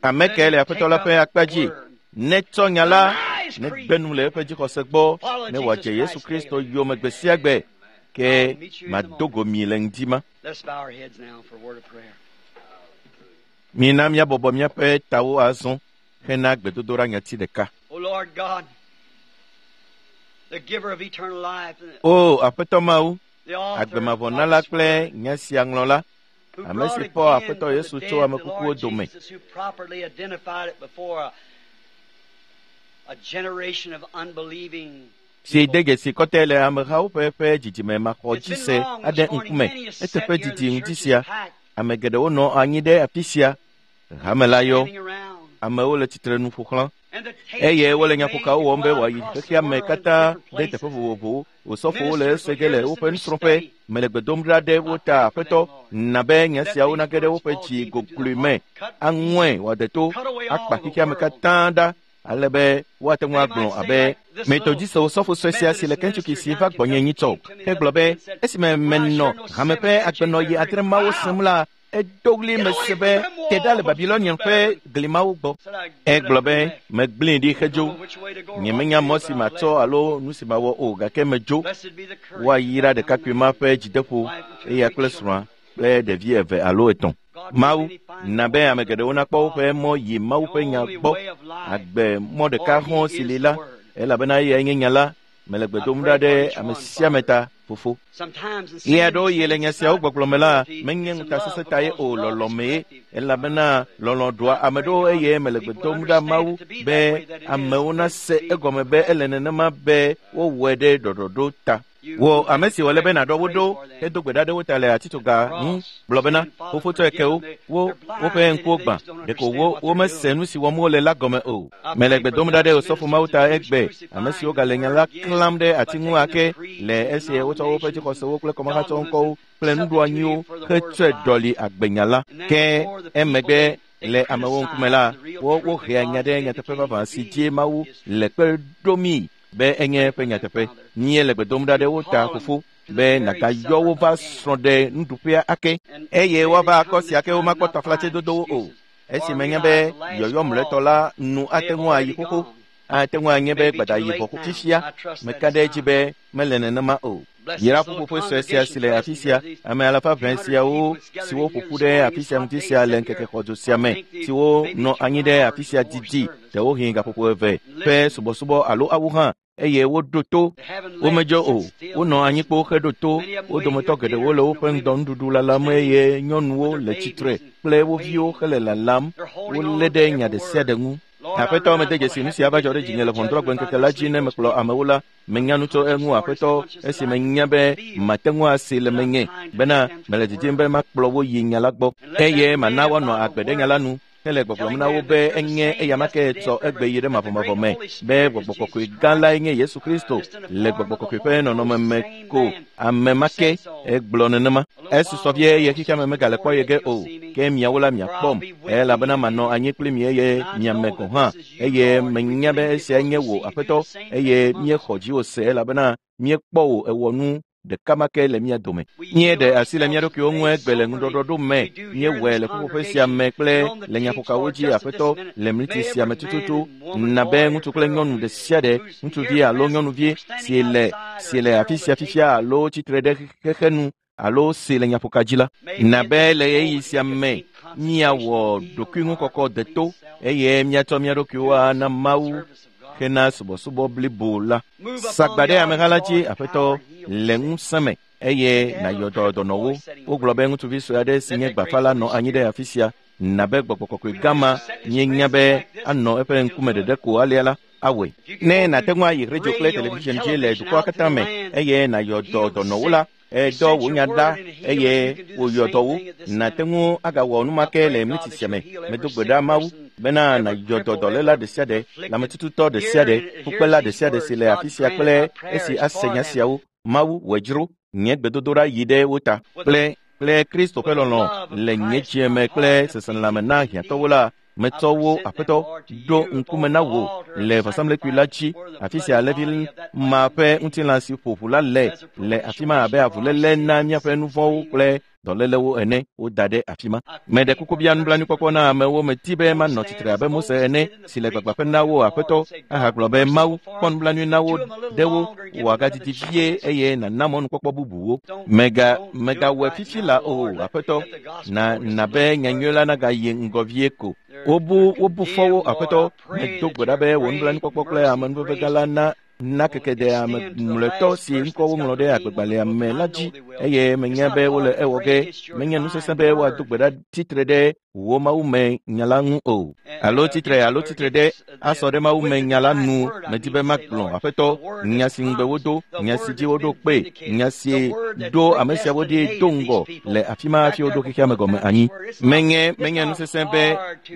Ame kae le Aƒetɔ la ƒe akpa dzi? Netsɔ nya la, negbe nu le eƒe dzixɔse gbɔ, ne wòadze Yesu Kristo yome gbe sia gbe, ke mado go mi le ŋdi ma. Mina míabɔbɔ míaƒe tawo azɔ hena gbedodoɖa nyati ɖeka. O Aƒetɔ Mawu, agbemavɔnala kple nya sia ŋlɔla, ame si fɔ Aƒetɔ Yesu tso ame kukuwo dome, Si de dzesi kɔtɛ le amehawo ƒe ƒe dzidzime maxɔdzise aɖe ŋkume. Eteƒe didi ŋuti sia. Ame geɖewo nɔ anyi ɖe afi sia. Hame la yɔ. Amewo le tsitre nu ƒo xlã. Eye wole nyaƒokawo wɔm be wòayi xexea me katã ɖe teƒe vovovowo. Osɔfowo le ese ge le woƒe nusrɔ̃ƒe. Mele gbe dom ɖa ɖe wo ta aƒetɔ na be nya siawo nage ɖe woƒe dzi gogloe me. Aŋɔe wòade to akpa xexea me katã ɖa ale be woate ŋu agblɔ abe metodist osɔfo sue sia si le Kentucky si va gbɔnye nyitsɔ hegblɔ be esime menɔ hame ƒe agbenɔɣi adre mawo sem la edo ɣli mese be te ɖa le Babilonian ƒe glimawo gbɔ. Egblɔ be megblẽe ɖi hedzo. Nyemenya mɔ si matsɔ alo nu si mawɔ o gake medzo. Woayra ɖekakpui ma ƒe dzideƒo eya kple srɔ̃a kple ɖevi eve alo etɔ̃. Mawu na be ame geɖewo nakpɔ woƒe mɔ yi Mawu ƒe nya gbɔ. Agbe mɔ ɖeka hɔ̃ si li la, elabena eyae nye nya la. Mele gbe dom ɖa ɖe ame sia ame ta, fofo. Ɣe aɖewo yi le nya siawo gbɔgblɔ me la, menye ŋutasesẽ ta ye o, lɔlɔ̃ mee, elabena lɔlɔ̃ ɖua ame ɖewo eye mele gbe dom ɖa Mawu be amewo nase egɔme be ele nenema be wowɔe ɖe ɖɔɖɔɖo ta. Wò ame si wòle be nàɖɔ wo ɖo hedo gbe ɖa ɖe wo ta le atitsoga ŋu gblɔ bena fofo tsɔe ke wo, wo woƒe ŋkuwo gbã ɖeko wo womese nu si wɔm wole la gɔme o. Mele gbe dom ɖa ɖe osɔfo Mawu ta egbe, ame siwo gale nya la klãm ɖe ati ŋu ake le esi wotsɔ woƒe dzixɔsewo kple kɔmahatsɔ ŋkɔwo kple nuɖoanyiwo hetsɔe ɖɔli agbenya la. Ke emegbe le amewo ŋkume la, wo wohea nya ɖe nyateƒe vavã si dzi Mawu le kpe ɖomii be enye eƒe nyateƒe. Míele le gbe dom ɖa ɖe wo ta fofo be nàgayɔ wo va srɔ̃ ɖe nuɖuƒea ake eye woava akɔ sia ke womakpɔ taflatsedodowo o. Esi menye be yɔyɔ mlɔetɔ la nu ate ŋu ayi xoxo, ate ŋu anye be gbadayi vɔ fifia, meka ɖe edzi be mele nenema o. Yra ƒuƒoƒe sue sia si le afi sia, ame alafa ʋɛ siawo siwo ƒo ƒu ɖe afi sia ŋuti sia le ŋkeke xɔdzo sia me, siwo nɔ anyi ɖe afi sia didi, ɖewohĩ gaƒoƒo eve ƒe subɔsubɔ alo awu hã, eye woɖo to. Womedzo o, wonɔ anyi kpo heɖo to. Wo dometɔ geɖewo le woƒe ŋdɔnuɖuɖu lalam eye nyɔnuwo le tsitre kple wo viwo hele lalam. Wolé ɖe nya ɖe sia ɖe ŋu. Aƒetɔ mede dzesi nu sia va dzɔ ɖe dzinye le ʋɔnudrɔ̃gbe ŋkeke la dzi ne mekplɔ amewo la. Menya nu tso eŋu aƒetɔ esi menya be mate ŋu ase le menye bena mele didim be makplɔ wo yi nya la gbɔ eye mana woanɔ agbe ɖe nya la nu. Hele gbɔgblɔm na wo be enye eyama ke tsɔ egbe yi ɖe mavɔmavɔ me be gbɔgbɔ kɔkɔe gã lae nye Yesu Kristo le gbɔgbɔ kɔkɔe ƒe nɔnɔme me ko ame ma ke egblɔ nenema. Esusɔ vie eye xexea me megale kpɔ ye ge o, ke miawo la miakpɔm elabena manɔ anyi kpli mi eye miame gɔ̃ hã eye menya be esia nye wò aƒetɔ eye míexɔ dziwò se elabena míekpɔ wò ewɔ nu ɖeka ma ke le mía dome. Míeɖe asi le mía ɖokuiwo ŋu egbe le ŋuɖɔɖɔɖo me. Míewɔe le ƒuƒoƒe sia me kple le nyaƒokawo dzi aƒetɔ le mliti sia me tututu. Na be ŋutsu kple nyɔnu ɖe sia ɖe, ŋutsuvi alo nyɔnuvi si le si le afi sia fifia alo tsitre ɖe xexe nu alo si le nyaƒoka dzi la, na be le ɣeyiɣi sia me míawɔ ɖokuiŋukɔkɔ deto eye míatsɔ mía ɖokuiwo ana Mawu hena subɔsubɔ blibo la. Sagba ɖe ameha la dzi aƒetɔ le ŋusẽ me eye nàyɔ dɔ dɔnɔwo. Wogblɔ be ŋutsuvi sue aɖe si nye gbafa la nɔ anyi ɖe afi sia. Na be gbɔgbɔ kɔkɔe gã ma míenya be anɔ eƒe ŋkume ɖeɖe ko alea la awɔe. Ne nàte ŋu ayi radio kple television dzi le dukɔa katã me eye nàyɔ dɔ dɔnɔwo la, edɔ wò nya ɖa eye wòyɔ dɔ wo. Nàte ŋu agawɔ nu ma ke le mliti sia me. Medo gbe ɖa Mawu bena nàyɔ dɔ dɔléla ɖe sia ɖe, lãmetututɔ ɖe sia ɖe, fukpela ɖe sia ɖe si le afi sia kple esi ase nya siawo. Mawu wòe dzro nye gbedodoɖa yi ɖe wo ta kple kple Kristo ƒe lɔlɔ̃ le nye dzime me kple seselelãme na hiãtɔwo la, metsɔ wo aƒetɔ ɖo ŋkume na wò le vɔsamlekpui la dzi, afi sia alẽvi ma ƒe ŋutilã si ƒo ʋu la le le afi ma abe avuléle na míaƒe nu vɔ̃wo kple dɔlélewo ene woda ɖe afi ma. Meɖe kuku bia nublanuikpɔkpɔ na amewo medi be manɔ tsitre abe Mose ene si le gbagbãƒe na wo aƒetɔ ahagblɔ be Mawu kpɔ nublanui na wo ɖe wo wòagadidi vie eye nàna mɔnukpɔkpɔ bubuwo. Megawɔe fifi la o aƒetɔ, na na be nyanyui la nagayi ŋgɔ vie ko. Wobu fɔ wo aƒetɔ, medo gbe ɖa be wò nublanuikpɔkpɔ kple amenuveve gã la na na keke ɖe ame mlɔetɔ si ŋkɔ woŋlɔ ɖe agbegbalẽa me la dzi eye menya be wole ewɔ ge. Menye nu sesẽ be woado gbe ɖa tsitre ɖe Wo Mawu me nya la ŋu o. Alo tsitre alo tsitre ɖe asɔ ɖe Mawu me nya la nu medi be magblɔ Aƒetɔ nya si ŋugbe wodo, nya si dzi woɖo kpe, nya si ɖo ame siawo ɖi do ŋgɔ le afi ma hafi woɖo xexea me gɔme anyi. Menye nu sesẽ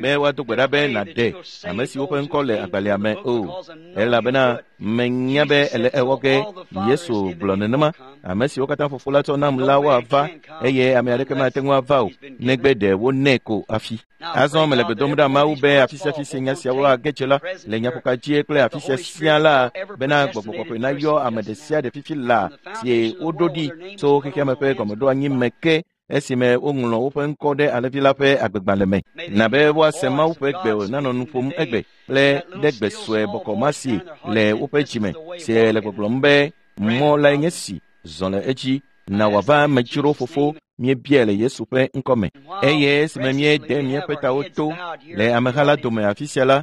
be woado gbe ɖa be nàɖe ame siwo ƒe ŋkɔ le agbalẽa me o, elabena menya be ele ewɔ ge. Yesu gblɔ nenema, ame siwo katã Fofo la tsɔ nam la woava, eye ame aɖeke mate ŋu ava o, negbe ɖe wonɛ ko hafi. Azɔ mele gbe dom ɖa Mawu be afi sia afi si nya siawo age dze la, le nyaƒoka dzie kple afi sia sia la, bena Gbɔgbɔ Kɔkɔe nayɔ ame ɖe sia ɖe fifi la si woɖo ɖi tso xexea me ƒe gɔmeɖoanyi me ke esime woŋlɔ woƒe ŋkɔ ɖe Alẽvi la ƒe agbegbalẽ me. Na be woase Mawu ƒe gbe nanɔ nu ƒom egbe kple ɖe gbe sue bɔkɔ ma si le woƒe dzime si le gbɔgblɔm be mɔ lae nye si, zɔ le edzi, na wòava medzro Fofo míebiae le Yesu ƒe ŋkɔme. Eye esime míede míaƒe tawo to le ameha la dome afi sia la,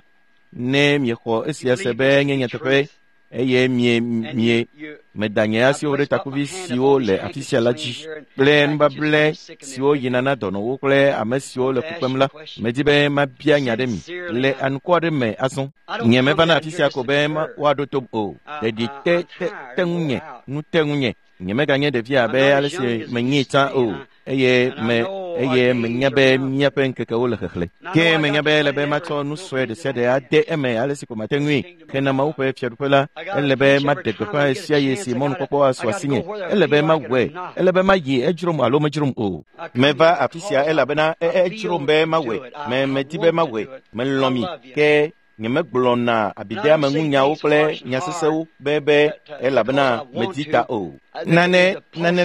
ne miexɔ esia se be nye nyateƒe, eye mie meda nye asiwo ɖe takuvi siwo le afi sia la dzi kple nubable siwo yina na dɔnɔwo kple ame siwo le fu kpem la, medi be mabia nya ɖe mi le anukɔ aɖe me azɔ. Nye mevana afi sia ko be woaɖo tom o. Ɖeɖi te ŋunye, nu te ŋunye. Nye meganye ɖevi abe ale si menyee tsã o, eye menya be míaƒe ŋkekewo le xexlẽ. Ke menya be ele be matsɔ nu sue ɖe sia ɖe ade eme ale si ko mate ŋui. Hena Mawu ƒe fiaɖuƒe la, ele be maɖe gbeƒã ɣe sia ɣi si mɔnukpɔkpɔ asu asinye. Ele be mawɔe, ele be mayi edzrom alo medzrom o. Meva afi sia elabena edzrom be mawɔe, medi be mawɔe, melɔ̃ mi, ke nyemegblɔna abideameŋunyawo kple nya sesẽwo be elabena medi ta o. Nane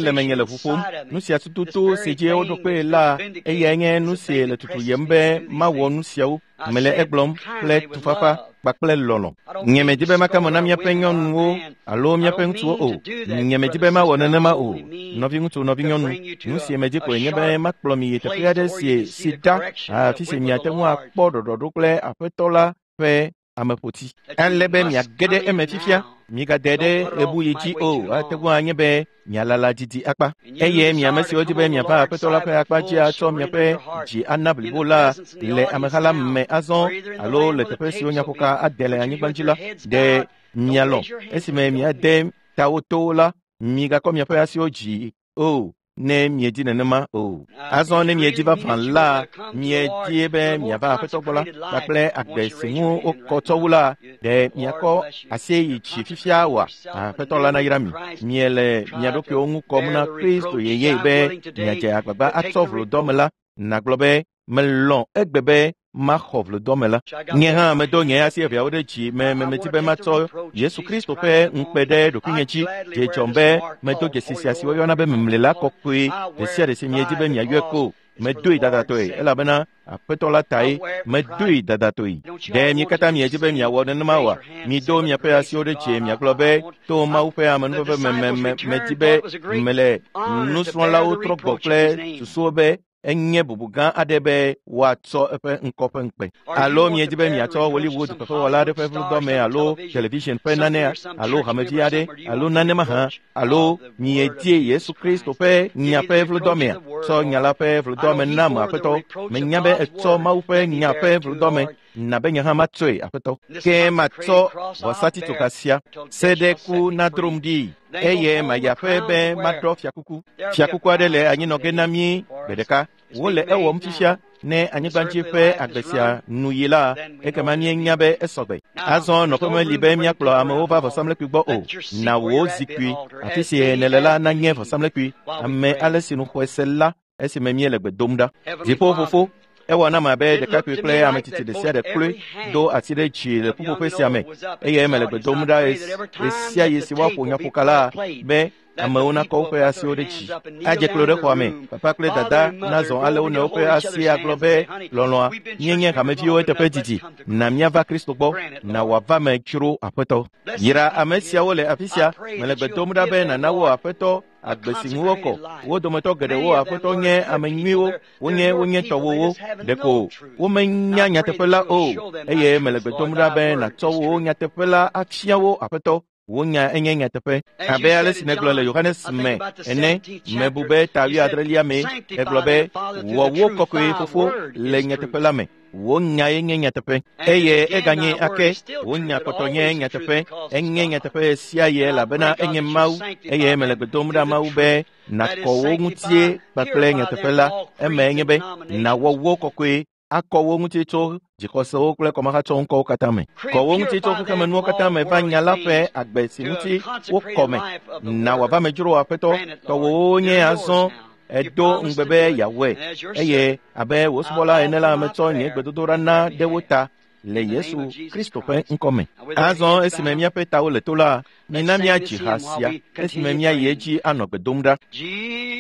le menye le ʋu ƒom. Nu sia tututu si dzi woɖo kpee la, eyae nye nu si le tutuyem be mawɔ nu siawo. Mele egblɔm kple tufafa kpakple lɔlɔ̃. Nye medi be maka mo na míaƒe nyɔnuwo alo míaƒe ŋutsuwo o. Nye medi be mawɔ nenema o. Nɔviŋutsu, nɔvinyɔnu, nu si medi koe nye be makplɔ mi yi teƒe aɖe si ɖa, afi si miate ŋu akpɔ ɖɔɖɔɖo kple Aƒetɔ la ƒe ameƒoti. Ale be miage ɖe eme fifia, migade ɖe ɣebuɣi dzi o. Ate ŋu anye be mialala didi akpa. Eye mi ame siwo di be miava Aƒetɔ la ƒe akpa dzi atsɔ miaƒe dzi ana blibo la le ameha la me azɔ alo le teƒe siwo nyaƒoka ade le anyigba dzi la, ɖe mialɔ̃ esime miade tawo towo la, migakɔ miaƒe asiwo dzi o, ne miedi nenema o. Azɔ ne miedi vavã la, miedie be miava Aƒetɔ gbɔ la, kpakple agbe si ŋu wokɔ tsɔ wu la, ɖe miakɔ asi yi dzi fifia oa? Aƒetɔ la nayra mi. Miele mia ɖokuiwo ŋu kɔm na Kristo yeye be miadze agbagba atsɔ vlodɔme la. Nagblɔ be melɔ̃ egbe be maxɔ vlodɔme la. Nye hã medo nye asi eveawo ɖe dzi me medi be matsɔ Yesu Kristo ƒe ŋukpe ɖe ɖokuinye dzi. Dze dzɔm be medo dzesi sia si woyɔna be memle la kɔkɔe ɖe sia ɖe si miedi be miayɔe ko. Medoe dadatɔe elabena Aƒetɔ la tae medoe dadatɔe. Ɖe mi katã miedi be miawɔ nenema oa? Mido miaƒe asiwo ɖe dzi miagblɔ be to Mawu ƒe amenuveve me medi be mele nusrɔ̃lawo trɔ gbɔ kple susuwo be enye bubu gã aɖe be woatsɔ eƒe ŋkɔ ƒe ŋukpe. Alo miedi be miatsɔ Hollywood fefewɔla aɖe ƒe vlodɔme alo television ƒe nanea alo hamevi aɖe alo nane mahã, alo miedie Yesu Kristo ƒe nya ƒe vlodɔmea? Tsɔ nya la ƒe vlodɔme nam Aƒetɔ. Menya be etsɔ Mawu ƒe nya ƒe vlodɔme na be nye hã matsɔe Aƒetɔ. Ke matsɔ vɔsatitsoga sia se ɖe ku nadrom ɖi, eye mayi aƒe be maɖɔ fiakuku. Fiakuku aɖe le anyinɔ ge na mí gbe ɖeka. Wole ewɔm fifia ne anyigbadzi ƒe agbe sia nu yi la, ekema míenya be esɔgbe. Azɔ nɔƒe meli be míakplɔ amewo va vɔsamlekpui gbɔ o. Na wò zikpui afi si nèle la nanye vɔsamlekpui. Ame ale si nu xɔe se la esime míele gbe dom ɖa. Dziƒo Fofo, ewɔ nam abe ɖekakpui kple ame tsitsi ɖe sia ɖe kloe do asi ɖe dzi le ƒuƒoƒe sia me, eye mele gbe dom ɖa ɣe sia ɣi si woaƒo nyaƒoka la be amewo nakɔ woƒe asiwo ɖe dzi. Adze klo ɖe xɔa me, papa kple dada nazɔ ale wo nɔewo ƒe asi agblɔ be lɔlɔ̃a, míenye hameviwo eteƒe didi, na míava Kristo gbɔ, na wòava me dzro Aƒetɔ. Yra ame siawo le afi sia, mele gbe dom ɖa be nàna wo Aƒetɔ agbe si ŋu wokɔ. Wo dometɔ geɖewo Aƒetɔ nye ame nyuiwo, wonye tɔwòwo, ɖeko womenya nyateƒe la o, eye mele gbe dom ɖa be nàtsɔ wo nyateƒe la afia wo Aƒetɔ. Wò nya enye nyateƒe. Abe ale si nègblɔ le Yohanes me ene, mebu be ta wuiadrelia mee, egblɔ be, wɔ wo kɔkɔe fofo le nyateƒe la me. Wò nyae nye nyateƒe. Eye eganye ake, wò nya kpɔtɔ nye nyateƒe. Enye nyateƒe sia ye elabena enye Mawu, eye mele gbe dom ɖa Mawu be nàkɔ wo ŋutie kpakple nyateƒe la. Eme nye be nàwɔ wo kɔkɔe akɔ wo ŋuti tso dzixɔsewo kple kɔmahatsɔ ŋkɔwo katã me. Kɔ wo ŋuti tso xexemenuwo katã me va nya la ƒe agbe si ŋuti wokɔ me. Na wòava me dzro Aƒetɔ, tɔwòwo nye azɔ edo ŋugbe be yeawɔe eye abe wò subɔla ene la metsɔ nye gbedodoɖa na ɖe wo ta le Yesu Kristo ƒe ŋkɔme. Azɔ esime míaƒe tawo le to la, mina míadzi ha sia esime míayi edzi anɔ gbe dom ɖa. Jesus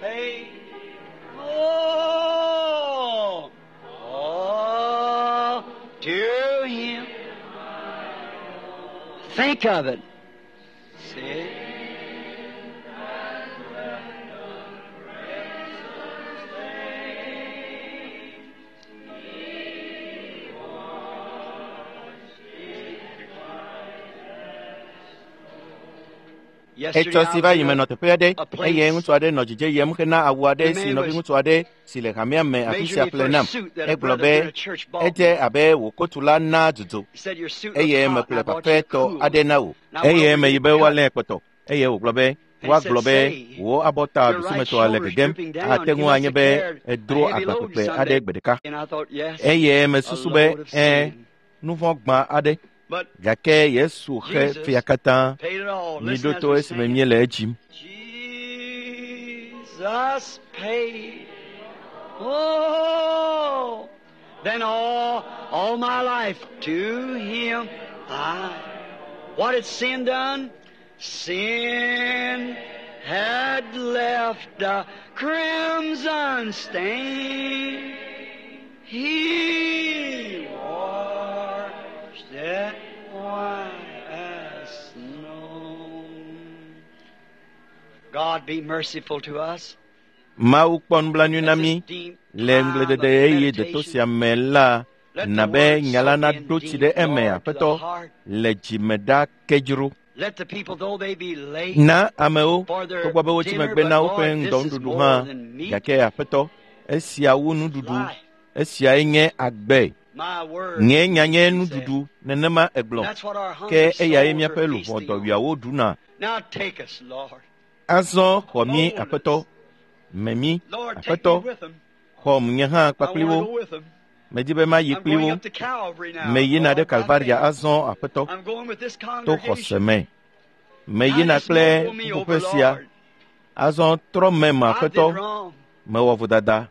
paid all, all to him. Think of it. See? Etsɔ si va yi me nɔ teƒe aɖe eye ŋutsu aɖe nɔ dzidze yem hena awu aɖe si nɔviŋutsu aɖe si le hamea me afi sia ƒle nam. Egblɔ be edze abe wò kotu la na dudu eye meƒle fafɛtɔ aɖe na wò eye meyi be woalé kpɔtɔ eye wògblɔ be woagblɔ be wò abɔta ɖusimetɔa le gegem ate ŋu anye be edro agba kpekpe aɖe gbe ɖeka eye mesusu be ɛ̃ nu vɔ̃ gbã aɖe gake Yesu xe fia katã. Miɖo to esime míele edzim. Jesus paid. Oh, then all my life to him I. What had sin done? Sin had left a crimson stain. He washed it white as snow. God be merciful to us. Mawu kpɔ nublanui na mí le ŋugbledede ɣeyiɣi deto sia me la na be nya la naɖo tsi ɖe eme Aƒetɔ le dzime ɖa ke dzro. Let the people, though they be late, Na amewo togbɔ be wotsi megbe na woƒe ŋdɔnuɖuɖu hã gake Aƒetɔ esia wu nuɖuɖu esiae nye agbe. my word. Nye nya nye nuɖuɖu nenema egblɔ That's what our ke hungry eyae souls míaƒe are luʋɔ feasting on. dɔwuiawo ɖuna. Now take us, Lord. Azɔ xɔ mí Aƒetɔ, me mí Lord, take Aƒetɔ me with them. xɔm nye hã I kpakpli want wo. to go with them. Medi be mayi I'm kpli going wo. up to Calvary now. Meyina Lord, ɖe by Kalvaria faith. azɔ Aƒetɔ I'm going with this to congregation. xɔse me. Meyina Now just kple roll me over, ƒuƒoƒe sia. Lord. Azɔ trɔ mem I did Aƒetɔ, wrong. mewɔ vodada.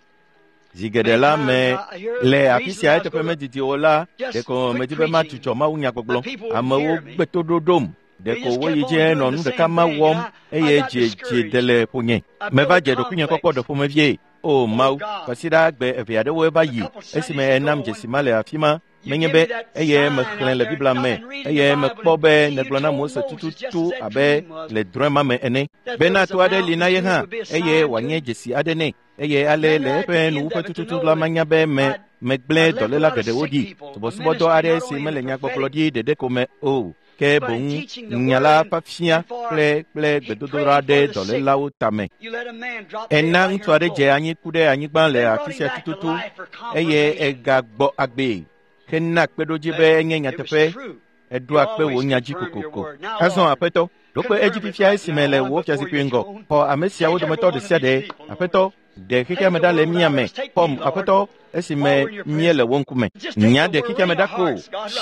Zi geɖe la me le afi sia eteƒe medidi o la, ɖeko medi be madzudzɔ mawunyagbɔgblɔ. Amewo gbe to ɖoɖom. Ɖeko woyi dzi nɔ nu ɖeka ma wɔm eye dzi de le ƒonye. Meva dze ɖokuinye kpɔkpɔ ɖe ƒomevie. O Mawu, kwasiɖa gbe eve aɖewoe va yi esime enam dzesi ma le afi ma. Menye be eye mexlẽ le Biblia me eye mekpɔ be nègblɔ na Mose tututu abe le drɔ̃e ma me ene bena to aɖe li na ye hã eye wòanye dzesi aɖe nɛ eye ale le eƒe nuwuƒe tututu la manya be me megblẽ dɔléla geɖewo ɖi subɔsubɔdɔ aɖe si mele nyagbɔgblɔ ɖi ɖeɖe ko me o ke boŋ nya la fafia kple kple gbedodoɖa ɖe dɔlélawo tame. You let a man drop dead Ena right ŋutsu here aɖe dze anyi ku ɖe anyigba le afi sia tututu eye egagbɔ agbee hena kpeɖodzi be enye It nyateƒe was true. eɖoa kpe wò nya dzi kokoko. Azɔ Aƒetɔ, ɖo kpe edzi fifia esime le wò fiazikpui ŋgɔ. Xɔ ame siawo dometɔ ɖe sia ɖe. Aƒetɔ, ɖe xexeame ɖa le mía me. Xɔm, Aƒetɔ, esime míele wò ŋkume. Nya ɖe xexeame ɖa ko.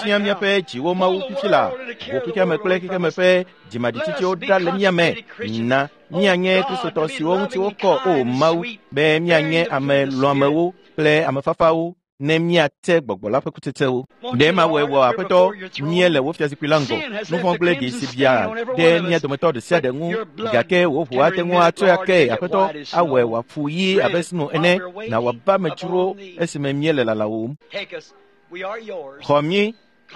Fia míaƒe dziwo Mawu fifi la. Wò xexeame kple xexeame ƒe dzimaɖitsitsiwo ɖa le mía me. Na míanye Kristotɔ siwo ŋuti wokɔ o Mawu be míanye ame lɔ̃amewo kple ame fafawo ne míate gbɔgbɔ la ƒe kutsetsewo. Ɖe mawɔe wɔ Aƒetɔ míele wò fiazikpui la ŋgɔ. Nu vɔ̃ kple ɖi si bia ɖe mía dometɔ ɖe sia ɖe ŋu gake wò ʋu ate ŋu atsɔe ake Aƒetɔ awɔe wòafu ɣi abe sno ene na wòava me dzro esime míele lalawòm. Take us. We are yours. Xɔ mí,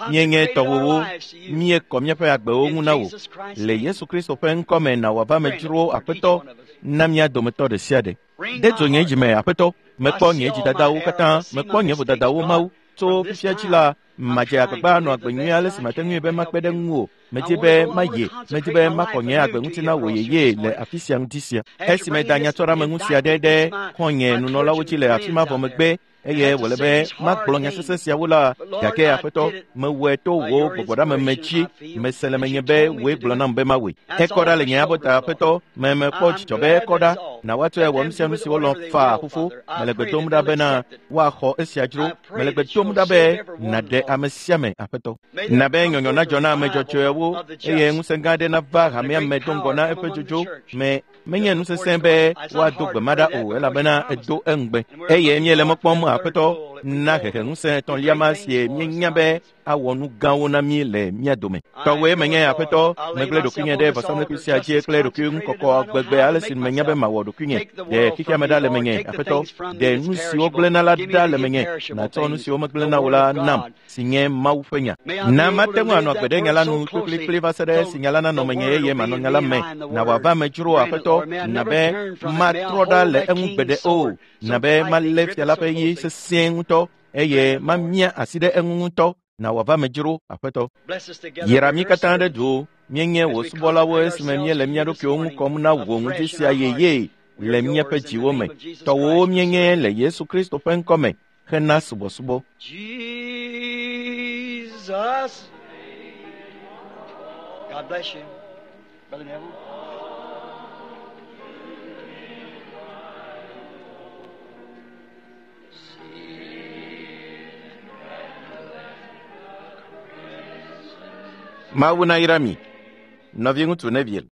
míenye Consecrated our tɔwòwo, lives to you. míekɔ míaƒe agbewo ŋu na wò. In Jesus Christ's Le name. Yesu Kristo ƒe ŋkɔ me na wòava me dzro Aƒetɔ na mía dometɔ ɖe sia ɖe. Ring De my dzo nye heart. dzime Aƒetɔ, mekpɔ nye dzidadawo katã, mekpɔ nye vodadawo Mawu. Tso fifia dzi la, madze agbagba anɔ agbe nyui ale si mate ŋui be makpe ɖe ŋuwò. Medi be mayi, medi be makɔ nye agbe ŋuti na wò yeye le afi sia ŋdi sia. Esi meda nyatsɔɖameŋu sia ɖe ɖe xɔ̃nye nunɔlawo dzi le afi ma vɔ megbe eye wòle be magblɔ nya sesẽ siawo la, gake Aƒetɔ, mewɔe to wò gbɔgbɔɖameme dzi. Mese le menye be wòe gblɔ nam be mawɔe. Ekɔ ɖa le nye abɔta, Aƒetɔ, me mekpɔ dzidzɔ be ekɔ ɖa. Na woatsɔe awɔ nu sia nu si wolɔ̃ faa fofo. Mele gbe dom ɖa bena woaxɔ esia dzro. Mele gbe dom ɖa be nàɖe ame sia ame, Aƒetɔ. Na be nyɔnyɔ nadzɔ na ame dzɔdzɔewo eye ŋusẽ gã aɖe nava hamea me do ŋgɔ na eƒe dzodzo me. Menye nu sesẽ be woado gbe ma ɖa o elabena edo eŋugbe. Eye míele mɔ kpɔm Aƒetɔ na hehe ŋusẽ etɔ̃lia ma si míenya be awɔ nu gãwo na mí le mía dome. Tɔwòe menye Aƒetɔ, megblẽ ɖokuinye ɖe vɔsamlekpui sia dzi kple ɖokuiŋukɔkɔ gbegbe ale si menya be mawɔ ɖokuinye. Ɖe xexea me ɖa le menye, Aƒetɔ. Ɖe nu siwo gblẽna la ɖa le menye, nàtsɔ nu siwo megblẽna o la nam, si nye Mawu ƒe nya. Na mate ŋu anɔ agbe ɖe nya la nu kplikplikpli va se ɖe esi nya la nanɔ menye eye manɔ nya la me. Na wòava me dzro, Aƒetɔ, na be matrɔ ɖa le eŋu gbeɖe o. Na be malé fia la ƒe ɣi sesĩe ŋutɔ eye mamia asi ɖe eŋu ŋutɔ. Na wòava me dzro, Aƒetɔ. Yra mí katã ɖe du. Míenye wò subɔlawo esime míele mía ɖokuiwo ŋu kɔm na wò ŋdi sia yeye le míaƒe dziwo me. Tɔwòwo míenye le Yesu Kristo ƒe ŋkɔ me hena subɔsubɔ. Jesus. God bless you, Brother Neville. Mawu nayra mi, nɔviŋutsu Neville.